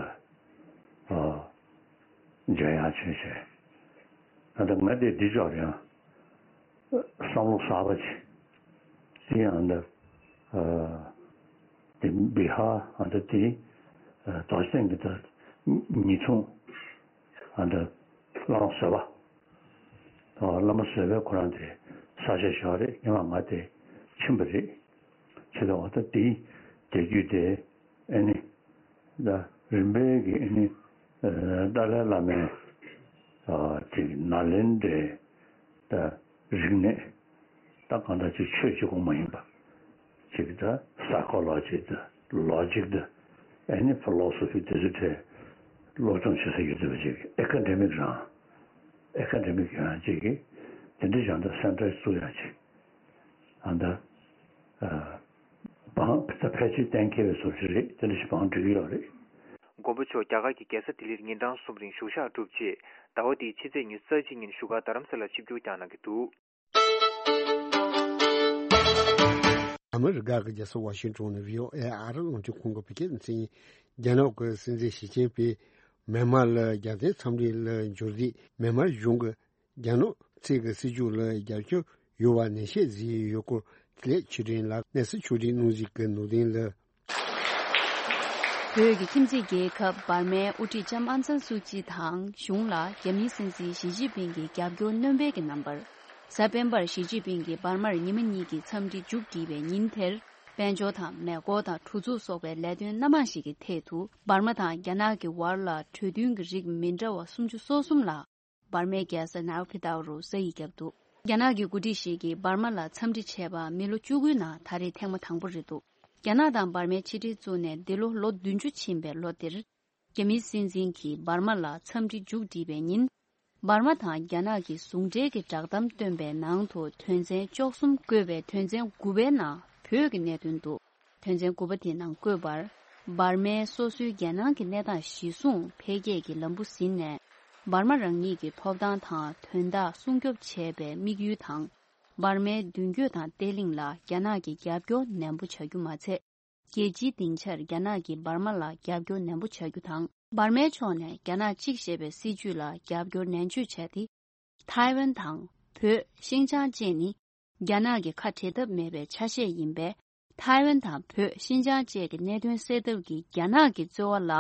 ཊར་འཇམ་དབྱངས་ཆོས་རྒྱན། ད་ལྟ་ང་དེ་འདི་ཅོག་ཡང་བསམ་བློ་གསར་པ་ཅིག་དེ་ཡང་འདི་དེ་བི་ཧར་ཨ་ད་དེ་རྡོ་རྗེ་གདན་གྱི་ད་ཉིས་འཁྲུངས་ཨ་ད་བླ་མ་བཟོད་པ། ཨ་བླ་མ་བཟོད་པའི་ཁོ་རང་དེ་ས་ཆ་ཞོག་རེད། ཉི་མ་ང་དེ་ཕྱིན་པ་རེད། ཆེ་ད་བ་ད་དེ་དེ་རྒྱུད་དེ་ཨེ་ནི་ད་རིམ་པས་ཀྱི་ཨེ་ནི་ཨ་ཏཱ་ལའི་བླ་མའི་ཨ་ཅིག་ནཱ་ལེནྡྲའི་ད་རིག་གནས་ད་གང་ལྟར་ཅིག་ཆོས་གཅིག་པོ་མ་ཡིན་པ། ཅིག་ད་སའི་ཀོ་ལོ་ཇི་ད་ལོ་ཇིག་ད་ཨེ་ནི་ཕི་ལོ་སོ་ཕི་དེ་ཚོ་གྲས་སློབ་སྦྱོང་བྱེད་ས་ཡོད་དུས་ཅིག་ཨེ་ཀ་ཌེ་མིག་རང་ཨེ་ཀ་ཌེ་མིག་ཡང་ཅིག་གི་དེ་འདྲ་ཡང་ད་སེན་ཊར་བཙུགས་ཡ་ཅིག་ཨ་ད་ཨ་བང་ད་ཕལ་ཆེར་གཏན་འཁེལ་བའི་བཟོ་ཞིག་རེད། དེ་འདྲ་ཞིག་བང་སྒྲིག་གི་ཡོད་རེད། མགོན་པོ་མཆོག་རྒྱ་གར་གྱི་རྒྱལ་ས་ལྡི་ལིར་ཉིན་གྲངས་གསུམ་རིང་བཞུགས་ཞག་གྲུབ་རྗེས་ཟླ་བ་འདིའི་ཕྱི་ཚེས་ཉི་ཤུ་རྩ་གཅིག་ཉིན་བཞུགས་སྒར་རྡ་རམ་ས་ལར་ཆིབས་བསྒྱུར་བསྐྱངས་གནང་གི་འདུག། ཨ་མི་རི་ཀ་གི་རྒྱལ་ས་ཝ་ཤིང་ཊོན་ནས་བྷི་ཨོ་ཨེ་ཨ་རི་རླུང་འཕྲིན་ཁང་གི་བོད་སྐད་སྡེ་ཚན་ཡིན། རྒྱ་ནག་གི་སྲིད་འཛིན་ཞི་ཅིན་ཕིང་མེན་མར་ལ་རྒྱལ་བསྟན་འཚམས་འདྲི་ལ་འབྱོར་དུས་མེན་མར་གཞུང་གིས་རྒྱ་ནག་ཚིག་གི་སྲིད་བྱུས་ལ་རྒྱབ་སྐྱོར་ཡོད་པ་ནན་བཤད་བཟོས་ཡོད་སྐོར་དེ་ལས་ཆོས་སྒྲོན་ལགས། གནས་ཚུལ་ཕྱོགས་སྒྲིག་གནང་གཟིགས་ཀྱི་ནོར་ལྡན་ལགས། བོད་ཀྱི་ཁྱིམ་མཚེས་རྒྱལ་ཁབ་འབར་མའི་དབུ་ཁྲིད་ལྕམ་ཨང་སན་སུའུ་ཅི་དང་གཞུང་ལ་རྒྱ་མིའི་སྲིད་འཛིན་ཞི་ཅིན་ཕིང་གིས་རྒྱབ་སྐྱོར་སྣོན་སྤེལ་གྱི་རྣམ་པར། གཟའ་སྤེན་པར་ཞི་ཅིན་ཕིང་གིས་འབར་མར་ཉི་མ་གཉིས་ཀྱི་འཚམས་འདྲི་མཇུག་བསྒྲིལ་བའི་ཉིན་དེར། དཔལ་འབྱོར་དང་མེ་འཁོར་དང་གྲུ་ཚུགས་སོགས་པའི་ལས་དོན་སྣ་མང་ཞིག་གི་ཐད་དུ་འབར་མ་དང་རྒྱ་ནག་གི་བར་ལ་གྲོས་མཐུན་གྱི་རིགས་མི་འདྲ་བ་སུམ་ཅུ་སོ་གསུམ་ལ། འབར་མའི་རྒྱལ་ས་ནའུ་ཕི་ཏའུ་རུ་ས་ཡིག་བརྒྱབ་འདུག། རྒྱ་ནག་གི་འགོ་ཁྲིད་ཞིག་གིས་འབར་མ་ལ་འཚམས་འདྲི་བྱས་པ་མི་ལོ་བཅུ་དགུའི་ནང་ད་རེས་ཐེངས་མ་དང་པོ་རེད་འདུག། རྒྱ་ནག་དང་འབར་མའི་ཕྱི་འབྲེལ་བཙུགས་ནས་འདི་ལོ་ལོ་བདུན་ཅུ་ཕྱིན་པའི་ལོ་འདིར། རྒྱ་མིའི་སྲིད་འཛིན་གྱིས་འབར་མ་ལ་འཚམས་འདྲི་མཇུག་བསྒྲིལ་བའི་ཉིན། འབར་མ་དང་རྒྱ་ནག་གི་ཟུང་འབྲེལ་གྱི་བསྒྲགས་གཏམ་བཏོན་པའི་ནང་དུ་དོན་ཚན་བཅུ་གསུམ་བཀོད་པའི་དོན་ཚན་དགུ་པའི་ནང་བོད་ཀྱི་གནད་དོན་འདུག། དོན་ཚན་དགུ་པ་དེའི་ནང་བཀོད་པར། འབར་མའི་སོ་སོའི་རྒྱལ་ནང་གི་གནས་སྟངས་གཞིར་བཟུང་འཕེལ་རྒྱས་ཀྱི་ལམ་བུ་ཟིན་ནས། འབར་མ་རང་ཉིད་ཀྱི་ཐོབ་ཐང་དང་དོན་དག་སྲུང་སྐྱོབ་བྱེད་པའི་དམིགས་ཡུལ་དང་། འབར་མའི་མདུན་སྐྱོད་དང་བརྟན་ལྷིང་ལ་རྒྱ་ནག་གིས་རྒྱབ་སྐྱོར་ནན་པོ་བྱ་རྒྱུ་མ་ཚད། རྒྱལ་སྤྱིའི་སྡིངས་ཆར་རྒྱ་ནག་གིས་འབར་མ་ལ་རྒྱབ་སྐྱོར་ནན་པོ་བྱ་རྒྱུ་དང་། འབར་མའི་ཕྱོགས་ནས་རྒྱ་ནག་གཅིག་ཅེས་པའི་སྲིད་བྱུས་ལ་རྒྱབ་སྐྱོར་ནན་བརྗོད་བྱས་ཏེ། ཐའེ་ཝན་དང་བོད། ཤིན་ཅང་བཅས་ནི། རྒྱ་ནག་གི་ཁ་བྲལ་ཐབས་མེད་པའི་ཆ་ཤས་ཡིན་པས། ཐའེ་ཝན་དང་བོད། ཤིན་ཅང་བཅས་ཀྱི་གནད་དོན་སེལ་ཐབས་ཀྱི་རྒྱ་ནག་གི་རྩོལ་བ་ལ་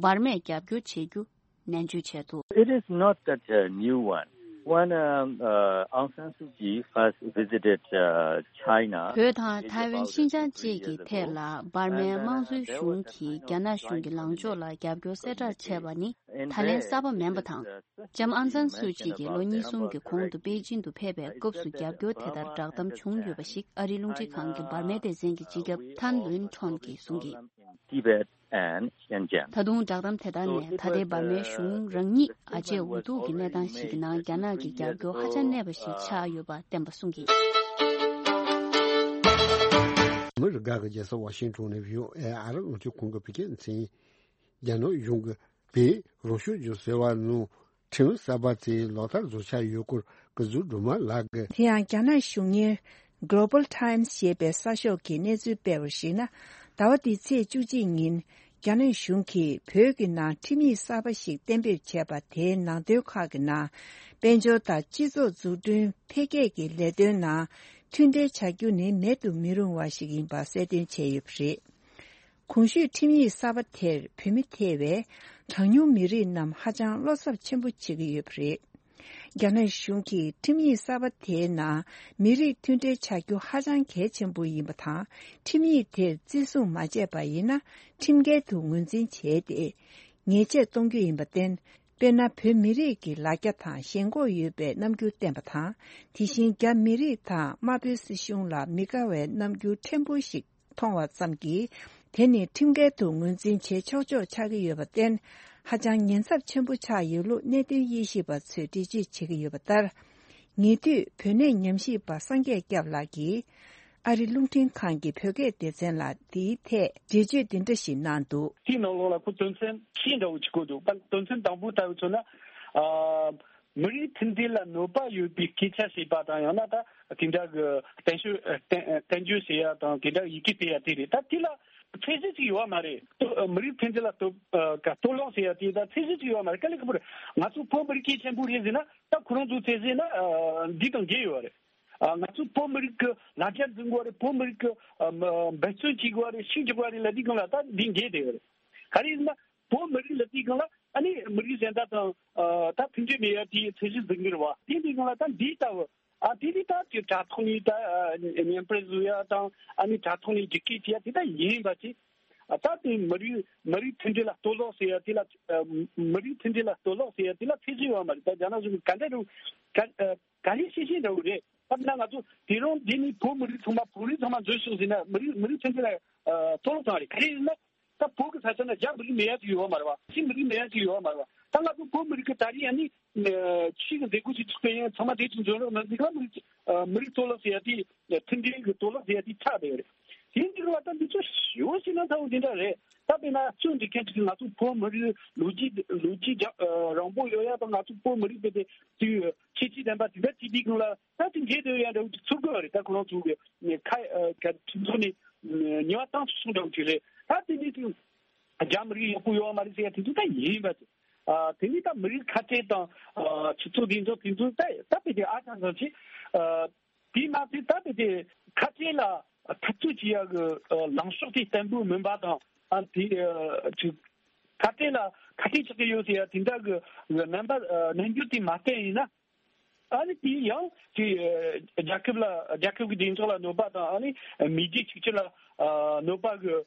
འབར་མས་རྒྱབ་སྐྱོར་བྱེད་རྒྱུ་ནན་བརྗོད་བྱས་འདུག། It is not that uh, new one. When um, uh, Aung San Suu Kyi first visited uh, China, བོད་དང་ཐའེ་ཝན་ཤིན་ཅང་བཅས་ཀྱི་ཐད་ལ་འབར་མའི་དམངས་གཙོའི་གཞུང་གིས་རྒྱ་ནག་གཞུང་གི་ལངས་ཕྱོགས་ལ་རྒྱབ་སྐྱོར་གསལ་བསྒྲགས་བྱས་པ་ནི་ད་ལན་གསར་པ་མིན་པ་དང་། ལྕམ་ཨང་སན་སུའུ་ཅི་གིས་ལོ་གཉིས་གསུམ་གྱི་གོང་དུ་པེ་ཅིན་དུ་ཕེབས་པའི་སྐབས་སུ་རྒྱབ་སྐྱོར་དེ་ལྟར་བསྒྲགས་གཏམ་བྱུང་ཡོད་པ་ཞིག་ཨ་རིའི་རླུང་འཕྲིན་ཁང་གི་འབར་མའི་སྡེ་ཚན་གྱི་སྤྱི་ཁྱབ་ཐན་ལུན་ཁྲོན་གྱིས་གསུངས་ཀྱིས། Tibet and Xinjiang. ད་དུང་བསྒྲགས་གཏམ་དེ་དག་ནས་ད་ལྟའི་འབར་མའི་གཞུང་རང་ཉིད་ཨ་ཅེ་འུ་ཐུག་གི་གནས་སྟངས་ཤིག་གི་ནང་རྒྱ་ནག་གི་རྒྱབ་སྐྱོར་ཧ་ཅང་གནས་པ་ཞིག་ཆགས་ཡོད་པ་བསྟན་པ་གསུངས་ཀྱིས། ཨ་མི་རི་ཀ་གི་རྒྱལ་ས་ཝ་ཤིང་ཊོན་ནས་བྷི་ཨོ་ཨེ་ཨ་རི་རླུང་འཕྲིན་ཁང་གི་བོད་སྐད་སྡེ་ཚན་ཡིན། རྒྱ་ནག་གཞུང་གིས་བོད་རང་སྐྱོང་ལྗོངས་ཟེར་བ་ནང་ཁྲིམས་གསར་པ་དེ་ལག་བསྟར་བཟོ་འཆར་ཡོད་སྐོར་སྐུ་ཚབ་སྒྲོལ་མ་ལགས་ཀྱིས། དེ་ཡང་རྒྱ་ནག་གཞུང་གཉེར་Global Times ཞེས་པའི་གསར་ཤོག་གིས་གནས་ཚུལ་སྤེལ་བར་གཞིགས་ན། ཟླ་བ་འདིའི་ཚེས་བཅུ་གཅིག་ཉིན་རྒྱ་ནག་གཞུང་གིས་བོད་ཀྱི་ནང་ཁྲིམས་ཡིག་གསར་པ་ཞིག་གཏན་འབེབས་བྱས་པ་དེའི་ནང་དོན་ཁག་གི་ནང་། དཔལ་འབྱོར་དང་སྤྱི་ཚོགས་འཛུགས་སྐྲུན་འཕེལ་རྒྱས་ཀྱི་ལས་དོན་ནང་མཐུན་འབྲེལ་བྱ་རྒྱུ་ནི་མེད་དུ་མི་རུང་བ་ཞིག་ཡིན་པ་གསལ་སྟོན་བྱས་ཡོད་པ་རེད། གོང་ཞུས་ཁྲིམས་ཡིག་གསར་པ་དེར་བོད་མི་ཐེ་བའི་གྲངས་ཉུང་མི་རིགས་རྣམས་ཧ་ཅང་བློ་འཚབ་ཆེན་པོ་བྱེད་ཀྱི་ཡོད་པ་རེད། རྒྱ་ནག་གཞུང་གིས་ཁྲིམས་ཡིག་གསར་པ་དེའི་ནང་མི་རིགས་མཐུན་སྒྲིལ་བྱ་རྒྱུ་ཧ་ཅང་གལ་ཆེན་པོ་ཡིན་པ་དང་། ཁྲིམས་ཡིག་དེར་བརྩི་སྲུང་མ་བྱས་པ་ཡིན་ན་ཁྲིམས་འགལ་དུ་ངོས་འཛིན་བྱས་ཏེ། ཉེས་ཆད་གཏོང་རྒྱུ་ཡིན་པར་བརྟེན། དཔེར་ན། བོད་མི་རིགས་ཀྱི་ལ་རྒྱ་དང་ཞེན་ཁོག་ཡོད་པའི་རྣམ་འགྱུར་བསྟན་པ་དང་། དེ་བཞིན་རྒྱ་མི་རིགས་དང་དམར་པོའི་སྲིད་གཞུང་ལ་མི་དགའ་བའི་རྣམ་འགྱུར་ཕྲན་བུ་ཞིག་མཐོང་བ་ཙམ་གྱིས། དེ་ནི་ཁྲིམས་འགལ་དུ་ངོས་འཛིན་བྱེད་ཆོག་ཆོག་ཆགས་ཀྱི་ཡོད་པར་བརྟེན། ཧ་ཅང་ཉེན་ཚབས་ཆེན་པོ་ཆགས་ཡོད་ལུགས་གནད་དོན་དབྱེ་ཞིབ་པ་ཚོས་འགྲེལ་བརྗོད་བྱེད་ཀྱི་ཡོད་པ་ལྟར། ཉེ་དུས་བོད་གནས་ཉམས་ཞིབ་པ་སངས་རྒྱས་སྐྱབས་ལགས་ཀྱིས། ཨ་རི་རླུང་འཕྲིན་ཁང་གི་བོད་སྐད་སྡེ་ཚན་ལ་དེའི་ཐད་འགྲེལ་བརྗོད་འདི་འདྲ་ཞིག་གནང་འདུག། དེའི་ནང་ལོགས་ལ་ཁོ་དོན་ཚན་བཞི་འདྲ་བོ་ཅིག་བཀོད་འདུག། པ་དོན་ཚན་དང་པོ་ལྟ་བུ་མཚོན་ན། ཨ། མི་རིགས་མཐུན་སྒྲིལ་ལ་གནོད་པ་ཡོད་པའི་སྐད་ཆ་བཤད་པ་དང་། ཡང་ན་ད་དེ་འདྲ་གི་བསྟན་བཅོས་བསྟན་བསྟན་བཅོས་བྱེད་ཡ་དང་། དེ་འདྲ་ཡི་གེ་སྤེལ་ཡ་དེ་རེད། ད་དེ་ལ་ཚད་གཞི་ཅིག་ཡོད་མ་རེད། ཏོ་མི་རིགས་མཐུན་སྒྲིལ་ལ་གཏོར་ཨ་ག་གཏོར་བརླག་བྱེད་ཡ་དེ་ད་ཚད་གཞི་ཅིག་ཡོད་མ་རེད། དཀའ་ལས་ཁག་པོ་རེད། ང་ཚོ་བོད་མི་རིགས་གལ་ཆེན་པོ་རེད་ཟེར་ན། ད་ཁོ་རང་ཚོ་ཚད་གཞི་ན་ཨ་འདི་དང་འགལ་ཡོད་རེད། ཨ་ང་ཚོ་བོད་མི་རིགས་ཀྱི་ལ་རྒྱ་འཛིན་དགོས་རེད། བོད་མི་རིགས་ཀྱི་ཨ་མ་འབད་བརྩོན་བྱེད་དགོས་རེད། ཤུགས་རྒྱག་དགོས་རེད་ལབ་དུས་སྒང་ལ་ད་འདི་འགལ་བསྡད་ཡོད་རེད། ག་རེ་ཡིན་ན་བོད་མི་རིགས་ལབ་དུས་སྒང་ལ་ཨ་ནི་མི་རིགས་གཞན་དག་དང་ཨ་ད་མཐུན་སྒྲིལ་མེད་ཡ་དེའི་ཚད་གཞི་འཛིན་གྱི་རེད་བ། དེ་འདི་སྒང་ལ་ད་འདི་ལྟ་བུ་ཨ་དེ་ནི་ད་ཅིག་དྲ་ཐོག་ནས་ད་ཨ་བརྙན་འཕྲིན་བཟོ་ཡ་དང་། ཨ་ནི་དྲ་ཐོག་ནས་རྒྱུག་སྐད་བྱེད་ཡ་དེ་ད་ཡིན་པ་ཅིག། ཨ་ད་དེ་མི་རིགས་མི་རིགས་མཐུན་སྒྲིལ་ལ་གཏོར་བརླག་ཟེར་ཡ་དེ་ལ། ཨ་མི་རིགས་མཐུན་སྒྲིལ་ལ་གཏོར་བརླག་ཟེར་ཡ་དེ་ལ་ཚད་གཞི་ཡོད་མ་རེད། ད་རྒྱ་ནག་གཞུང་གིས་ག་འདྲ་རུ་ག་ཨ་ག་རེ་བཤད་བཤད་འདྲ་བོ་རེད། ད་ན་ང་ཚོ་དེ་རིང་འདི་ནི་བོད་མི་རིགས་ཚང་མ་བོད་རིགས་ཚང་མ་འཛུལ་ཤོག་ཟེར་ན་མི་རིགས་མི་རིགས་མཐུན་སྒྲིལ་ལ་ཨ་གཏོར་བརླག་བཏང་བ་རེད། ག་རེ་ཡིན་ན་ད་བོད་ཀྱི་ས་ཆ་ན་རྒྱ་མི་རིགས་མེད་ཡ་ཅིག་ཡོད་མ་རེད་བ། ཕྱི་མི་རིགས་མེད་ཡ་ཅིག་ཡོད་མ་རེད་བ། ད་ང་ཚོ་བོད་མི་རིགས་ཀྱི་ད་རེས་ཡ་ནི། ཨ་ཕྱི་གི་མཛད་སྒོ་ཞིག་ཚུགས་པའི་ཡང་ཚང་མ་དེ་ཚོ་འཛོམས་རོགས་གནང་ཟིག་ལ། མི་རིགས་ཨ་མི་རིགས་གཏོར་བརླག་ཟེར་ཡ་དེ་མཐུན་སྒྲིལ་གྱི་གཏོར་བརླག་ཟེར་ཡ་དེ་ཆགས་བསྡད་ཡོད་རེད། དེ་འདི་ལ་ད་འདི་ཚོ་ཞེ་པོ་ཞིག་ན་ཚ་བོ་འདི་འདྲ་རེད། ད་དཔེར་ན་ཅུང་འདྲི་མཁན་ཅིག་གིས་ང་ཚོ་བོད་མི་རིགས་ལོ་རྒྱུས་ལོ་རྒྱུས་རྒྱ་ཨ་རིང་པོ་ཡོད་ཡ་དང་། ང་ཚོ་བོད་མི་རིགས་དེ་དེ་དུས་ཁྱད་ཆོས་ལྡན་པ་དེ་འདྲ་བྱེད་དུས་སྒང་ལ་ད་དེ་འགལ་འདུ་ཡ་འདྲ་བོ་ཅིག་ཚོར་གི་ཡོད་རེད། ད་ཁོ་རང་ཚོ་གི་ཁ་ཨ་ཁ་ཁྲིམས་ཚོགས་ནས་ཉེས་པ་བཏང་ཚུལ་སོང་འདྲ་བོ་ཅིག་རེད། ད་དེ་འདི་དུས། རྒྱ་མི་རིགས་ཡག་པོ་ཡོད་མ་རེད་ཟེར་ཡ་དེ་ཚོ་ད་ཡིན་པ། ཨ་དེ་ནི་ད་མི་རིགས་ཁ་བྲལ་དང་ཨ་ཆུ་ཚོད་དེ་ཚོ་དེ་ཚོ་ད་ད་དཔེ་དེ་ཨ་ཅང་ཙམ་ཅིག། ཨ་དེ་མ་ཚད་ད་དཔེ་དེ་ཁ་བྲལ་ལ་འཐབ་རྩོད་བྱེད་ཡ་གི་ཨ་ལངས་ཕྱོགས་དེ་བརྟན་པོ་མིན་པ་དང་། ཨ་དེ་ཨ་ཅིག་ཁ་བྲལ་ལ་ཁ་གཏད་གཅོག་གི་ཡོད་ཟེར་ཡ་དེ་འདྲ་གི་རྣམ་པ་ཨ་རྣམ་འགྱུར་དེ་མ་བསྟན་ཡིན་ན། ཨ་ནི་དེ་ཡང་དེ་རྒྱལ་ཁབ་ལ་རྒྱལ་ཁབ་ཀྱི་བདེ་འཇགས་ལ་གནོད་པ་དང་། ཨ་ནི་མི་རྒྱུ་གཅིག་གྱུར་ལ་ཨ་གནོད་པ་གི་ཨ་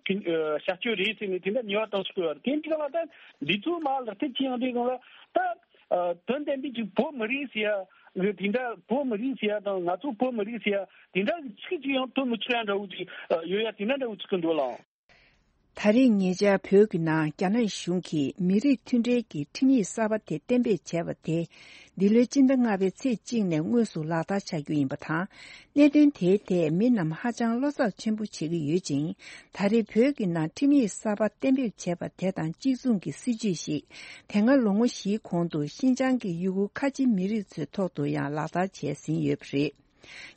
བྱ་སྤྱོད་རེད་ཟེར་ནས་དེ་འདྲ་ཉེས་པ་བཏང་ཆོག་གི་ཡོད་རེད། དེ་འདྲ་ལ་ད་འདི་ཚོ་མ་ལག་དེབ་ཅི་ཡང་དེ་གང་ལ་ད་ཨ་དོན་དམ་པའི་ཅིག་བོད་མི་རིགས་ཟེར་ཡ་གི་དེ་འདྲ། བོད་མི་རིགས་ཟེར་ཡ་དང་ང་ཚོ་བོད་མི་རིགས་ཟེར་ཡ་དེ་འདྲ་གི་ཚིག་ཅིག་ཡང་བཏོན་མི་ཆོག་ཡ་འདྲ་བོ་ཅིག་ཡོད་ཡ་དེ་འདྲ་འདྲ་བོ་ཚིག་གི་འདུག་ལགས། ད་རེས་ཉེ་ཆར་བོད་ཀྱི་ནང་རྒྱ་ནག་གཞུང་གིས་མི་རིགས་མཐུན་སྒྲིལ་གྱི་ཁྲིམས་ཡིག་གསར་པ་དེ་གཏན་འབེབས་བྱས་པ་དེ། འདི་ལོའི་སྤྱི་ཟླ་ལྔ་པའི་ཚེས་གཅིག་ནས་དངོས་སུ་ལག་བསྟར་བྱ་རྒྱུ་ཡིན་པ་དང་། གནད་དོན་དེའི་ཐད་མི་རྣམས་ཧ་ཅང་བློ་འཚབ་ཆེན་པོ་བྱེད་ཀྱི་ཡོད་ཅིང་། ད་རེས་བོད་ཀྱི་ནང་ཁྲིམས་ཡིག་གསར་པ་གཏན་འབེབས་བྱས་པ་དེ་དང་གཅིག་མཚུངས་ཀྱི་སྲིད་བྱུས་ཤིག་དེ་སྔ་ལོ་ངོ་བཞིའི་གོང་དུ་ཤིན་ཅང་གི་ཡུ་གུར་ཁ་ཆེ་མི་རིགས་ཚོའི་ཐོག་ཏུ་ཡང་ལག་བསྟར་བྱས་ཟིན་ཡོད་པ་རེད།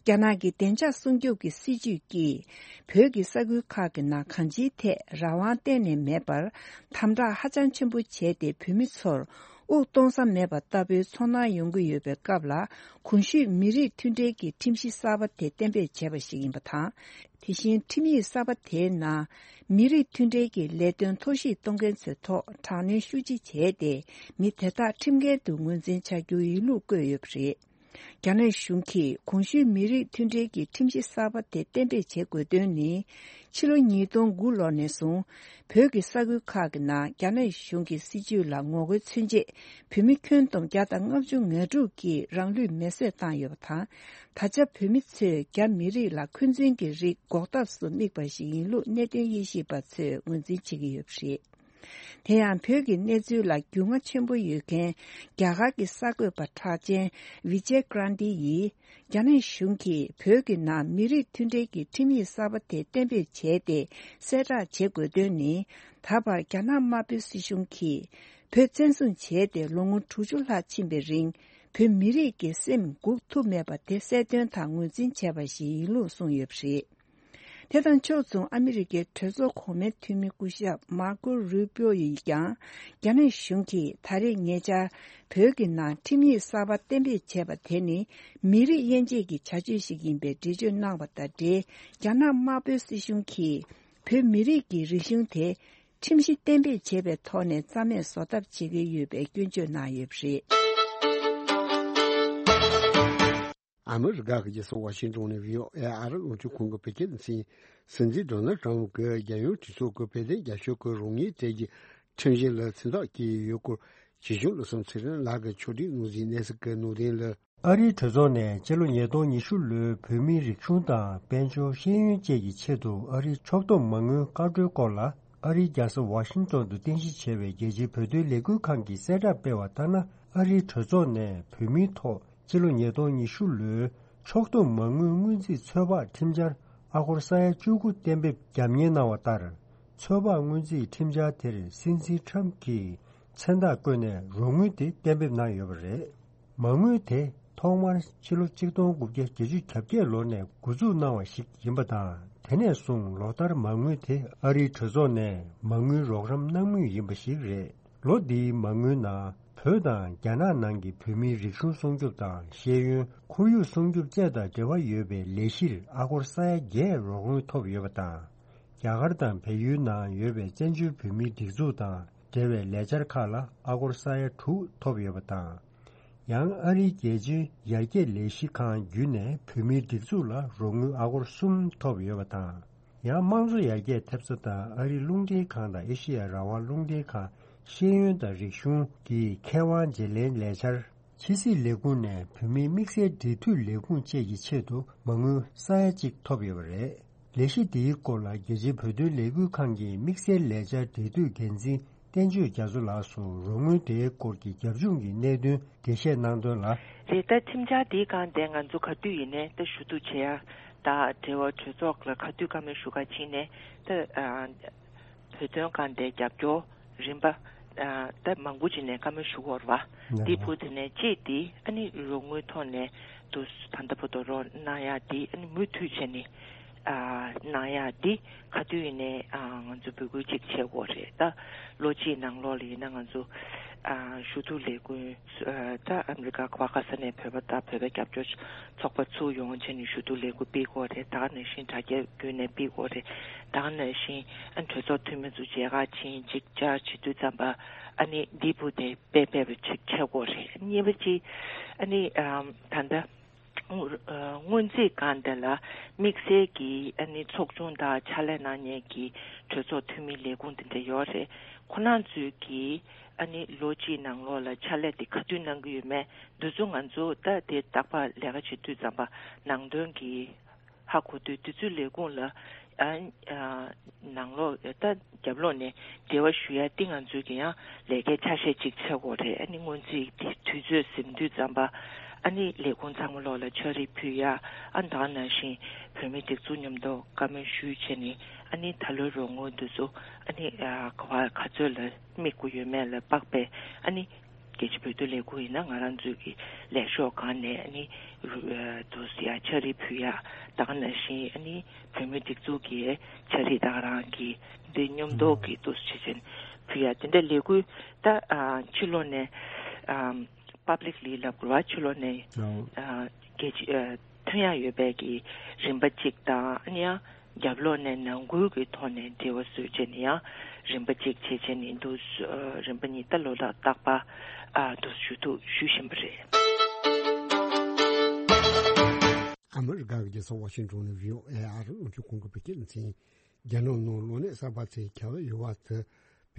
རྒྱ་ནག་གི་བདེ་འཇགས་སྲུང་སྐྱོབ་ཀྱི་སྲིད་ཇུས་ཀྱིས། བོད་ཀྱི་ས་ཁུལ་ཁག་གི་ནང་གང་ཅིའི་ཐད་རང་དབང་གཏན་ནས་མེད་པར། དམ་དྲག་ཧ་ཅང་ཆེན་པོ་བྱས་ཏེ། བོད་མི་ཚོར་དབུགས་གཏོང་ས་མེད་པ་ལྟ་བུའི་ཚོར་སྣང་ཡོང་གི་ཡོད་པའི་སྐབས་ལ། གོང་ཞུས་མི་རིགས་མཐུན་སྒྲིལ་གྱི་ཁྲིམས་གཞི་གསར་པ་དེ་གཏན་འབེབས་བྱས་པ་ཞིག་ཡིན་པ་དང་། དེ་བཞིན་ཁྲིམས་ཡིག་གསར་པ་དེའི་ནང་། མི་རིགས་མཐུན་སྒྲིལ་གྱི་ལས་དོན་ཐོར་ཞིག་གཏོང་མཁན་ཚོའི་ཐོག་དྲག་གནོན་ཤུགས་ཆེ་བྱས་ཏེ། མི་དེ་དག་ཁྲིམས་འགལ་དུ་ངོས་འཛིན་བྱ་རྒྱུའི་ཡིག་ལུགས་བཀོད་ཡོད་པ་རེད། རྒྱ་ནག་གཞུང་གིས་གོང་ཞུས་མི་རིགས་མཐུན་སྒྲིལ་གྱི་ཁྲིམས་གཞི་གསར་པ་དེ་གཏན་འབེབས་བྱེད་དགོས་དོན་ནི། ཕྱི་ལོ་ཉིས་སྟོང་དགུ་ལོ་ནས་བཟུང་། བོད་ཀྱི་ས་ཁུལ་ཁག་གི་ནང་རྒྱ་ནག་གཞུང་གི་སྲིད་བྱུས་ལ་ངོ་རྒོལ་མཚོན་ཆེད། བོད་མི་ཁྱོན་བསྡོམས་བརྒྱ་དང་ལྔ་བཅུ་ང་དྲུག་གིས་རང་ལུས་མེར་སྲེག་བཏང་ཡོད་པ་དང་། ད་ཆ་བོད་མི་ཚོས་རྒྱ་མི་རིགས་ལ་འཁོན་འཛིན་གྱི་རིགས་འགོག་ཐབས་སུ་དམིགས་པ་ཞིག་ཡིན་ལུགས་གནད་དོན་དབྱེ་ཞིབ་པ་ཚོས་ངོས་འཛིན་བྱེད་ཀྱི་ཡོད་པ་རེད། དེ་ཡང་བོད་ཀྱི་གནས་ཚུལ་ལ་རྒྱུས་མངའ་ཆེན་པོ་ཡོད་མཁན་རྒྱ་གར་གྱི་གསར་འགོད་པ་གྲགས་ཅན་ཝི་ཇེ་ཀྲན་ཏི་ཡིས། རྒྱ་ནག་གཞུང་གིས་བོད་ཀྱི་ནང་མི་རིགས་མཐུན་སྒྲིལ་གྱི་ཁྲིམས་ཡིག་གསར་པ་དེ་གཏན་འབེབས་བྱས་ཏེ་གསལ་བསྒྲགས་བྱེད་དགོས་དོན་ནི། ད་བར་རྒྱ་ནག་དམར་པོའི་སྲིད་གཞུང་གིས་བོད་བཙན་བཟུང་བྱས་ཏེ་ལོ་ངོ་དྲུག་ཅུ་ལྷག་ཕྱིན་པའི་རིང་། བོད་མི་རིགས་ཀྱི་སེམས་འགུག་ཐུབ་མེད་པ་དེ་གསལ་སྟོན་དང་ངོས་འཛིན་བྱས་པ་ཞིག་ཡིན་ལུགས་གསུངས་ཡོད་པ་རེད། དེ་དང་ཕྱོགས་མཚུངས། ཨ་མི་རི་ཀའི་གྲོས་ཚོགས་གོང་མའི་འཐུས་མི་སྐུ་ཞབས་མར་ཀོ་རུ་པིའོ་ཡིས་ཀྱང་། རྒྱ་ནག་གཞུང་གིས་ད་རེས་ཉེ་ཆར་བོད་ཀྱི་ནང་ཁྲིམས་ཡིག་གསར་པ་གཏན་འབེབས་བྱས་པ་དེ་ནི། མི་རིགས་དབྱེ་འབྱེད་ཀྱི་བྱ་སྤྱོད་ཞིག་ཡིན་པའི་འགྲེལ་བརྗོད་གནང་བ་དང་འབྲེལ། རྒྱ་ནག་དམར་པོའི་སྲིད་གཞུང་གིས་བོད་མི་རིགས་ཀྱི་རིག་གཞུང་དེ། ཁྲིམས་གཞི་གཏན་འབེབས་བྱས་པའི་ཐོག་ནས་རྩ་མེད་བཟོ་ཐབས་བྱེད་ཀྱི་ཡོད་པའི་སྐྱོན་བརྗོད་གནང་ཡོད་པ་རེད། ཨ་མི་རི་ཀ་གི་རྒྱལ་ས་ཝ་ཤིང་ཏོན་ནས་བྷི་ཨོ་ཨེ་ཨ་རི་རླུང་འཕྲིན་ཁང་གི་བོད་སྐད་སྡེ་ཚན། སྲིད་འཛིན་ཌོ་ནལ་ཏྲམ་གྱིས་རྒྱལ་ཡོངས་གྲོས་ཚོགས་ཀྱི་བོད་དོན་རྒྱབ་སྐྱོར་གྱི་རོགས་དངུལ་སྤྲད་རྒྱུ་ ཁྲིམས་གཞི་ལ་མཚན་རྟགས་བཀོད་ཡོད་སྐོར་ཇི་བྱུང་བློ་བཟང་ཚེ་རིང་ལགས་ཀྱིས་ཕྱོགས་སྒྲིག་གནང་ཟིན་གནས་ཚུལ་གྱི་ནང་དོན་ལ། ཨ་རིའི་གྲོས་ཚོགས་ནས་སྤྱི་ལོ་ཉིས་སྟོང་ཉི་ཤུ་ལོའི་བོད་མིའི་རིག་གཞུང་དང་དཔལ་འབྱོར་ཤེས་ཡོན་བཅས་ཀྱི་ཆེད་དུ་ཨ་རིའི་ཕྱོགས་བསྡོམས་མ་དངུལ་བཀའ་འཁྲོལ་སྐོར་ལ། ཨ་རིའི་རྒྱལ་ས་ཝ་ཤིང་ཏོན་དུ་རྟེན་གཞི་བྱས་པའི་རྒྱལ་སྤྱིའི་བོད་དོན་ལས་འགུལ་ཁང་གིས་གསལ་བསྒྲགས་སྤེལ་བ་ལྟར་ན། ཨ་རིའི་གྲོས་ཚོགས་ནས་བོད་མིའི་ཐོག་སྤྱི་ལོ་ཉིས་སྟོང་ཉི་ཤུ་ལོའི་ཕྱོགས་བསྡོམས་མ་དངུལ་སྔོན་རྩིས་ཚོད་དཔག་ཁྲིམས་འཆར་ཨ་སྒོར་ས་ཡ་བཅུ་དགུ་གཏན་འབེབས་རྒྱབ་གཉེར་གནང་བ་ལྟར། ཚོད་དཔག་སྔོན་རྩིས་ཁྲིམས་འཆར་དེར་སྲིད་འཛིན་ཁྲམ་གྱིས་མཚན་རྟགས་བཀོད་ནས་རོགས་དངུལ་དེ་གཏན་འབེབས་གནང་ཡོད་པ་རེད། མ་དངུལ་དེ་ཐོག་མར་ཕྱི་ལོ་ཆིག་སྟོང་དགུ་བརྒྱ་བརྒྱད་ཅུ་གྱ་བརྒྱད་ལོ་ནས་འགོ་འཛུགས་གནང་བ་ཞིག་ཡིན་པ་དང་། དེ་ནས་བཟུང་ལོ་ལྟར་མ་དངུལ་དེ་ཨ་རིའི་གྲོས་ཚོགས་ནས་མ་དངུལ་རོགས་རམ་གནང་མུས་ཡིན་པ་ཞིག་རེད། ལོ་འདིའི་མ་དངུལ་ནང་བོད་དང་རྒྱ་ནག་ནང་གི་བོད་མིའི་རིག་གཞུང་སྲུང་སྐྱོབ་དང་ཤེས་ཡོན་ཁོར་ཡུག་སྲུང་སྐྱོབ་བཅས་དང་འབྲེལ་བ་ཡོད་པའི་ལས་གཞིར་ཨ་སྒོར་ས་ཡ་བརྒྱད་རོགས་དངུལ་ཐོབ་ཡོད་པ་དང་། རྒྱ་གར་དང་བལ་ཡུལ་ནང་ཡོད་པའི་བཙན་བྱོལ་བོད་མིའི་སྒྲིག་འཛུགས་དང་འབྲེལ་བའི་ལས་འཆར་ཁག་ལ་ཨ་སྒོར་ས་ཡ་དྲུག་ཐོབ་ཡོད་པ་དང་། ཡང་ཨ་རིའི་རྒྱལ་སྤྱིའི་ཡར་རྒྱས་ལས་གཞི་ཁང་བརྒྱུད་ནས་བོད་མིའི་སྒྲིག་འཛུགས་ལ་རོགས་དངུལ་ཨ་སྒོར་གསུམ་ཐོབ་ཡོད་པ་དང་། ཡང་དམངས་གཙོ་ཡར་རྒྱས་ཐེབས་རྩ་དང་ཨ་རིའི་རླུང་འཕྲིན་ཁང་དང་ཨེ་ཤེ་ཡ་རང་དབང་རླུང་འཕྲིན་ཁང་ཤེས་ཡོན་དང་རིག་གཞུང་གི་མཁས་དབང་བརྗེ་ལེན་ལས་འཆར། ཕྱི་སྲིད་ལས་ཁུངས་ནས་བོད་མིའི་དམིགས་བསལ་འབྲེལ་མཐུད་ལས་ཁུངས་བཅས་ཀྱི་ཆེད་དུ་མ་དངུལ་ས་ཡ་གཅིག་ཐོབ་ཡོད་པ་རེད། ལས་གཞི་འདིའི་སྐོར་ལ་རྒྱལ་སྤྱིའི་བོད་དོན་ལས་འགུལ་ཁང་གི་དམིགས་བསལ་ལས་འཆར་འབྲེལ་མཐུད་འགན་འཛིན་བསྟན་ཆོས་རྒྱ་མཚོ་ལགས་སུ་རོགས་དངུལ་དེའི་སྐོར་གྱི་རྒྱབ་ལྗོངས་ཀྱི་གནད་དོན་འགྲེལ་བཤད་གནང་དོན་ལ། རེད། ད་ཁྲིམས་འཆར་འདིའི་སྒང་དེ་ང་ཚོ་ག་དུས་ཡིན་ནའི་ད་ཞུ་གཏུག་བྱེད་ཡ་དང་འབྲེལ་བ་གྲོས་ཚོགས་ལ་ག་དུས་བཀའ་མོལ་ཞུ་ག་ཕྱིན་ནའི་ད། བོད་དོན་སྒང་དེ་རྒྱབ་སྐྱོར་རིམ་པ་ད་མང་པོ་ཅིག་ནས་བཀའ་མོལ་ཞུ་དགོས་རེད་བ། འདི་བུ་དེ་ནས་གཅིག་དེ་ཨ་ནི་རོགས་དངུལ་ཐོག་ནས་དུ་ད་ལྟ་བར་དུ་རོགས་གནང་ཡག་འདི་ཨ་ནི་མུ་མཐུད་བྱས་ནས་གནང་ཡག་འདི་ག་དུས་ཡིན་ནའི་ང་ཚོ་འབོད་སྐུལ་ཅིག་བྱེད་དགོས་རེད། ད་ལོ་གཅིག་ནང་ལོགས་ལ་ཡིན་ན་ང་ཚོ་ཞུ་གཏུག་ལས་འགུལ་ད་ཨ་མི་རི་ཀ་ག་པར་ག་ས་ནས་བོད་པ་དང་བོད་པའི་རྒྱབ་སྐྱོར་ཚོགས་པ་ཚུར་ཡོང་བྱས་ནས་ཞུ་གཏུག་ལས་འགུལ་སྤེལ་དགོས་རེད། ད་ག་ནང་བཞིན་དྲ་རྒྱ་བརྒྱུད་ནས་སྤེལ་དགོས་རེད། ད་ག་ནང་བཞིན་ཨ་གྲོས་ཚོགས་འཐུས་མི་ཚོ་མཇལ་ཁ་ཕྱིན་ཅིག་བཅར་བྱེད་དུས་ཙམ་པ་ཨ་ནི་འདི་བུ་དེ་དཔེ་དཔེ་བ་ཅིག་བྱེད་དགོས་རེད། གཉིས་པ་ཅིག་ཨ་ནི་ཨམ་ད་ལྟ་སྔོན་རྩིས་སྒང་དེ་ལ་དམིགས་བསལ་གྱི་ཨ་ནི་ཚོགས་ཆུང་དང་ཕྱག་ལས་གནང་མཁན་གྱི་གྲོས་ཚོགས་འཐུས་མི་ལས་ཁུངས་དེ་འདྲ་ཡོད་རེད། ཁོ་རང་ཚོས་ཀྱིས་ཨ་ནི་ལོ་གཅིག་ནང་ལོགས་ལ་ཕྱག་ལས་དེ་ག་དུས་གནང་གི་ཡོད་མེད་འདི་ཚོ་ང་ཚོ་ད་དེ་རྟག་པར་ལས་ཀ་བྱེད་དུས་ཙམ་པ་ནང་དོན་གྱི་ཧ་གོ་དུས་དུས་ཚོད་ལས་ཁུངས་ལ་ཨ་ཨ་ནང་ལོགས་ད་རྒྱབ་ལོགས་ནས་འབྲེལ་བ་ཞུ་ཡ་དེ་ང་ཚོས་ཀྱི་ཡང་ལས་ཀའི་ཆ་ཤས་གཅིག་ཆགས་དགོས་རེད། ཨ་ནི་སྔོན་རྩིས་དེ་དུས་ཚོད་ཟིན་དུས་ཙམ་པ་ཨ་ནི་ལས་ཁུངས་ཚང་མ་ལོགས་ལ་ཕྱག་བྲིས་ཕུལ་ཡ། ཨ་ད་ག་ནང་བཞིན་བོད་མི་སྒྲིག་འཛུགས་མཉམ་དུ་བཀའ་མོལ་ཞུས་བྱས་ནས་ཨ་ནི་ད་ལོའི་རོགས་དངུལ་འདི་ཚོ་ཨ་ནི་ཨ་ག་བ་ག་ཚོད་ལ་དམིགས་དགོས་ཡོད་མེད་ལ་དཔག་པའི་ཨ་ནི། རྒྱལ་སྤྱི་བོད་དོན་ལས་ཁུངས་ཡིན་ན་ང་རང་ཚོའི་གི་ལས་ཤོག་སྒང་ནས་ཨ་ནི་དུ་ཡ་ཕྱག་བྲིས་ཕུལ་ཡ། ད་ག་ནང་བཞིན་ཨ་ནི་བོད་མི་སྒྲིག་འཛུགས་ཀྱི་ཕྱག་བྲིས་ད་ག་རང་གི་འདི་མཉམ་དུ་གི་དུ་བྱེད་ཆེན་ཕུལ་ཡ་དེ་འདྲ་ལས་འགུལ་ད་ཕྱི་ལོགས་ནས་པབ་ལིག་ལི་ལབ་དགོས་པ་ཕྱི་ལོགས་ནས་རྒྱལ་སྤྱི་ཐོན་ཡ་ཡོད་པའི་གི་རིམ་པ་གཅིག་དང་ཨ་ནི་ཡང་། རྒྱབ་ལོགས་ནས་ནང་ཁུལ་གྱི་ཐོག་ནས་འབྲེལ་བ་བཟོས་བྱས་ནས་ཡང་རིམ་པ་གཅིག་བྱས་བྱས་ནས་འདུག་རིམ་པ་གཉིས་ད་ལོ་ལྟར་རྟག་པར་ཨ་འདུག་ཞུ་གཏུག་ཞུ་བཞིན་པ་རེད། ཨ་མི་རི་ཀ་གི་རྒྱལ་ས་ཝ་ཤིང་ཏོན་ནས་བྷི་ཨོ་ཨེ་ཨ་རི་རླུང་འཕྲིན་ཁང་གི་བོད་སྐད་སྡེ་ཚན། རྒྱ་ནག་ནང་གློ་ནད་གསར་པ་ཚོའི་ཁྱབ་ཡོད་པ་དེ་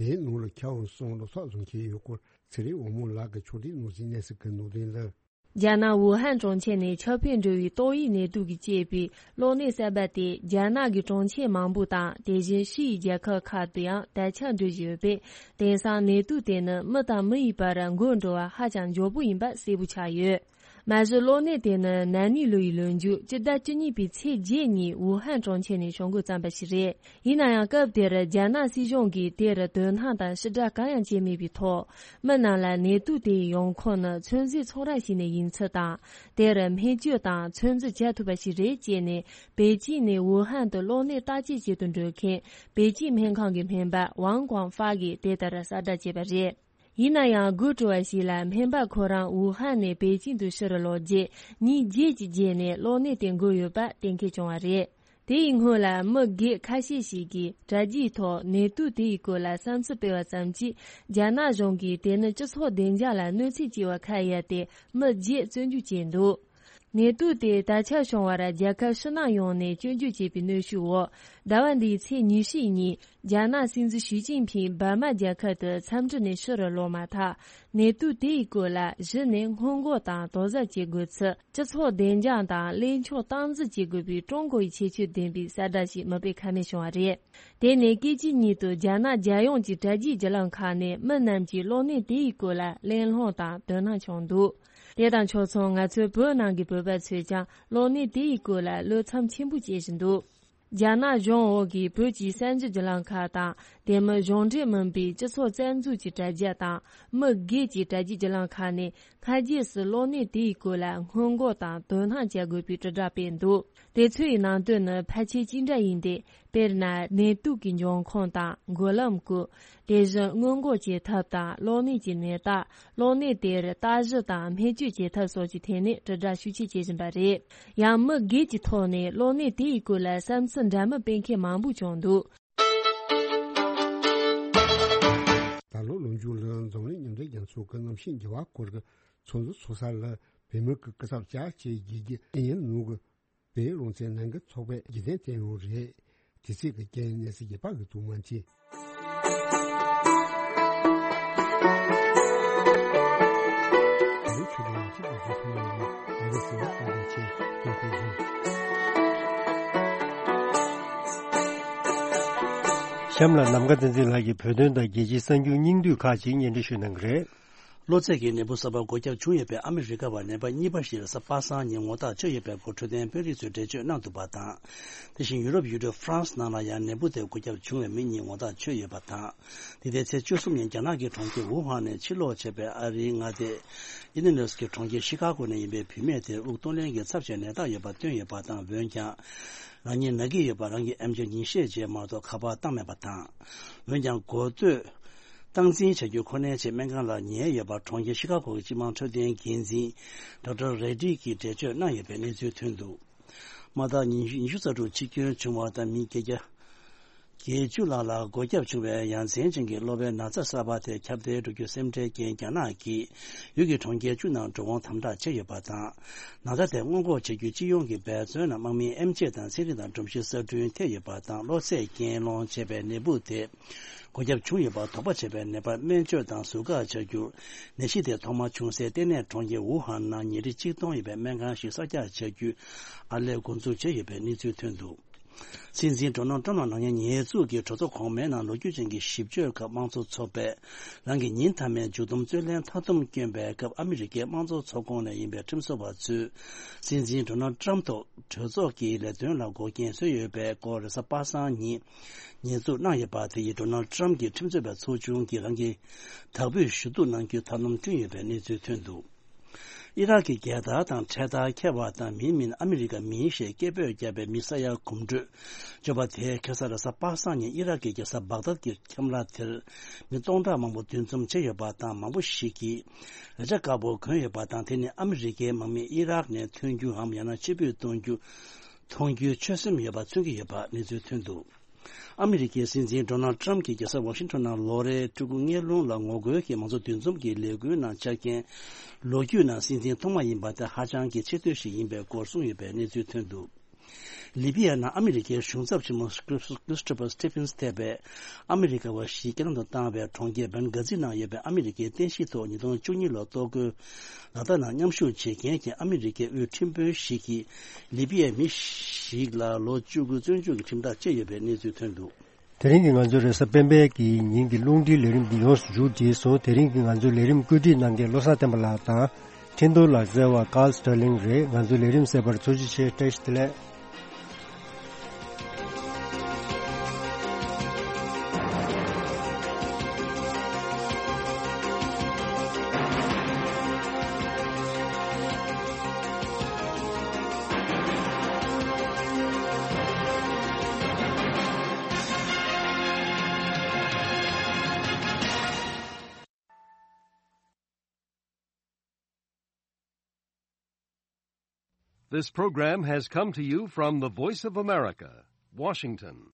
བོད་ནང་ལ་ཁྱབ་སོང་ལོ་ཚོད་བཟུང་གི་ཡོད་སྐོར་ཚེ་རིང་དབང་མོ་ལགས་ཀྱིས་ཕྱོགས་སྒྲིག་གནང་ཟིན་གནས་ཚུལ་གྱི་ནང་དོན་ལ། རྒྱ་ནག་ཝུ་ཧན་གྲོང་ཁྱེར་ནས་ཁྱབ་སྤེལ་འགྲོ་བའི་ཏོག་དབྱིབས་ནད་དུག་གིས་བསྐྱེད་པའི་གློ་ནད་གསར་པ་དེ་རྒྱ་ནག་གི་གྲོང་ཁྱེར་མང་པོ་དང་དེ་བཞིན་ཕྱིའི་རྒྱལ་ཁབ་ཁག་ཏུ་ཡང་དར་ཁྱབ་འགྲོ་བཞིན་ཡོད་པས། དེང་སང་ནད་དུག་དེ་ནི་མི་དང་མི་ཡི་བར་འགོས་འགྲོ་བ་ཧ་ཅང་མགྱོགས་པོ་ཡིན་པ་གསལ་པོ་ཆགས་ཡོད། མ་གཞི་གློ་ནད་དེ་ནི་ན་ནིང་ལོ་ཡི་ལོ་མཇུག་སྤྱི་ཟླ་བཅུ་གཉིས་པའི་ཚེས་བརྒྱད་ཉིན་ཝུ་ཧན་གྲོང་ཁྱེར་ནས་བྱུང་འགོ་བརྩམས་པ་ཞིག་རེད། ཡིན་ན་ཡང་སྐབས་དེར་རྒྱ་ནག་སྲིད་གཞུང་གིས་དེར་དོ་སྣང་དང་ཕྱིར་བསྒྲགས་གང་ཡང་བྱས་མེད་པའི་ཐོག་མི་རྣམས་ལ་ནད་དུག་དེའི་ཡོང་ཁུངས་ནི་ཚོད་འཛིན་ཚོང་ར་ཞིག་ནས་ཡིན་ཚུལ་དང་། དེར་སྨན་བཅོས་དང་ཚོད་འཛིན་བྱ་ཐུབ་པ་ཞིག་རེད་ཅེས་ནས་པེ་ཅིང་ནས་ཝུ་ཧན་དུ་གློ་ནད་བརྟག་དཔྱད་བྱེད་དུ་འགྲོ་མཁན་པེ་ཅིང་སྨན་ཁང་གི་སྨན་པ་ཝང་ཀོང་ཧྥ་གིས་དེ་ལྟར་གསལ་བསྒྲགས་བྱས་པ་རེད། ཡིན་ན་ཡང་དགོད་བྲོ་བ་ཞིག་ལ་སྨན་པ་ཁོ་རང་ཝུ་ཧན་ནས་པེ་ཅིང་དུ་ཕྱིར་ལོག་རྗེས་ཉིན་བརྒྱད་ཀྱི་རྗེས་ནས་གློ་ནད་དེ་འགོས་ཡོད་པ་གཏན་འཁེལ་བྱུང་བ་རེད། དེ་ཡི་སྔོན་ལ་མི་སྒེར་ཁ་ཤས་ཤིག་གིས་དྲ་རྒྱའི་ཐོག་ནད་དུག་དེ་ཡི་སྐོར་ལ་བསམ་ཚུལ་སྤེལ་བ་ཙམ་གྱིས་རྒྱ་ནག་གཞུང་གིས་དེ་ནི་སྤྱི་ཚོགས་བདེ་འཇགས་ལ་གནོད་འཚེ་བྱས་པ་ཁ་གཡར་ཏེ་མི་བརྒྱད་བཙོན་འཇུག་བྱས་འདུག་ནད་དུག་དེ་དར་ཁྱབ་བྱུང་བར་རྒྱལ་ཁབ་ཕྱི་ནང་ཡོངས་ནས་སྐྱོན་བརྗོད་བྱས་པའི་གནོན་ཤུགས་འོག་ཟླ་བ་འདིའི་ཚེས་ཉི་ཤུའི་ཉིན་ རྒྱ་ནག་སྲིད་འཛིན་ཞི་ཅིན་ཕིང་འབར་མ་རྒྱལ་ཁབ་ཏུ་འཚམས་འདྲི་ནས་ཕྱི་རུ་ལོག་མ་ཐག་ནད་དུག་དེ་ཡི་སྐོར་ལ་གཞི་ནས་སྔོན་འགོག་དང་དོགས་ཟབ་བྱེད་དགོས་ཚུལ་སྤྱི་ཚོགས་བདེ་འཇགས་དང་གླེང་ཕྱོགས་སྟངས་འཛིན་བྱེད་དགོས་པའི་ཀྲུང་གོ་ཡི་ཁྱད་ཆོས་ལྡན་པའི་གསལ་བསྒྲགས་ཤིག་མིད་པའི་ཁ་ནས་བྱུང་བ་རེད། དེ་ནས་སྐད་ཅིག་ཉིད་དུ་རྒྱ་ནག་རྒྱལ་ཡོངས་ཀྱི་དྲ་རྒྱའི་བརྒྱུད་ལམ་ཁག་ནས་མི་རྣམས་ཀྱིས་གློག་གནད་དེ་ཡི་སྐོར་ལ་གླེང་སློང་དང་དོ་སྣང་བྱུང་འདུག་དེ་དང་ཕྱོགས་མཚུངས་ང་ཚོའི་བོད་ནང་གི་བོད་པ་ཚོས་ཀྱང་གློག་གནད་དེ་ཡི་སྐོར་ལ་བློ་འཚབ་ཆེན་པོ་བྱེད་བཞིན་འདུག་རྒྱ་ནག་གཞུང་འོག་གི་བོད་ཀྱི་གསར་འགྱུར་བརྒྱུད་ལམ་ཁག་དང་། དེ་མིན་གཞུང་འབྲེལ་མིན་པའི་སྤྱི་ཚོགས་རྩ་འཛུགས་ཀྱི་དྲ་རྒྱ་དང་། མི་སྒེར་གྱི་དྲ་རྒྱའི་བརྒྱུད་ལམ་ཁག་ནས་སྔ་རྗེས་སུ་གློག་གནད་དེའི་སྐོར་ལ་སྔོན་འགོག་དང་དོ་སྣང་བྱ་དགོས་པའི་དྲིལ་བསྒྲགས་སྤེལ་འདུག་དེ་ཚོའི་ནང་དོན་ནི་ཕལ་ཆེར་གཅིག་འདྲ་ཡིན་ཏེ། དཔེར་ན། ནད་དུག་གི་འབྱུང་ཁུངས་དང་འགོས་ལམ་སྐོར། དེ་བཞིན་སྔོན་འགོག་བྱེད་ཐབས་དང་གློག་གནད་ཀྱི་ནད་རྟགས། གློག་གནད་དེར་བརྟག་ཞིབ་དང་སྨན་བཅོས་བྱེད་ཐབས་སོགས་ཀྱི་ཐད་ནས་དྲིལ་བསྒྲགས་ཤུགས་ཆེ་བྱེད་བཞིན་པ་རེད། ཡང་མི་སྒེར་གྱི་ཐོག་ནས་གློག་གནད་དེ་ཡི་སྐོར་ལ་བསམ་ཚུལ་འདྲ་མིན་སྤེལ་མཁན་མང་པོ་བྱུང་འདུག་ད་ལོ་ལོ་མཇུག་ལ་འཛམ་གླིང་མཉམ་འབྲེལ་རྒྱལ་ཚོགས་ཀྱི་གནམ་གཤིས་འགྱུར་བ་སྐོར་གྱི་ཚོགས་འདུ་ཚོགས་ས་ལ་བོད་མི་གི་སྐུ་ཚབ་བཅར་བྱས་དགེ་རྒན་ཨེ་ཡན་ནུ་གི་བོད་རང་བཙན་ལྷན་རྒྱས་ཚོགས་པའི་རྒྱུན་ལྡན་བསྟན་འོག་རེད། དེ་ཚིག་གི་རྒྱན་གནས་ཚུལ་རྒྱས་པ་གི་དུ་མ་མཐིལ། གཤམ་ལ་ནམ་མཁའ་བསྟན་འཛིན་ལགས་ཀྱིས་བོད་དོན་དང་རྒྱལ་སྤྱིའི་གསར་འགྱུར་སྙིང་བསྡུས་ཁག་ཅིག་སྙན་སྒྲོན་ཞུ་གནང་གི་རེད། གློ་ཚད་ཀྱི་ནད་འབུ་གསར་པ་འགོས་ཁྱབ་བྱུང་ཡོད་པའི་ཨ་མི་རི་ཀ་བ་ནད་པ་གཉིས་པ་ཞིག་གཟའ་པ་སངས་ཉིན་ངོ་རྟགས་ཆོད་ཡོད་པའི་སྐོར་འཕྲོད་བསྟེན་དཔོན་རིགས་ཚོས་འགྲེལ་བརྗོད་གནང་འདུག་པ་དང་། དེ་བཞིན་ཡུ་རོབ་ཡུལ་གྲུ་ཧྥ་རན་སི་ནང་ལ་ཡང་ནད་འབུ་དེ་འགོས་ཁྱབ་བྱུང་བའི་མི་གཉིས་ངོ་རྟགས་ཆོད་ཡོད་པ་དང་། འདི་ཟླའི་ཚེས་བཅུ་གསུམ་ཉིན་རྒྱ་ནག་གི་གྲོང་ཁྱེར་ཝུ་ཧན་ནས་ཕྱིར་ལོག་བྱས་པའི་ཨ་རིའི་མངའ་སྡེ་ཨི་ལི་ནོས་ཀྱི་གྲོང་ཁྱེར་ཤི་ཀ་གོ་ནས་ཡིན་པའི་བུད་མེད་དེར་དབུགས་གཏོང་ལེན་གྱི་ཚབས་ཆེའི་ནད་རྟགས་ཡོད་པ་བཏོན་ཡོད་པ་དང་། འོན་ཀྱང་། རང་ཉིད་ན་གི་ཡོད་པ་རང་གིས་ཨེམ་ཆི་ཉིན་ཤས་རྗེས་མ་གཏོགས་ཁ་པར་བཏང་མེད་པ་དང་། འོན་ཀྱང་། འགོ་སྟོད་སྟངས་འཛིན་བྱ་རྒྱུ་ཁོ་ནའི་ཆེད་སྨན་ཁང་ལ་ཉལ་ཡོད་པ་གྲོང་ཁྱེར་ཤི་ཀ་གོ་གི་སྤྱི་དམངས་འཕྲོད་བསྟེན་འགན་འཛིན་ཌོག་ཊར་རེ་ཌི་གིས་འགྲེལ་བརྗོད་གནང་ཡོད་པའི་གནས་ཚུལ་ཐོན་འདུག་དམར་ཐག་ཉི་ཤུ་རྩ་དྲུག་འཆི་སྐྱོན་བྱུང་བ་དང་མི་བརྒྱད་བརྒྱ་བརྒྱད་ཅུ་ལྷག་ལ་འགོས་ཁྱབ་བྱུང་བའི་ཡ་མཚན་ཅན་གྱི་གློ་བའི་ན་ཚ་གསར་པ་དེ་ཁྱབ་གདལ་འགྲོ་རྒྱུ་སེམས་ཁྲལ་རྐྱེན་རྒྱ་ནག་གིས་ཡུལ་གྱི་གྲོང་ཁྱེར་བཅུ་ནང་འགྲོ་འོང་དམ་དྲག་བྱས་ཡོད་པ་དང་། ན་ཚ་དེ་སྔོན་འགོག་བྱེད་རྒྱུ་སྤྱི་ཡོངས་ཀྱི་འབད་བརྩོན་ལ་དམག་མིའི་ཨེམ་ཆི་དང་ཚན་རིག་དང་སྒྲོམ་གཞི་གསར་སྐྲུན་ཐེབས་ཡོད་པ་དང་། གློ་ཚད་རྐྱེན་སློང་བྱས་པའི་ནད་འབུ་དེ་འགོས་ཁྱབ་བྱུང་ཡོད་པར་དོགས་པ་བྱས་པའི་ནད་པར་སྨན་བཅོས་དང་ཟུར་བཀག་བྱ་རྒྱུར། ནད་གཞི་དེ་ཐོག་མར་བྱུང་སའི་ལྟེ་གནས་གྲོང་ཁྱེར་ཝུ་ཧན་ནང་ཉིན་རེ་གཅིག་སྟོང་ཡོད་པའི་སྨན་ཁང་ཞིག་གསར་རྒྱག་བྱ་རྒྱུའི་ཨར་ལས་འགོ་འཛུགས་བྱས་ཡོད་པའི་གནས་ཚུལ་ཐོན་འདུག་སྲིད་འཛིན་ཌོ་ནལ་ཊམ་ལ་ནག་ཉེས་ཉེས་འཛུགས་ཀྱི་གྲོས་ཚོགས་གོང་མའི་ནང་ལོ་རྒྱུས་ཅན་གྱི་ཞིབ་དཔྱོད་ཁག་དམངས་གཙོ་ཚོགས་པས་རང་གི་ཉིན་མཐའ་མའི་མཇུག་བསྡོམས་རྩོད་ལེན་མཐའ་སྡོམ་བསྐྱོན་པའི་སྐབས། ཨ་མི་རི་ཀའི་དམངས་གཙོ་ཚོགས་ཁོངས་ནས་ཡིན་པའི་ཁྲིམས་བཟོ་བ་ཚོས་སྲིད་འཛིན་ཌོ་ནལ་ཊམ་ཐོག་གྲོས་ཚོགས་ཀྱི་ལས་དོན་ལ་འགོག་རྐྱེན་བཟོས་ཡོད་པའི་སྐོར་རེས་གཟའ་པ་སངས་ཉིན་ཉེས་འཛུགས་གནང་ཡོད་པ་དེ་ཡིས་ཌོ་ནལ་ཊམ་གྱི་ཁྲིམས་རྩོད་པའི་ཚོགས་ཆུང་གིས་རང་གི་དག་འབུད་ཞུ་གཏུག་གནང་རྒྱུའི་ཐབས་ལམ་བསྐྲུན་ཡོད་པའི་གནས་ཚུལ་ཐོན་འདུག་ཨི་རག་གི་རྒྱལ་དར་དང་འཕྲེད་དར་འཁྱེར་བ་དང་མིའི་མིང་ཨ་མི་རི་ཀ་མིང་ཞེས་སྐད་འབོད་བརྒྱབ་པའི་མི་ས་ཡ་གོམ་བགྲོད་བརྗོད་པ་དེས་ཁ་སང་རེས་གཟའ་པ་སངས་ཉིན་ཨི་རག་གི་རྒྱལ་ས་བག་དཱད་ཀྱི་ཁྱམས་ར་དེར་མི་སྟོང་ཕྲག་མང་པོ་འདུ་འཛོམས་བྱས་ཡོད་པ་དང་། མང་པོ་ཞིག་གིས་རེ་ཆ་དཀར་པོ་གོན་ཡོད་པ་དང་། དེ་ནི་ཨ་མི་རི་ཀའི་དམག་མི་ཨི་རག་ནས་ཐོན་རྒྱུའམ་ཡང་ན་ཕྱིར་འབུད་གཏོང་རྒྱུ་མཐོང་རྒྱུའི་ཆོད་སེམས་ཡོད་པ་མཚོན་གྱི་ཡོད་པ་གནས་ཚུལ་ཐོན་འདུག་ཨ་མི་རི་ཀའི་སྲིད་འཛིན་ཌོ་ནལ་ཊམ་གྱིས་རྒྱལ་ས་ཝ་ཤིང་ཊོན་ནང་ལོ་རེའི་ཕྲུ་གུ་སྔོན་ལོན་ལ་ངོ་རྒོལ་གྱིས་མང་གཙོ་འདུ་འཛོམས་ཀྱི་ལས་འགུལ་ནང་བཅར་མཁན་ལོ་རྒྱུས་ནང་སྲིད་འཛིན་ཐོག་མ་ཡིན་པ་དེ་ཧ་ཅང་གི་ཆེ་བསྟོད་ཞིག་ཡིན་པའི་སྐོར་གསུངས་ཡོད་པའི་གནས་ཚུལ་ཐོན་འདུག་ལི་བི་ཡ་ནང་ཨ་མི་རི་ཀའི་གཞུང་ཚབ་ཆེན་མོ་ཁྲིས་ཁྲིས་ཊོ་ཕར་སི་ཊི་ཕིན་སི་ཐེ་བས་ཨ་མི་རི་ཀ་བ་བཞི་རྐྱེན་ལམ་དུ་བཏང་བའི་གྲོང་ཁྱེར་བན་གྷ་ཛི་ནང་ཡོད་པའི་ཨ་མི་རི་ཀའི་རྟེན་གཞིའི་ཐོག་ཉིས་སྟོང་བཅུ་གཉིས་ལོར་གཏོར་རྒོལ་ལག་བསྟར་ནང་མཉམ་ཞུགས་བྱེད་མཁན་གྱི་ཨ་མི་རི་ཀའི་དབུས་ཁྲིམས་དཔོན་ཞིག་གིས་ལི་བི་ཡའི་མི་ཞིག་ལ་ལོ་བཅུ་དགུ་བཙོན་འཇུག་གི་ཁྲིམས་ཐག་བཅད་ཡོད་པའི་གནས་ཚུལ་ཐོན་འདུག་དེ་རིང་གི་ང་ཚོའི་རེས་གཟའ་སྤེན་པའི་གི་ཉིན་གྱི་རླུང་འཕྲིན་ལས་རིམ་འདི་ཡོངས་སུ་མཇུག་བསྒྲིལ་སོང་། དེ་རིང་གི་ང་ཚོའི་ལས་རིམ་བཀོད་སྒྲིག་གནང་མཁན་བློ་བཟང་བསྟན་པ་ལགས་དང་། འཕྲིན་གཏོང་ལག་རྩལ་བ་ཀཱལ་སི་ཊར་ལིང་རེད། ང་ཚོའི་ལས་རིམ་གསན་པར་ཐུགས་རྗེ་ཆེ། བཀྲ་ཤིས་བདེ་ལེགས། This program has come to you from the Voice of America, Washington.